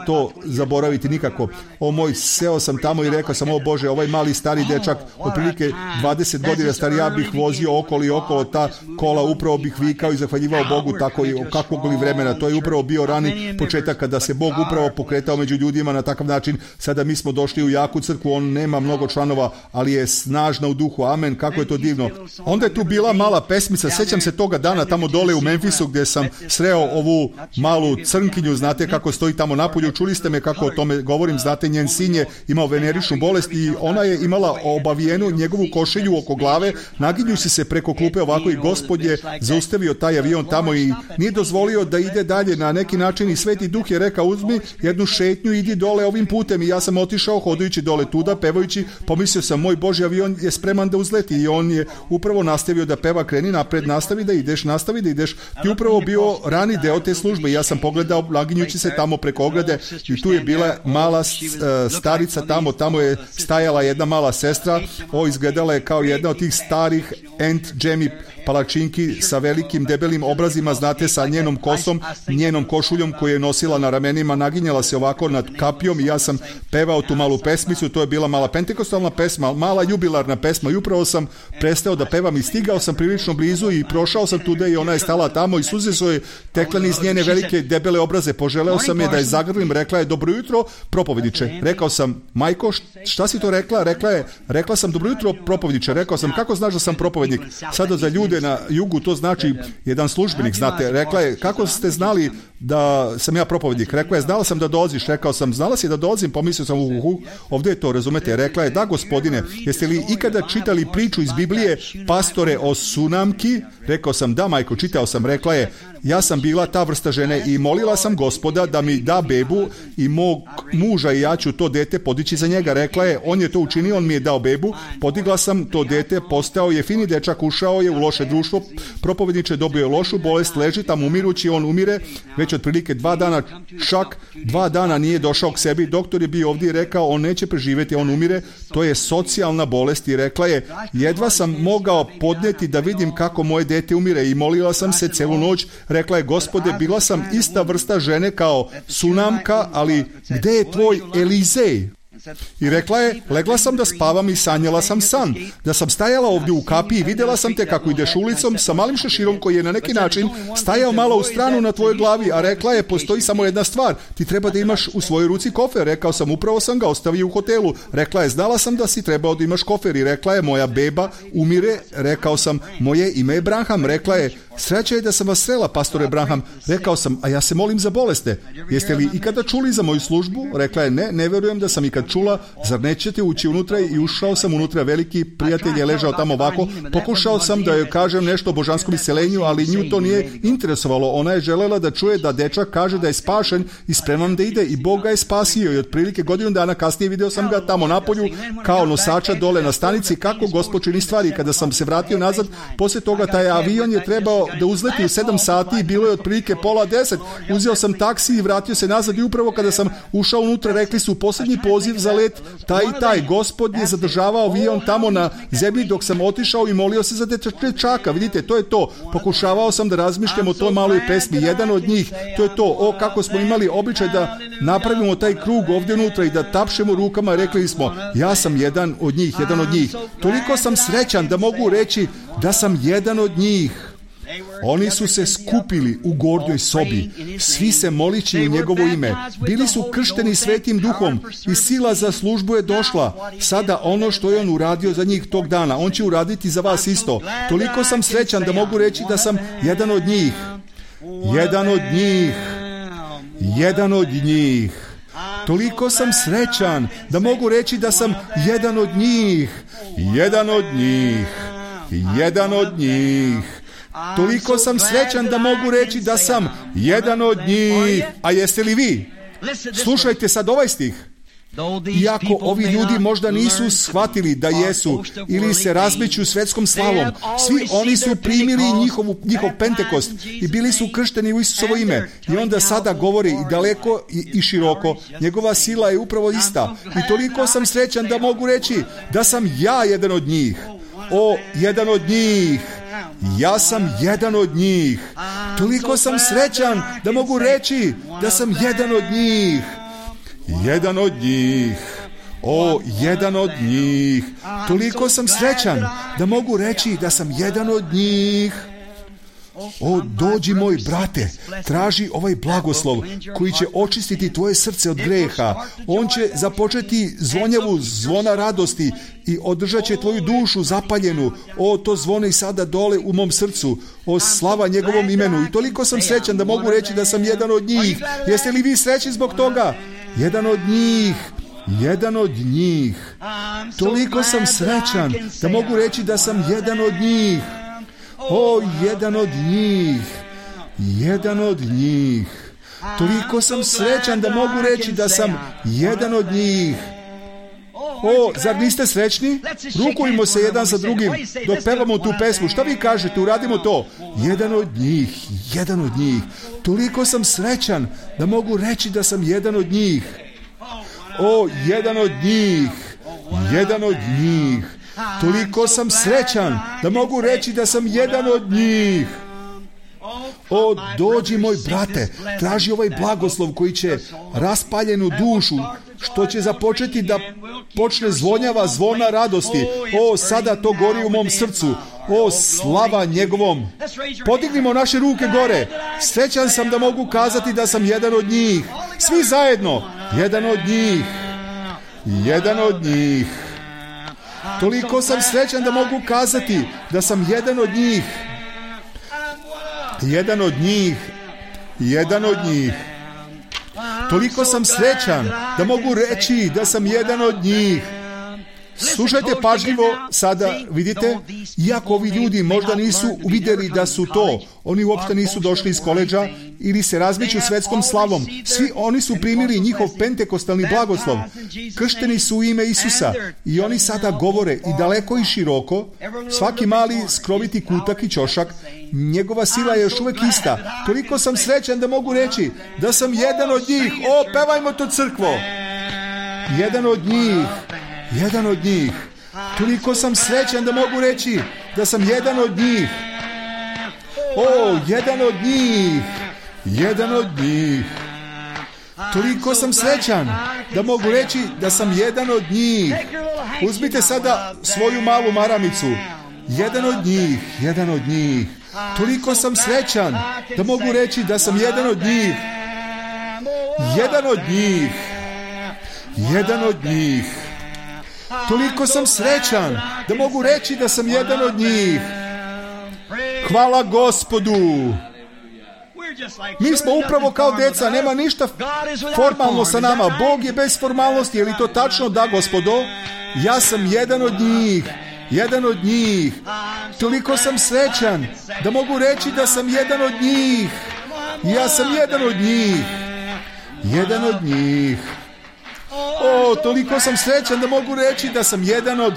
Speaker 1: to zaboraviti nikako. O moj, seo sam tamo i rekao sam, o Bože, ovaj mali stari dečak, otprilike dvadeset godina stari, ja bih vozio okolo i okolo ta kola, upravo bih vikao i zahvaljivao Bogu tako i kakvog li vremena. To je upravo bio rani početak kada se Bog upravo pokretao među ljudima na takav način. Sada mi smo došli u jaku crkvu, on nema mnogo članova, ali je snažna u duhu. Amen, kako je to divno. Onda je tu bila mala mala pesmica, sjećam se toga dana tamo dole u Memphisu gdje sam sreo ovu malu crnkinju, znate kako stoji tamo napolju, čuli ste me kako o tome govorim, znate, njen sin je imao veneričnu bolest i ona je imala obavijenu njegovu košilju oko glave, naginjući se preko klupe ovako i Gospod je zaustavio taj avion tamo i nije dozvolio da ide dalje na neki način i Sveti Duh je rekao uzmi jednu šetnju, idi dole ovim putem i ja sam otišao hodajući dole tuda, pevajući, pomislio sam moj Božji avion je spreman da uzleti i on je upravo nastavio da peva, kreni napred, nastavi da ideš, nastavi da ideš. Ti upravo bio rani deo te službe i ja sam pogledao naginjući se tamo preko ograde i tu je bila mala starica tamo, tamo je stajala jedna mala sestra, o, izgledala je kao jedna od tih starih Aunt Jamie palačinki sa velikim debelim obrazima, znate, sa njenom kosom, njenom košuljom koju je nosila na ramenima, naginjala se ovako nad kapijom i ja sam pevao tu malu pesmicu, to je bila mala pentekostalna pesma, mala jubilarna pesma i upravo sam prestao da pevam i stigao sam prilično blizu i prošao sam tude i ona je stala tamo i suze su joj tekle niz njene velike debele obraze, poželeo sam je da je zagrlim, rekla je dobro jutro propovjedniče, rekao sam majko šta si to rekla, rekla je, rekla sam dobro jutro propovjedniče, rekao sam kako znaš da sam propovjednik, sada za ljude na jugu to znači jedan službenik, znate, rekla je kako ste znali da sam ja propovjednik, rekla je znala sam da dolaziš, rekao sam znala si da dolazim, pomislio sam uhu, ovdje je to, razumete, rekla je da gospodine, jeste li ikada čitali priču iz Biblije Pastore o Sunamki, rekao sam da majko, čitao sam, rekla je ja sam bila ta vrsta žene i molila sam Gospoda da mi da bebu i mog muža i ja ću to dete podići za njega, rekla je on je to učinio, on mi je dao bebu, podigla sam to dete, postao je fini dečak, ušao je u loše društvo, propovjedniče, dobio je lošu bolest, leži tamo umirući, on umire već otprilike dva dana, čak dva dana nije došao k sebi, doktor je bio ovdje i rekao on neće preživjeti, on umire, to je socijalna bolest i rekla je jedva sam mogao podnijeti da vidim kako moje dete umire i molila sam se celu noć, rekla je Gospode, bila sam ista vrsta žene kao Sunamka, ali gdje je tvoj Elizej? I rekla je, legla sam da spavam i sanjala sam san, da sam stajala ovdje u kapiji i vidjela sam te kako ideš ulicom sa malim šeširom koji je na neki način stajao malo u stranu na tvojoj glavi, a rekla je, postoji samo jedna stvar, ti treba da imaš u svojoj ruci kofer, rekao sam, upravo sam ga ostavio u hotelu, rekla je, znala sam da si trebao da imaš kofer i rekla je, moja beba umire, rekao sam, moje ime je Branham, rekla je, sreća je da sam vas srela, pastore Branham, rekao sam, a ja se molim za boleste, jeste li ikada čuli za moju službu, rekla je, ne, ne verujem da sam ikad čula, zar nećete ući unutra i ušao sam unutra, veliki prijatelj je ležao tamo ovako, pokušao sam da joj kažem nešto o božanskom isceljenju, ali nju to nije interesovalo, ona je želela da čuje da dečak kaže da je spašen i spreman da ide i Bog ga je spasio i otprilike godinu dana kasnije video sam ga tamo napolju kao nosača dole na stanici kako Gospod čini stvari. Kada sam se vratio nazad, poslije toga taj avion je trebao da uzleti u sedam sati i bilo je otprilike pola deset, uzeo sam taksi i vratio se nazad i upravo kada sam ušao unutra rekli su posljednji poziv za let taj i taj, Gospod je zadržavao avion tamo na zemlji dok sam otišao i molio se za dečaka, vidite, to je to, pokušavao sam da razmišljam o toj maloj pesmi, jedan od njih, to je to, o kako smo imali običaj da napravimo taj krug ovdje unutra i da tapšemo rukama, rekli smo, ja sam jedan od njih, jedan od njih, toliko sam srećan da mogu reći da sam jedan od njih. Oni su se skupili u gornjoj sobi, svi se molići u njegovo ime. Bili su kršteni Svetim Duhom i sila za službu je došla. Sada ono što je on uradio za njih tog dana, on će uraditi za vas isto. Toliko sam srećan da mogu reći da sam jedan od njih. Jedan od njih. Jedan od njih. Toliko sam srećan da mogu reći da sam jedan od njih. Jedan od njih. Jedan od njih. Toliko sam srećan da mogu reći da sam jedan od njih. A jeste li vi? Slušajte sad ovaj stih. Iako ovi ljudi možda nisu shvatili da jesu ili se razmeću svetskom slavom, svi oni su primili njihovu, njihov Pentekost i bili su kršteni u Isusovo ime. I onda sada govori i daleko i, i široko. Njegova sila je upravo ista. I toliko sam srećan da mogu reći da sam ja jedan od njih. O, jedan od njih. Ja sam jedan od njih. Toliko sam srećan da mogu reći da sam jedan od njih. Jedan od njih. O, jedan od njih. Toliko sam srećan da mogu reći da sam jedan od njih. O, dođi moj brate, traži ovaj blagoslov koji će očistiti tvoje srce od greha. On će započeti zvonjavu zvona radosti i održat će tvoju dušu zapaljenu. O, to zvoni sada dole u mom srcu. O, slava njegovom imenu. I toliko sam srećan da mogu reći da sam jedan od njih. Jeste li vi srećni zbog toga? Jedan od njih. Jedan od njih. Toliko sam srećan da mogu reći da sam jedan od njih. O, jedan od njih. Jedan od njih. Toliko sam srećan da mogu reći da sam jedan od njih. O, zar niste srećni? Rukujmo se jedan sa drugim dok pevamo tu pesmu. Šta vi kažete? Uradimo to. Jedan od njih. Jedan od njih. Toliko sam srećan da mogu reći da sam jedan od njih. O, jedan od njih. Jedan od njih. Toliko sam srećan da mogu reći da sam jedan od njih. O, dođi moj brate, traži ovaj blagoslov koji će raspaljenu dušu, što će započeti da počne zvonjava zvona radosti. O, sada to gori u mom srcu. O, slava njegovom. Podignimo naše ruke gore. Srećan sam da mogu kazati da sam jedan od njih. Svi zajedno. Jedan od njih. Jedan od njih. Toliko sam srećan da mogu kazati da sam jedan od njih. Jedan od njih. Jedan od njih. Toliko sam srećan da mogu reći da sam jedan od njih. Slušajte pažljivo sada, vidite, iako ovi ljudi možda nisu uvidjeli da su to, oni uopšte nisu došli iz koledža ili se razmeću svetskom slavom, svi oni su primili njihov pentekostalni blagoslov, kršteni su u ime Isusa i oni sada govore i daleko i široko, svaki mali skroviti kutak i ćošak, njegova sila je još uvijek ista. Toliko sam srećan da mogu reći da sam jedan od njih. O, pevajmo to, crkvo! Jedan od njih. Jedan od njih. Toliko sam srećan da mogu reći da sam jedan od njih. O, jedan od njih. Jedan od njih. Toliko sam srećan da mogu reći da sam jedan od njih. Uzmite sada svoju malu maramicu. Jedan od njih. Jedan od njih. Toliko sam srećan da mogu reći da sam jedan od njih. Jedan od njih. Jedan od njih. Toliko sam srećan da mogu reći da sam jedan od njih. Hvala Gospodu. Mi smo upravo kao deca, nema ništa formalno sa nama. Bog je bez formalnosti, je li to tačno? Da, Gospodo. Ja sam jedan od njih. Jedan od njih. Toliko sam srećan da mogu reći da sam jedan od njih. Ja sam jedan od njih. Jedan od njih. O, toliko sam srećan da mogu reći da sam jedan od...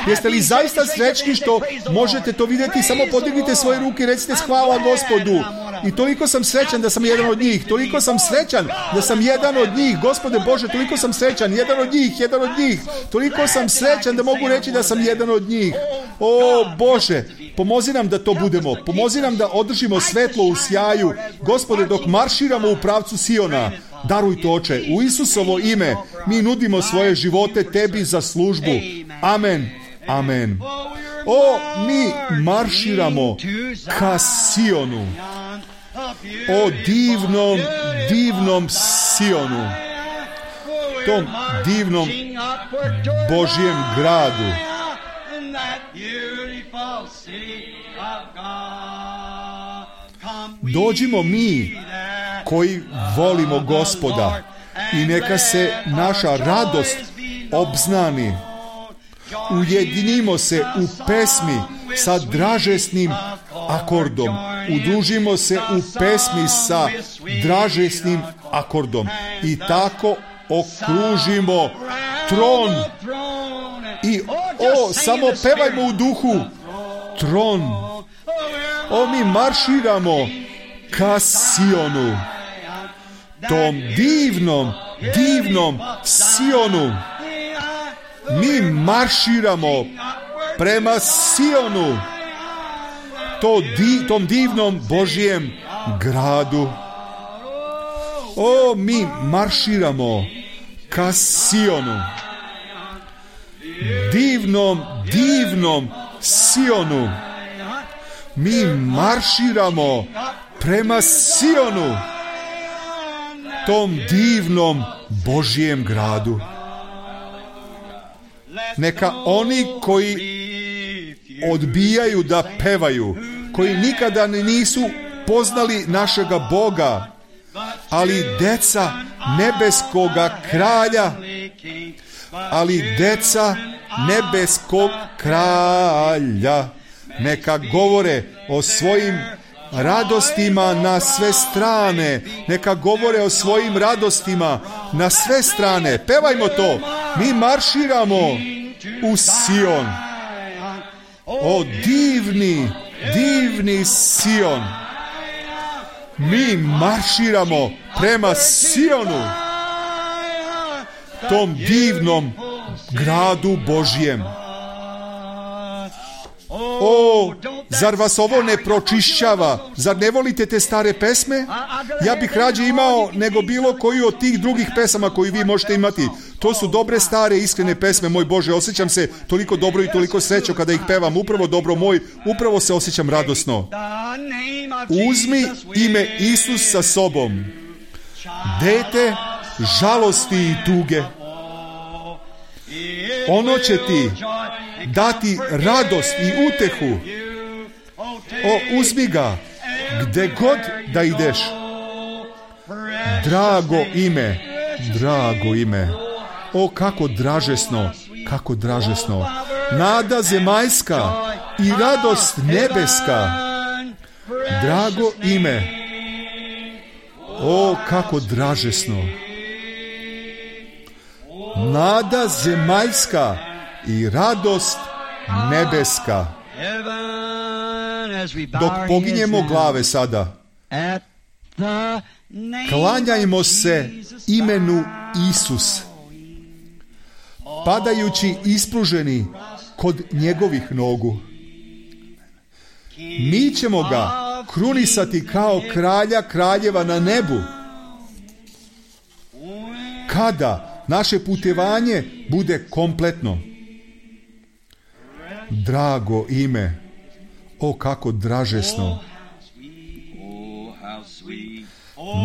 Speaker 1: Jeste li zaista srećni što možete to vidjeti? Samo podignite svoje ruke i recite hvala Gospodu. I toliko sam srećan da sam jedan od njih. Toliko sam srećan da sam jedan od njih. Gospode Bože, toliko sam srećan. Jedan od njih, jedan od njih. Toliko sam srećan da mogu reći da sam jedan od njih. O, Bože, pomozi nam da to budemo. Pomozi nam da održimo svetlo u sjaju. Gospode, dok marširamo u pravcu Siona, daruj to, Oče, u Isusovo ime mi nudimo svoje živote tebi za službu. Amen. Amen. O, mi marširamo ka Sionu. O divnom, divnom Sionu. Tom divnom Božjem gradu. Dođimo mi koji volimo Gospoda i neka se naša radost obznani. Ujedinimo se u pesmi sa dražesnim akordom. Udružimo se u pesmi sa dražesnim akordom i tako okružimo tron. I o, samo pevajmo u duhu. Tron. O, mi marširamo ka Sionu. Tom divnom, divnom Sionu. Mi marširamo prema Sionu. To di, tom divnom Božjem gradu. O, mi marširamo ka Sionu. Divnom, divnom Sionu. Mi marširamo prema Sionu, tom divnom Božjem gradu. Neka oni koji odbijaju da pevaju, koji nikada nisu poznali našega Boga, ali deca nebeskoga kralja, ali deca nebeskog kralja, neka govore o svojim radostima na sve strane, neka govore o svojim radostima na sve strane. Pevajmo to. Mi marširamo u Sion. O divni, divni Sion. Mi marširamo prema Sionu, tom divnom gradu Božjem. O, zar vas ovo ne pročišćava? Zar ne volite te stare pesme? Ja bih rađe imao nego bilo koju od tih drugih pesama koju vi možete imati. To su dobre, stare, iskrene pesme, moj Bože. Osjećam se toliko dobro i toliko srećo kada ih pevam. Upravo, dobro moj, upravo se osjećam radosno. Uzmi ime Isus sa sobom. Dete žalosti i tuge. Ono će ti dati radost i utehu. O, uzmi ga gde god da ideš. Drago ime, drago ime. O, kako dražesno, kako dražesno. Nada zemaljska i radost nebeska. Drago ime. O, kako dražesno. Nada zemaljska i radost nebeska. Dok poginjemo glave sada, klanjajmo se imenu Isus, padajući ispruženi kod njegovih nogu. Mi ćemo ga krunisati kao kralja kraljeva na nebu. Kada naše putovanje bude kompletno. Drago ime, o kako dražesno.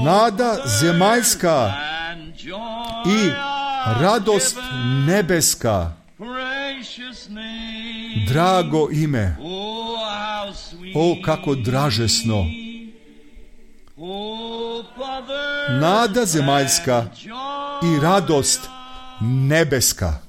Speaker 1: Nada zemaljska i radost nebeska. Drago ime, o kako dražesno. Nada zemaljska i radost nebeska.